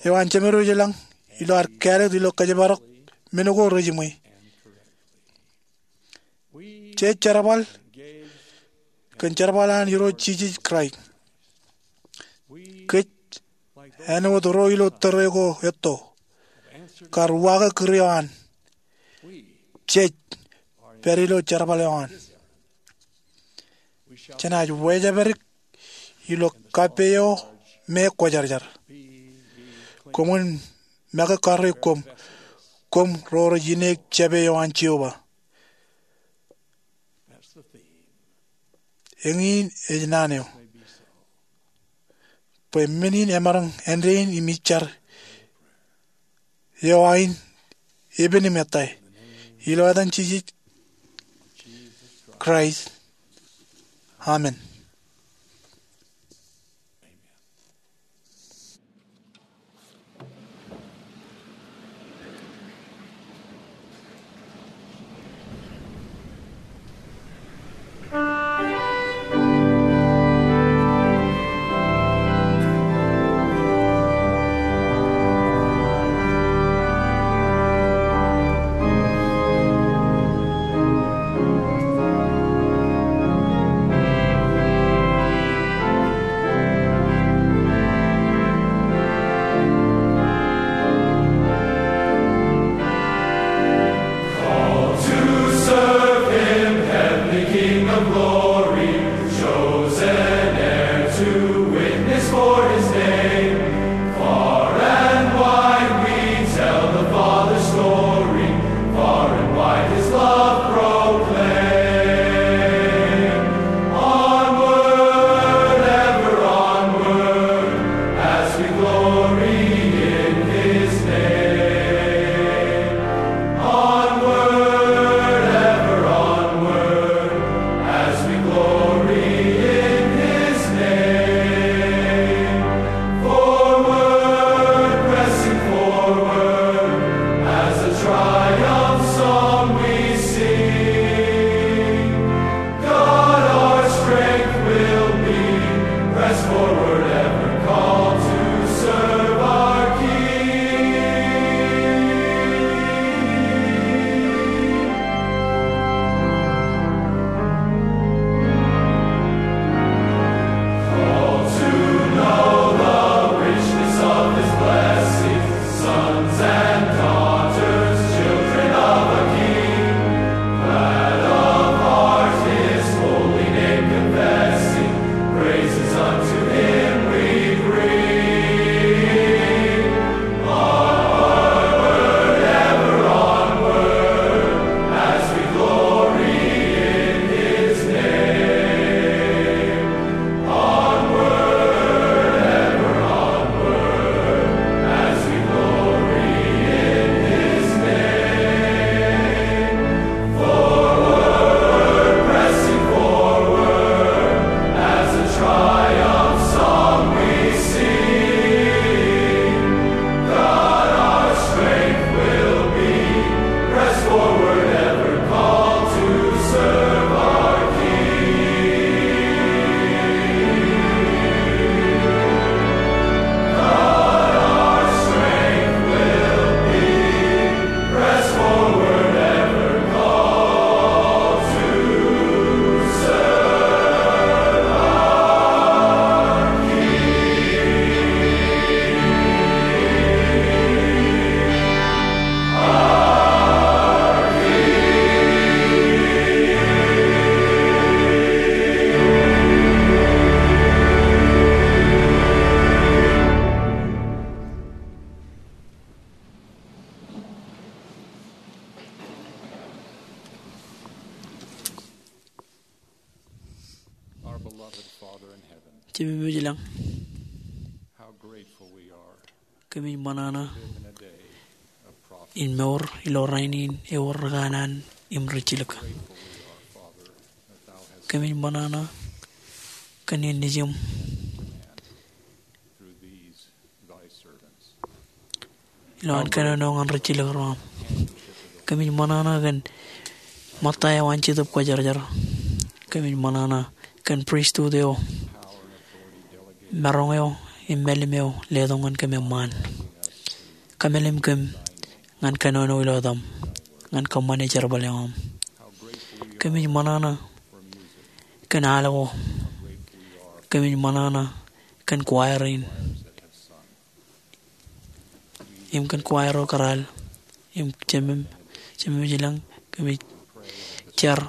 eo an Jemedwōj ilañ ilo ad kāālōt ilo kōjparok men ko rejiṃwe. Jej jerbal kōn jerbal an Irooj Jisōs Kraist. Kōj, āinwōt ro ilo tōre ko etto, kar uwaake kūr eo an. Jej pād ilo jerbal eo an. Jenaaj wāwōj pād ilo kappei eo me kwōjarjar. Koṃwin make karreo koṃ, koṃ ro rej ineek jāpe eo an Jeova. Eñin ej naan eo. Bwe men in emaroñ āindein im ij jar eo ain epen im ettā. Ilo etan Jisōs Kraist. Amen. Jemem eo ej ilañ, kōmij ṃōṇōṇō in mour ilo rainin ewōr ri kanaan im rijjilōk. Kōmij ṃōṇōṇō kōn innām ilo an kōnono ñan rijjilōk ro aṃ. Kōmij ṃōṇōṇō kōn ṃōtta eo an Jetōb Kwōjarjar. Kōmij ṃōṇōṇō kōn pristut eo, maroñ eo im mālim eo letok ñan kōm eṃṃaan. Kōmālim kōm ñan kōnono ilo etaṃ ñan kōṃṃane jerbal eo aṃ. Kōmij ṃōṇōṇō kōn al ko. Kōmij ṃōṇōṇō kōn choir in im kōn choir ro kōrā. Im Jemem, Jemem eo ej ilañ, kōmij jar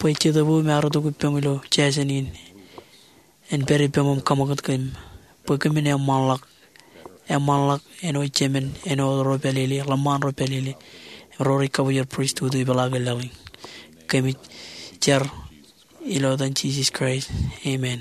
bwe Jetōb eo emaroñ itok ippaṃ ilo jāsān in en pād ippaṃ im kaṃakūt kōm bwe kōmin eṃṃanḷọk, eṃṃanḷọk āinwōt jemān, āinwōt ro pālele, ḷōṃṃan ro pālele, ro rej kabwilōñ pristut eo ipeḷaakin laḷ in. Kōmij jar ilo etan Jisōs Kraist. Amen.